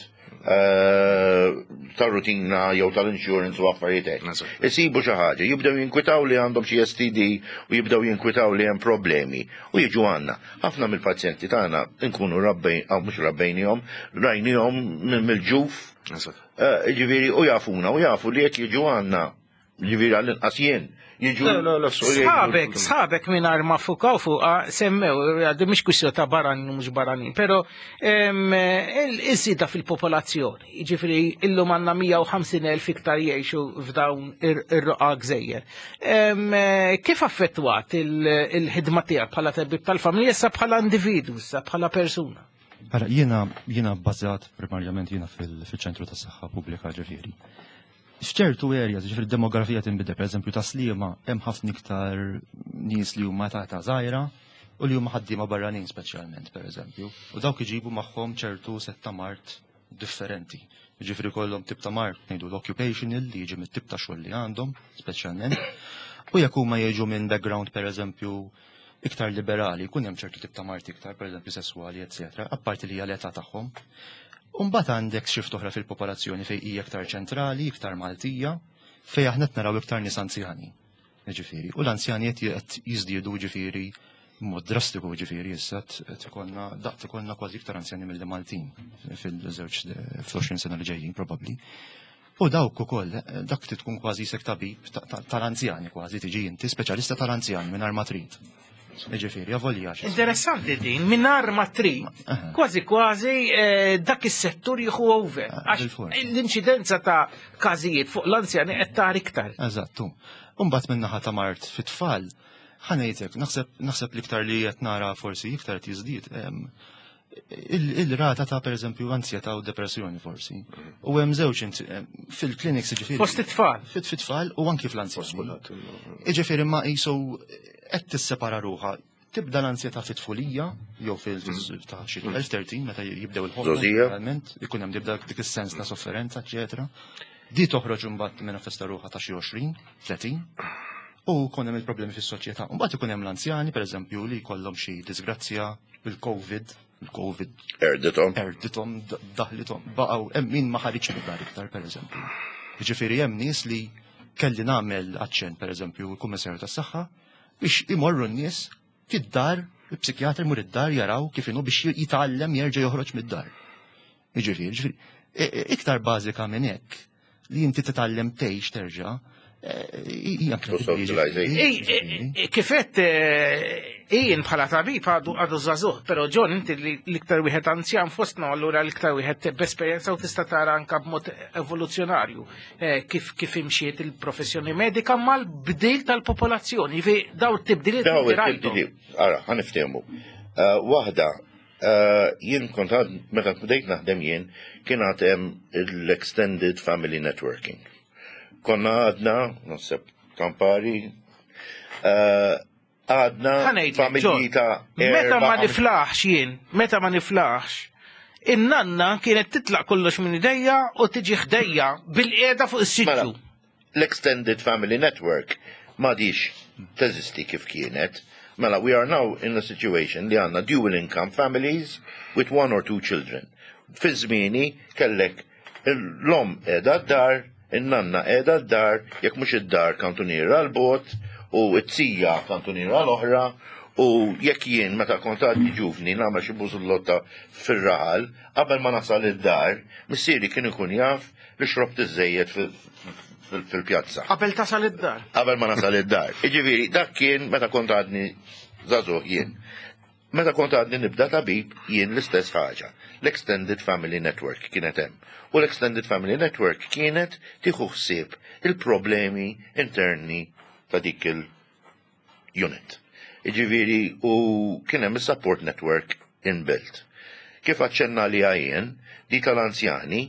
eh, tar-rutina jew tal-insurance u affarijiet hekk. Isibu xi ħaġa, jibdew jinkwitaw li għandhom xi S T D u jibdew jinkwitaw li hemm problemi u jiġu għandna. Ħafna mill-pazjenti tagħna nkunu rabbejn, aw mhux rabbejnihom, rajnihom mill-ġuf. Eh, Ġifieri u jafuna u jafu li jekk jiġu għandna, ġifieri għall-inqas jien, jiġu. Le, le, le, u jgħidu- Sħabek, sħabek minn ma fukaw fuqa semmew, għaddi mhix kwistjoni ta' barranin u mhux barranin, pero em, il-żieda fil-popolazzjoni, ġifieri illum għandna mija u ħamsin elf iktar jgħixu f'dawn ir-roqa gżejjer. Em, Kif affettwat il- il-ħidma tiegħek bħala tabib tal-familja issa bħala individu, issa bħala persuna? Ara, jiena jiena bbażat primarjament jiena fil- fil-ċentru tas saħħa pubblika ġifieri. F'ċertu areas, ġifieri demografija tinbidel, pereżempju ta' Sliema hemm ħafna iktar nies li huma ta' ta' żgħira u li huma ħaddiema barranin speċjalment, pereżempju. U dawk iġibu magħhom ċertu sett ta' mard differenti. Ġifieri kollhom tip ta' mard ngħidu l-occupational li jiġi mit-tip ta' xogħol li għandhom, speċjalment. U jekk huma jiġu minn background pereżempju iktar liberali, jkun hemm ċertu tip ta' mard iktar, pereżempju sesswali, eċetera, apparti li hija l-età tagħhom. Umbagħad għandek shift oħra fil-popolazzjoni fejn hija iktar ċentrali, iktar Maltija, fejn aħna qed naraw iktar nies anzjani. Ġifieri, u l-anzjani qed qed jiżdiedu ġifieri Mod drastiku, ġifieri issa tkonna daqt ikollna kważi iktar anzjani mill Maltin fil-żewġ fl-għoxrin sena li ġejjin probabbli. U dawk ukoll, dak tkun kważi sek tabib tal-anzjani kważi tiġi inti speċjalista tal-anzjani mingħajr ma trid. Ġifieri, avolja. Interessanti din, mingħajr ma trid, kważi kważi dak is-settur jieħu over. Għax l-inċidenza ta' każijiet fuq l-anzjani qed tara iktar. Eżattu. Imbagħad min-naħa ta' mard fit-tfal, ħa ngħidlek, naħseb naħseb l-iktar li qed nara forsi iktar tiżdied il-rata ta' pereżempju ansjetà u depressjoni forsi. U hemm żewġ fil-clinics, ġifieri. Fost it-tfal. Fit-tfal u anki fl-anzjani. Ġifieri ma qisu qed tissepara ruħha. Tibda l-ansjetà fit-tfulija jew fil ta' xi tnax tlettax meta jibdew il-ħobba. Realment ikun hemm tibda dik is-sens ta' sofferenza, eċetera. Di toħroġ imbagħad manifesta ruħha ta' xi għoxrin, tletin u jkun hemm il-problemi fis-soċjetà. Mbagħad ikun hemm l-anzjani, pereżempju, li jkollhom xi disgrazzja bil-Covid, il-Covid. Erditom. Erditom, daħlitom, baqgħu hemm min ma ħariġ mid-dar iktar, pereżempju. Jiġifieri hemm nies li kelli nagħmel aċċenn, pereżempju, il-Kummissarju tas-Saħħa biex imorru n-nies fid-dar, il-psikjatri imur id-dar jaraw kif inhu biex jitgħallem jerġa' joħroġ mid-dar. Jiġifieri, ġifieri, iktar bażika minn hekk li inti titgħallem tgħix terġa' hija. Kifet jien bħala tabib għadu għadu żagħżugħ, però John, inti l-iktar wieħed anzjan fostna, allura l-iktar wieħed b'esperjenza u tista' tara anka b'mod evoluzzjonarju kif kif imxiet il-professjoni medika mal-bdil tal-popolazzjoni. Fi daw it-tibdiliet. Daw it-tibdiliet, ara, ħa niftehmu. Waħda, jien kont għad, meta bdejt naħdem jien, kien għad hemm l-Extended Family Networking. Konna għadna, naħseb kampari, għadna familji ta' Meta ma niflaħx jien, meta ma niflaħx, in-nanna kienet titlaq kollox minn idejja u tiġi ħdejja bil-qiegħda fuq is-siġġu. L-Extended Family Network m'għadhiex teżisti kif kienet. Mela, we are now in a situation li għandna dual income families with one or two children. Fi żmieni kellek l-omm qiegħda d-dar, in-nanna qiegħda d-dar, jekk mhux id-dar kantuniera 'l bogħod, u t-tija kantuniera l-oħra, u jekk jien meta kont għadni ġuvni nagħmel xi bużullotta fir-raħal, qabel ma nasal id-dar, missieri kien ikun jaf li xrobt iżejjed fil-pjazza. Qabel tasal id-dar. Qabel ma nasal id-dar. Iġifieri, dak kien meta kont għadni żagħżugħ jien. Meta kont għadni nibda tabib jien l-istess ħaġa. L-Extended Family Network kienet hemm. U l-Extended Family Network kienet tieħu ħsieb il-problemi interni ta' dik il-unit. Iġifieri, u kien hemm is-support network inbuilt. Kif aċċenna li għajjen, di tal-anzjani,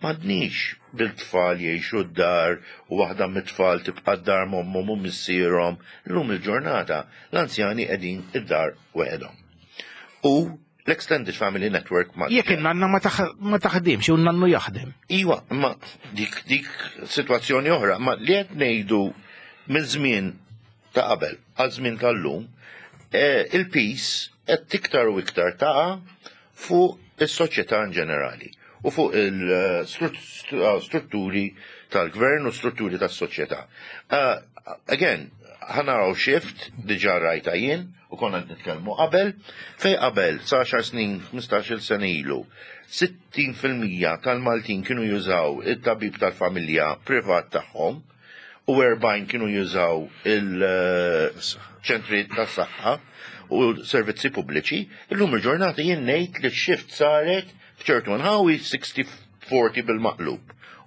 m'għadniex bil-tfal jgħixu d-dar u waħda mit-tfal tibqa' d-dar m'ommhom u missierhom. Illum il-ġurnata l-anzjani qegħdin id-dar weħedhom. U l-Extended Family Network ma Jekk in-nanna ma taħdimx u n-nannu jaħdem. Iwa, ma dik dik situazzjoni oħra, ma li qed ngħidu minn żmien ta' qabel għal żmien tal-lum, eh, il-piż qed tiktar u iktar taqa' fuq is-soċjetà in ġenerali u fuq il-strutturi tal-gvern u strutturi tas-soċjetà. Uh, again, ħa naraw shift, diġà rajta jien, u konna nitkellmu qabel, fej qabel, sa għaxar snin, ħmistax-il sena ilu, sittin fil-mija tal-Maltin kienu jużaw it-tabib tal-familja privat tagħhom u erbgħin kienu jużaw il-ċentri tas-saħħa u servizzi pubbliċi, illum il-ġurnata jien ngħid li x-shift saret f'ċertu nħawi sixty forty bil-maqlub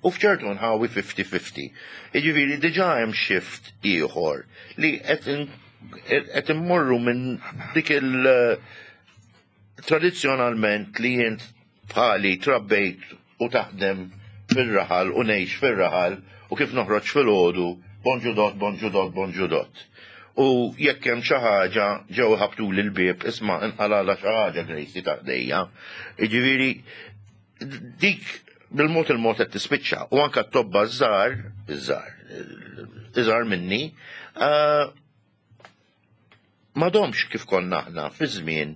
u f'ċertu nħawi fifty fifty. Jiġifieri diġà hemm shift ieħor li qed immorru minn dik il- tradizzjonalment li jien bħali trabbejt u taħdem fil-raħal u ngħix fil-raħal u kif noħroġ fil-ħodu, bonġu dot, bonġu dot, bonġu dot. U jekk hemm xi ħaġa ġew ħabtu l-bieb, isma' inqalala xi ħaġa Gracie ta' ħdejja. Jiġifieri dik bil-mod il-mod qed tispiċċa u anke t-tobba żgħar, iż-żgħar, iżgħar minni, eh, m'għadhomx kif konna aħna fi żmien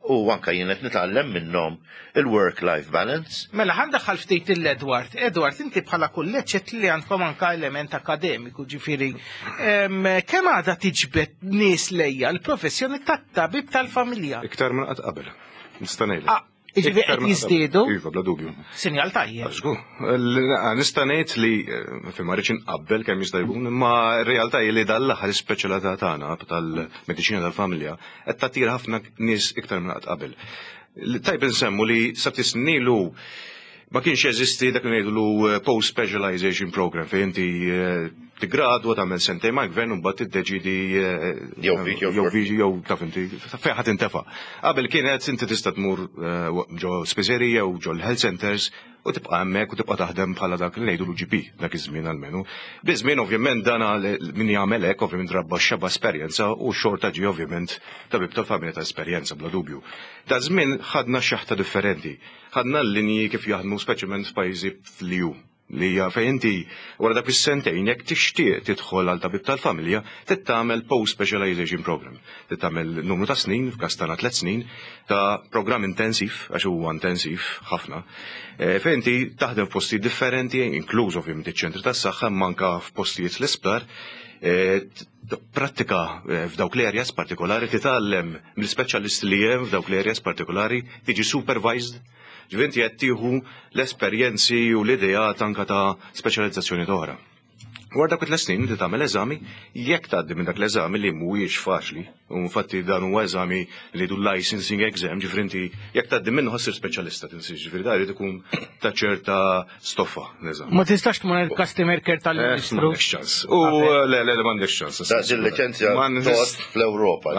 u anka jien qed nitgħallem minnhom il-work-life balance. Mela, ħa ndaħħal ftit il-Edward. Edward, inti bħala kulleġġ li għandkom anka element akademiku, ġifieri. Kemm għadha tiġbed nies lejja l-professjoni tat-tabib tal-familja? Iktar minn qatt qabel. Nista' ngħidlek. Ah, Ġifieri qed jiżdiedu? Iva, bla dubju. Sinjal tajjeb. Żgur. Nista' ngħid li eh, fi ma rridx inqabbel kemm jista' jkun, imma r-realtà hi li dal-aħħar ispeċjalità tagħna tal-mediċina tal-familja qed tattira ħafna nies iktar minn qatt qabel. Tajb insemmu li sa ftit snin ilu ma kienx jeżisti dak li ngħidulu eh, post specialization program fejn inti eh, tigradwa, tagħmel sentejn mal-gvern u mbagħad tiddeċidi jew jew jew taf inti fejn ħadd intefa'. Qabel kienet inti tista' tmur ġo spiżerija u ġo l-health centers u tibqa' hemmhekk u tibqa' taħdem bħala dak li ngħidu G P dak iż-żmien almenu. Biż-żmien ovvjament dan min jagħmel hekk ovvjament rabba xeba esperjenza u xorta ġi ovvjament tabib tal-familja ta' esperjenza bla dubju. Da żmien ħadna xaħta differenti. Ħadna l-linji kif jaħdmu speċjalment f'pajjiżi fl-E U li hija fejn inti wara dak is-sentejn, jekk tixtieq tidħol għal tabib tal-familja, trid tagħmel post specialization program. Trid tagħmel numru ta' snin, f'każ tagħna tliet snin, ta' programm intensiv, għax huwa intensiv ħafna, eh, fejn inti taħdem f'postijiet differenti, inkluż ovvjament iċ-ċentri tas-saħħa, manka f'postijiet l-isptar, eh, prattika eh, f'dawk l-areas partikolari, titgħallem mill-speċjalisti li hemm f'dawk l-areas partikolari, tiġi supervised. Ġifieri inti qed tieħu l-esperjenzi u l-ideat anka ta' speċjalizzazzjoni oħra. Wara dak it snin inti tagħmel eżami, jekk tgħaddi minn dak l-eżami li mhuwiex faċli, u infatti dan huwa eżami li du licensing exam, ġifieri inti jekk tgħaddi minnu ħa ssir speċjalista tinsiex, ġifieri da jrid ikun ta' ċerta stoffa l-eżami. Ma tistax tmur il-customer care tal-ministru. M'għandekx ċans. U le, le, le, m'għandekx ċans. Da il-liċenzja tot fl-Ewropa.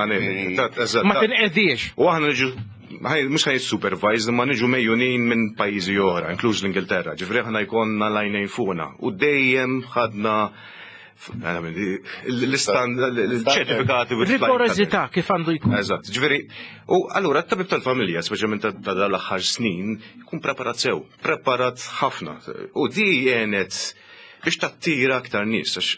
Ma tinqediex. U aħna niġu mhux ħaj supervised, ma niġu megħjunin minn pajjiżi oħra, inkluż l-Ingilterra. Ġifieri aħna jkollna l-għajnejn fuqna. U dejjem ħadna l-istand, l-ċertifikati. Rigorożità kif għandu jkun. Eżatt, ġifieri, u allura t-tabib tal-familja, speċjalment ta' dal-aħħar snin, jkun preparat sew, preparat ħafna. U di għenet biex tattira aktar nies, għax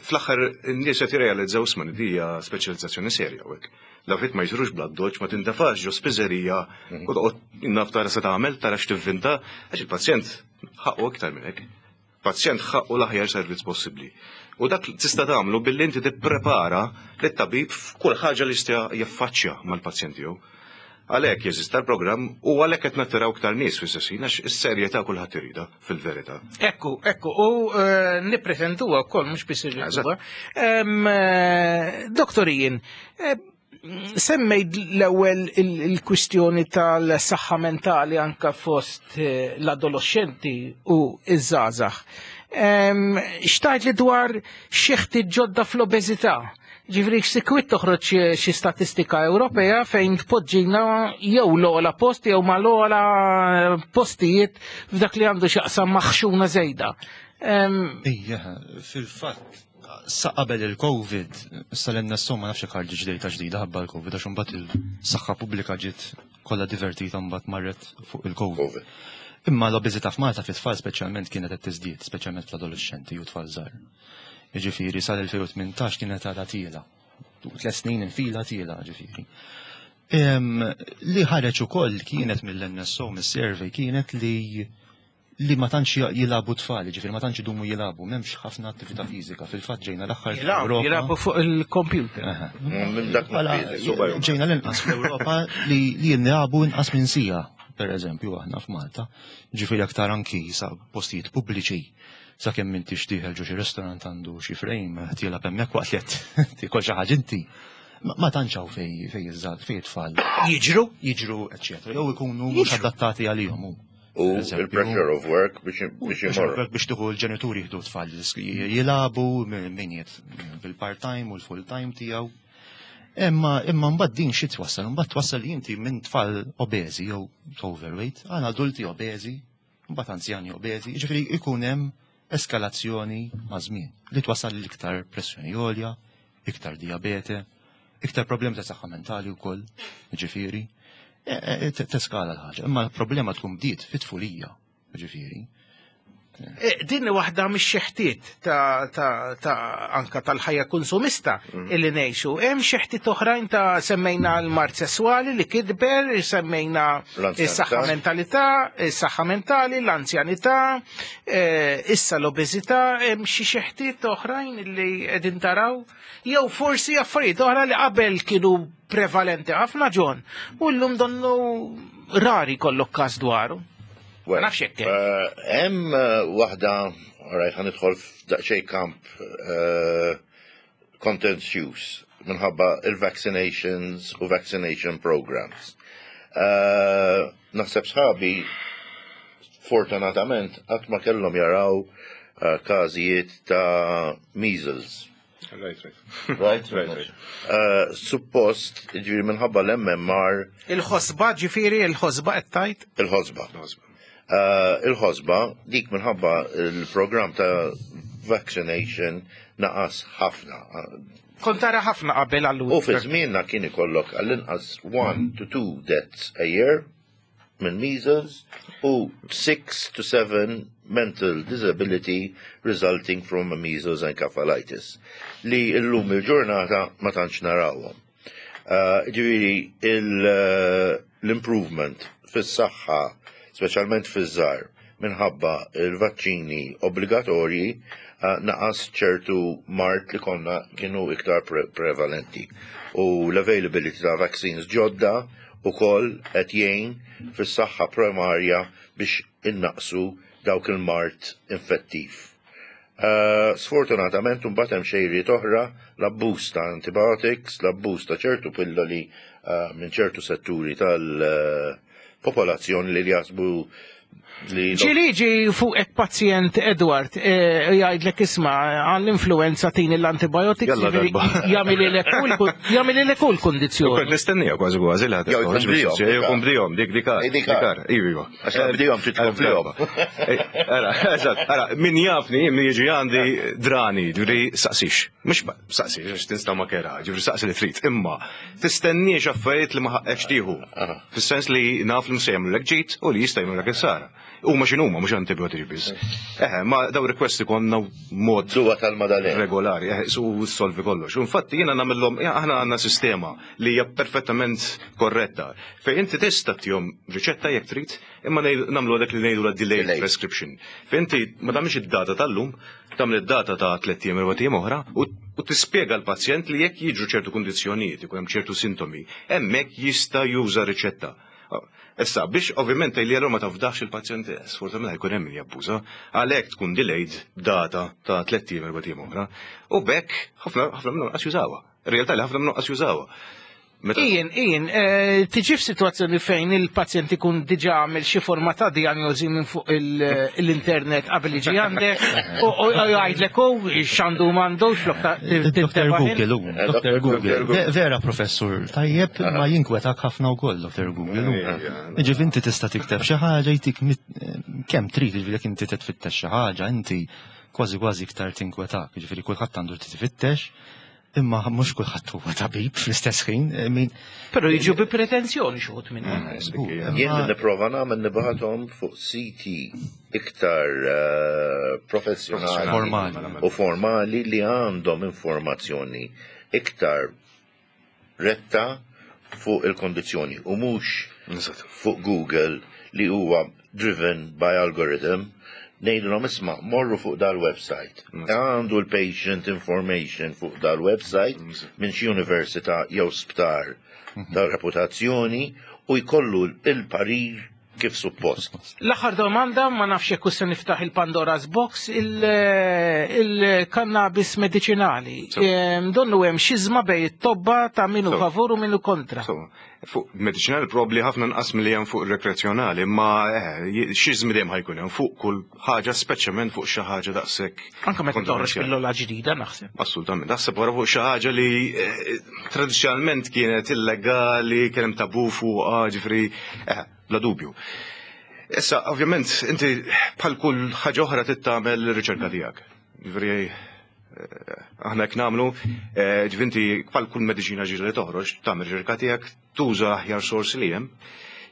fl-aħħar n-nies qed jirrealizzaw isma' di hija speċjalizzazzjoni serja u hekk. L-affarijiet ma jsirux bla doċ, ma tintafax ġo spiżerija u toqgħod naf tara se tagħmel, tara x'tivvinta, għax il-pazjent ħaqqu iktar minn hekk. Pazjent ħaqqu l-aħjar servizz possibbli. U dak tista' tagħmlu billi inti tipprepara lit-tabib f'kull ħaġa li jista' jaffaċċja mal-pazjent tiegħu. Għalhekk jeżista l-programm u għalhekk qed nattiraw iktar nies fis-sessin għax is-serjetà kulħadd iridha fil-verità. Ekku, ekku, u eh, nippretenduha wkoll, mhux biss irriduha. Em, eh, Doktor Ian, eh, semmejt l-ewwel il-kwistjoni tal-saħħa mentali anka fost eh, l-adolescenti u iż-żgħażagħ. Em, Xtajt li dwar xeħti ġodda fl-obeżità? Ġifieri sikwit toħroġ xi statistika Ewropea fejn tpoġġina jew l-ogħla post jew ma l-ogħla postijiet f'dak li għandu x'jaqsam ma' ħxuna żejda. Em, Ija, fil-fatt, sa qabel il-Covid, sal-N S O ma nafx ħarġet ġdejta ġdida ħabba l-Covid, għax imbagħad il-saħħa pubblika ġiet kollha divertita, mbagħad marret fuq il-Covid. Imma l-obeżità f'Malta fit-tfal speċjalment kienet qed tiżdied, speċjalment fl-adolescenti u tfal żgħar. Jiġifieri sal-elfejn u tmintax kienet għadha tiela. Tliet snin infila tiela, ġifieri. Em, Li ħareġ ukoll kienet mill-N S O, mis-survey, kienet li li ma tantx jilagħbu tfal, ġifieri ma tantx idumu jilagħbu, m'hemmx ħafna attività fiżika. Fil-fatt ġejna l-aħħar Jilagħbu, fl-Ewropa. jilagħbu fuq il-computer. Bħala, ġejna l-inqas fl-Ewropa li li jilagħbu inqas minn siegħa, per eżempju, aħna f'Malta. Ġifieri aktar anki sa postijiet pubbliċi. Sa kemm inti xtieħel ġo xi restaurant għandu xi frame, tilgħab hemmhekk waqt li qed tiekol xi ħaġa inti. Ma ma tantx hawn fej fej iż-żgħar, fej it-tfal. Jiġru? Jiġru, eċċetera. Jew ikunu mhux adattati għalihom. hu. U il-pressure of work biex biex imorru. Biex tieħu l-ġenituri jieħdu tfal jilagħbu min jiet bil-part-time u l-full-time tiegħu. Imma imma mbagħad din xi twassal? Mbagħad twassal li inti minn tfal obeżi jew overweight għal adulti obeżi, mbagħad anzjani obeżi, jiġifieri ikun hemm eskalazzjoni ma' żmien li twassal l-iktar pressjoni għolja, iktar diabete, iktar problemi ta' saħħa mentali wkoll, jiġifieri. E- e- te- Teskala l-ħaġa, imma l-problema tkun bdiet fit-tfulija, ġifieri. Eh, Din waħda mix-xeħtiet ta' ta' ta' anka tal-ħajja konsumista illi ngħixu. Hemm xeħtiet oħrajn ta' semmejna l-mard sesswali li kidber, semmejna L-anzjanità. is-saħħa mentalità, is-saħħa mentali, l-anzjanità, eh, issa l-obeżità, hemm xi xeħtiet oħrajn li qegħdin taraw, jew forsi affarijiet oħra li qabel kienu prevalenti ħafna ġon, u llum donnu rari kollok każ dwaru. Well, Ma nafx jekk hemm. eh, Hemm eh, waħda, alright, ħa nidħol f'daqsxejn kamp eh, contentious minħabba il-vaccinations u vaccination programs. Eh, Naħseb sħabi fortunatament qatt ma kellhom jaraw eh, każijiet ta' measles. Right, right. Right? Right, right. Eh, Suppost, ġifieri minħabba l-MMR Il-ħosba ġifieri, il-ħosba qed tgħid? Il-ħosba. Uh, Il-ħosba, dik minħabba il-program ta' vaccination naqas ħafna. Kont tara ħafna qabel allura. U fi żmienna kien ikollok għall-inqas one to two deaths a year minn measles u six to seven mental disability resulting from a measles encephalitis li illum il-ġurnata ma tantx narawhom. Uh, Ġifieri il- l-improvement fis-saħħa, speċjalment fiż-żgħar, minħabba il-vaċċini obbligatorji uh, naqas ċertu mard li konna kienu iktar pre prevalenti. U l-availability ta' vaccines ġodda ukoll qed jgħin fis-saħħa primarja biex innaqsu dawk il-mard infettiv. Uh, sfortunatament mbagħad hemm xejriet oħra l-abbuż ta' antibiotics, l-abbuż ta' ċertu pilloli uh, minn ċertu setturi tal-popolazzjoni li jaħsbu li Ġieli ġi fuq pazjent Edward, eh, jgħidlek isma' għall-influenza tini l-antibiotics, Jalla ġifieri darba. jagħmililek kull kundizzjoni. Kont nistennija kważi kważi li Jew jkun bdihom, Jew jkun bdihom, dik dikar. Dikar. Iva, iva. Għax la bdihom trid tkomplihom. Ara, eżatt, ara, min jafni, min jiġi għandi drani, ġifieri saqsix. Mhux ma- saqsix, għax tinsta ma kera, ġifieri saqsi li trid, imma tistenniex affarijiet li ma ħaqqekx tieħu. Fis-sens li naf li mse jagħmlulek ġid u li jista' jagħmlulek is-sara. Huma x'inhuma mhux antibiotiċi biss. Eħe, ma daw requesti konna mod Duwa tal-Madalena. regolari, eħe, su solvi kollox. U Infatti jiena nagħmilhom, ja, aħna għandna sistema li hija perfettament korretta. Fejn inti tista' tihom riċetta jekk trid, imma ngħidu- nagħmlu dak li ngħidu la delayed Delayed. prescription. Fejn inti ma tagħmilx id-data tal-lum, tagħmel id-data ta' tliet ijiem erba' ijiem oħra u u tispjega l-pazjent li jekk jiġu ċertu kundizzjonijiet, ikun hemm ċertu sintomi, hemmhekk jista' juża riċetta. Issa, biex ovvjament li allura ma tafdax il-pazjent, sfortunatament jkun hemm min jabbuża, għalhekk tkun delayed data ta' tliet ijiem erba' ijiem oħra. U bekk ħafna ħafna minnhom qas jużawha. Ir-realtà li ħafna minnhom qas jużawha. Meta Ian, Ian, eh, tiġi f'sitwazzjoni fejn il-pazjent ikun diġà għamel xi forma ta' diagnosi minn fuq il- l-internet qabel jiġi għandek u u jgħidlek u x'għandu m'għandux flok ta' Dr. Google, u, Eh, Dr. Google. Google. Ve- Vera professur, tajjeb ma jinkwetak ħafna wkoll Dr. Google. u. Ġifieri inti tista' tikteb xi ħaġa jtik mit- kemm trid, ġifieri jekk inti titfittex xi ħaġa, inti kważi kważi iktar tinkwetak, ġifieri kulħadd għandu titfittex, imma mhux kulħadd huwa tabib fl-istess ħin. I mean, Però jiġu bi pretenzjoni xi wħud minnhom. Jien li nipprova nagħmel nibgħathom fuq siti iktar eh, professjonali Formali. u formali li għandhom informazzjoni iktar retta fuq il-kondizzjoni u mhux fuq Google li huwa driven by algorithm ngħidulhom isma' morru fuq dal-website. Għandu l-patient information fuq dal-website minn xi università jew sptar ta' reputazzjoni u jkollu il-parir kif suppost. L-aħħar domanda, ma nafx jekk se niftaħ il-Pandora's Box, il- il-cannabis medicinali. Em, Donnu hemm xiżma bejn it-tobba ta' minu So. favur u minu kontra. So, fuq medicinali probabli ħafna nqas milli hemm fuq rekreazzjonali, imma eh, xiżmi dejjem ħa jkun hemm fuq kull ħaġa, speċjalment fuq xi ħaġa daqshekk. Anka meta toħroġ kontroversjali. pillola ġdida naħseb. Assolutament, naħseb wara fuq xi ħaġa li eh, tradizzjonalment kienet illegali, kien hemm tabu fuqha, ġifieri, eh, bla dubju. Issa, ovvjament, inti bħal kull ħaġa oħra trid tagħmel ir-riċerka tiegħek. Ġifieri, eh, aħna hekk nagħmlu, eh, ġifieri inti bħal kull mediċina ġdida li toħroġ, tagħmel riċerka tiegħek, tuża aħjar sorsi li hemm,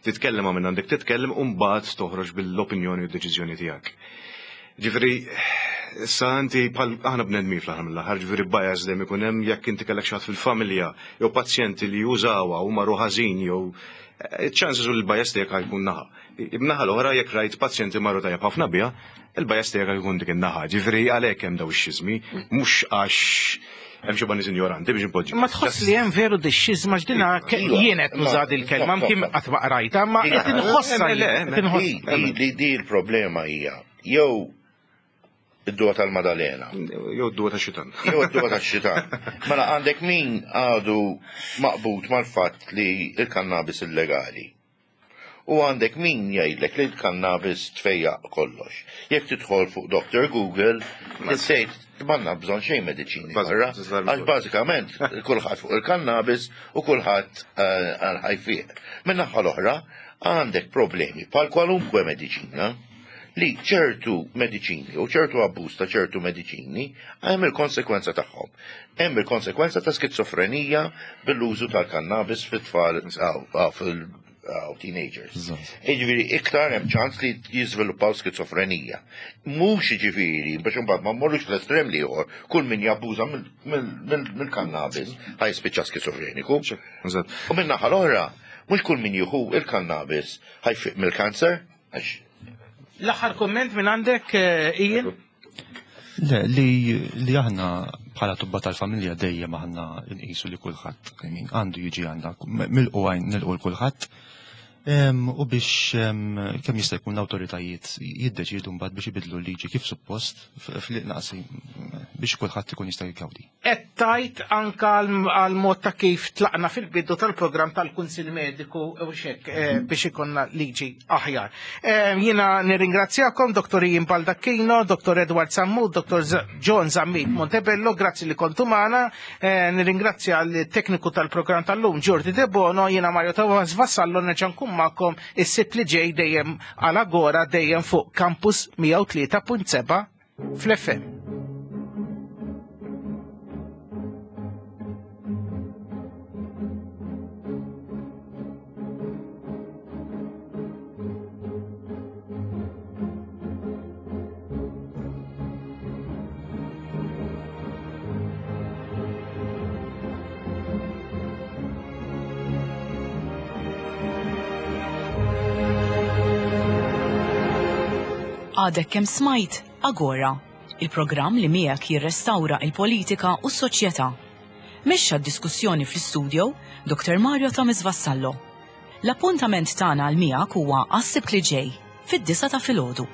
titkellem ma' minn għandek titkellem u mbagħad toħroġ bil-opinjoni u d-deċiżjoni tiegħek. Ġifieri, issa inti bħal aħna bnedmin fl-aħħar mill-aħħar, ġifieri bias dejjem ikun hemm jekk inti kellek xi ħadd fil-familja jew pazjenti li jużawha u marru ħażin jew chances u l-bias tiegħek ħa jkun naħa. Naħa l-oħra jekk rajt pazjenti marru tajjeb ħafna biha, il-bias tiegħek jkun dik in-naħa. Ġifieri għalhekk hemm daw ix-xiżmi, mhux għax hemm xi nies ignoranti biex inpoġġi. Ma tħoss li hemm veru dix-xiżma x'dina jien qed nuża il-kelma mkien qatt ma qrajta, ma qed inħossha jien. Di l-problema hija jew id-duwa tal-Madalena. Jew id-duwa tax-xitan. Jew id-duwa tax-xitan. Mela għandek min għadu maqbut mal-fatt li l-kannabis illegali. U għandek min jgħidlek li l-kannabis tfejjaq kollox. Jekk tidħol fuq Doctor Google, tgħid m'għandna bżonn xejn mediċini barra. Għax bażikament kulħadd fuq il-kannabis u kulħadd ħa jfiq. Min-naħa l-oħra għandek problemi bħal kwalunkwe mediċina li ċertu mediċini u ċertu abbuż ta' ċertu mediċini hemm il-konsekwenza tagħhom. Hemm il-konsekwenza ta' skizofrenija bil-użu tal-kannabis fit-tfal fil teenagers. Jiġifieri iktar hemm ċans li jiżviluppaw skizofrenija. Mhux jiġifieri biex imbagħad ma mmorrux l-estrem l-ieħor, kull min jabbuża mill-kannabis ħa jispiċċa skizofreniku. U min-naħa l-oħra, mhux kull min jieħu il-kannabis ħa jfiq mill-kanser, għax L-aħħar komment minn għandek, Ian? Le, li, li aħna bħala tobba tal-familja dejjem aħna nqisu li kulħadd għandu jiġi għandna milqu għajn nilqu l-kulħadd. U biex kemm jista' jkun l-awtoritajiet jiddeċiedu mbagħad biex ibidlu l-liġi kif suppost fl-naqsi biex kulħadd ikun jista' jgawdi. Qed tajt anka għal mod ta' kif tlaqna fil-bidu tal-programm tal-Kunsill Mediku u xek biex ikonna liġi aħjar. Jiena nirringrazzjakom Dottor Ian Baldacchino, Dottor Edward Sammut, Dottor John Zammit Montebello, grazzi li kontu magħna. Nirringrazzja l-tekniku tal-programm tal-lum Jordi Debono, jiena Mario Tavas Vassallo nerġa' nkun magħkom is-Sibt li ġej dejjem għal Agora dejjem fuq Campus mija u tlieta punt seba' fl-F M. Għadek kemm smajt Agora, il-programm li miegħek jirrestawra il-politika u s-soċjetà. Mexxa d-diskussjoni fl-istudio Dottor Mario Thomas Vassallo. L-appuntament tagħna għal miegħek huwa għas-Sibt li ġej fid-disgħa ta' filgħodu.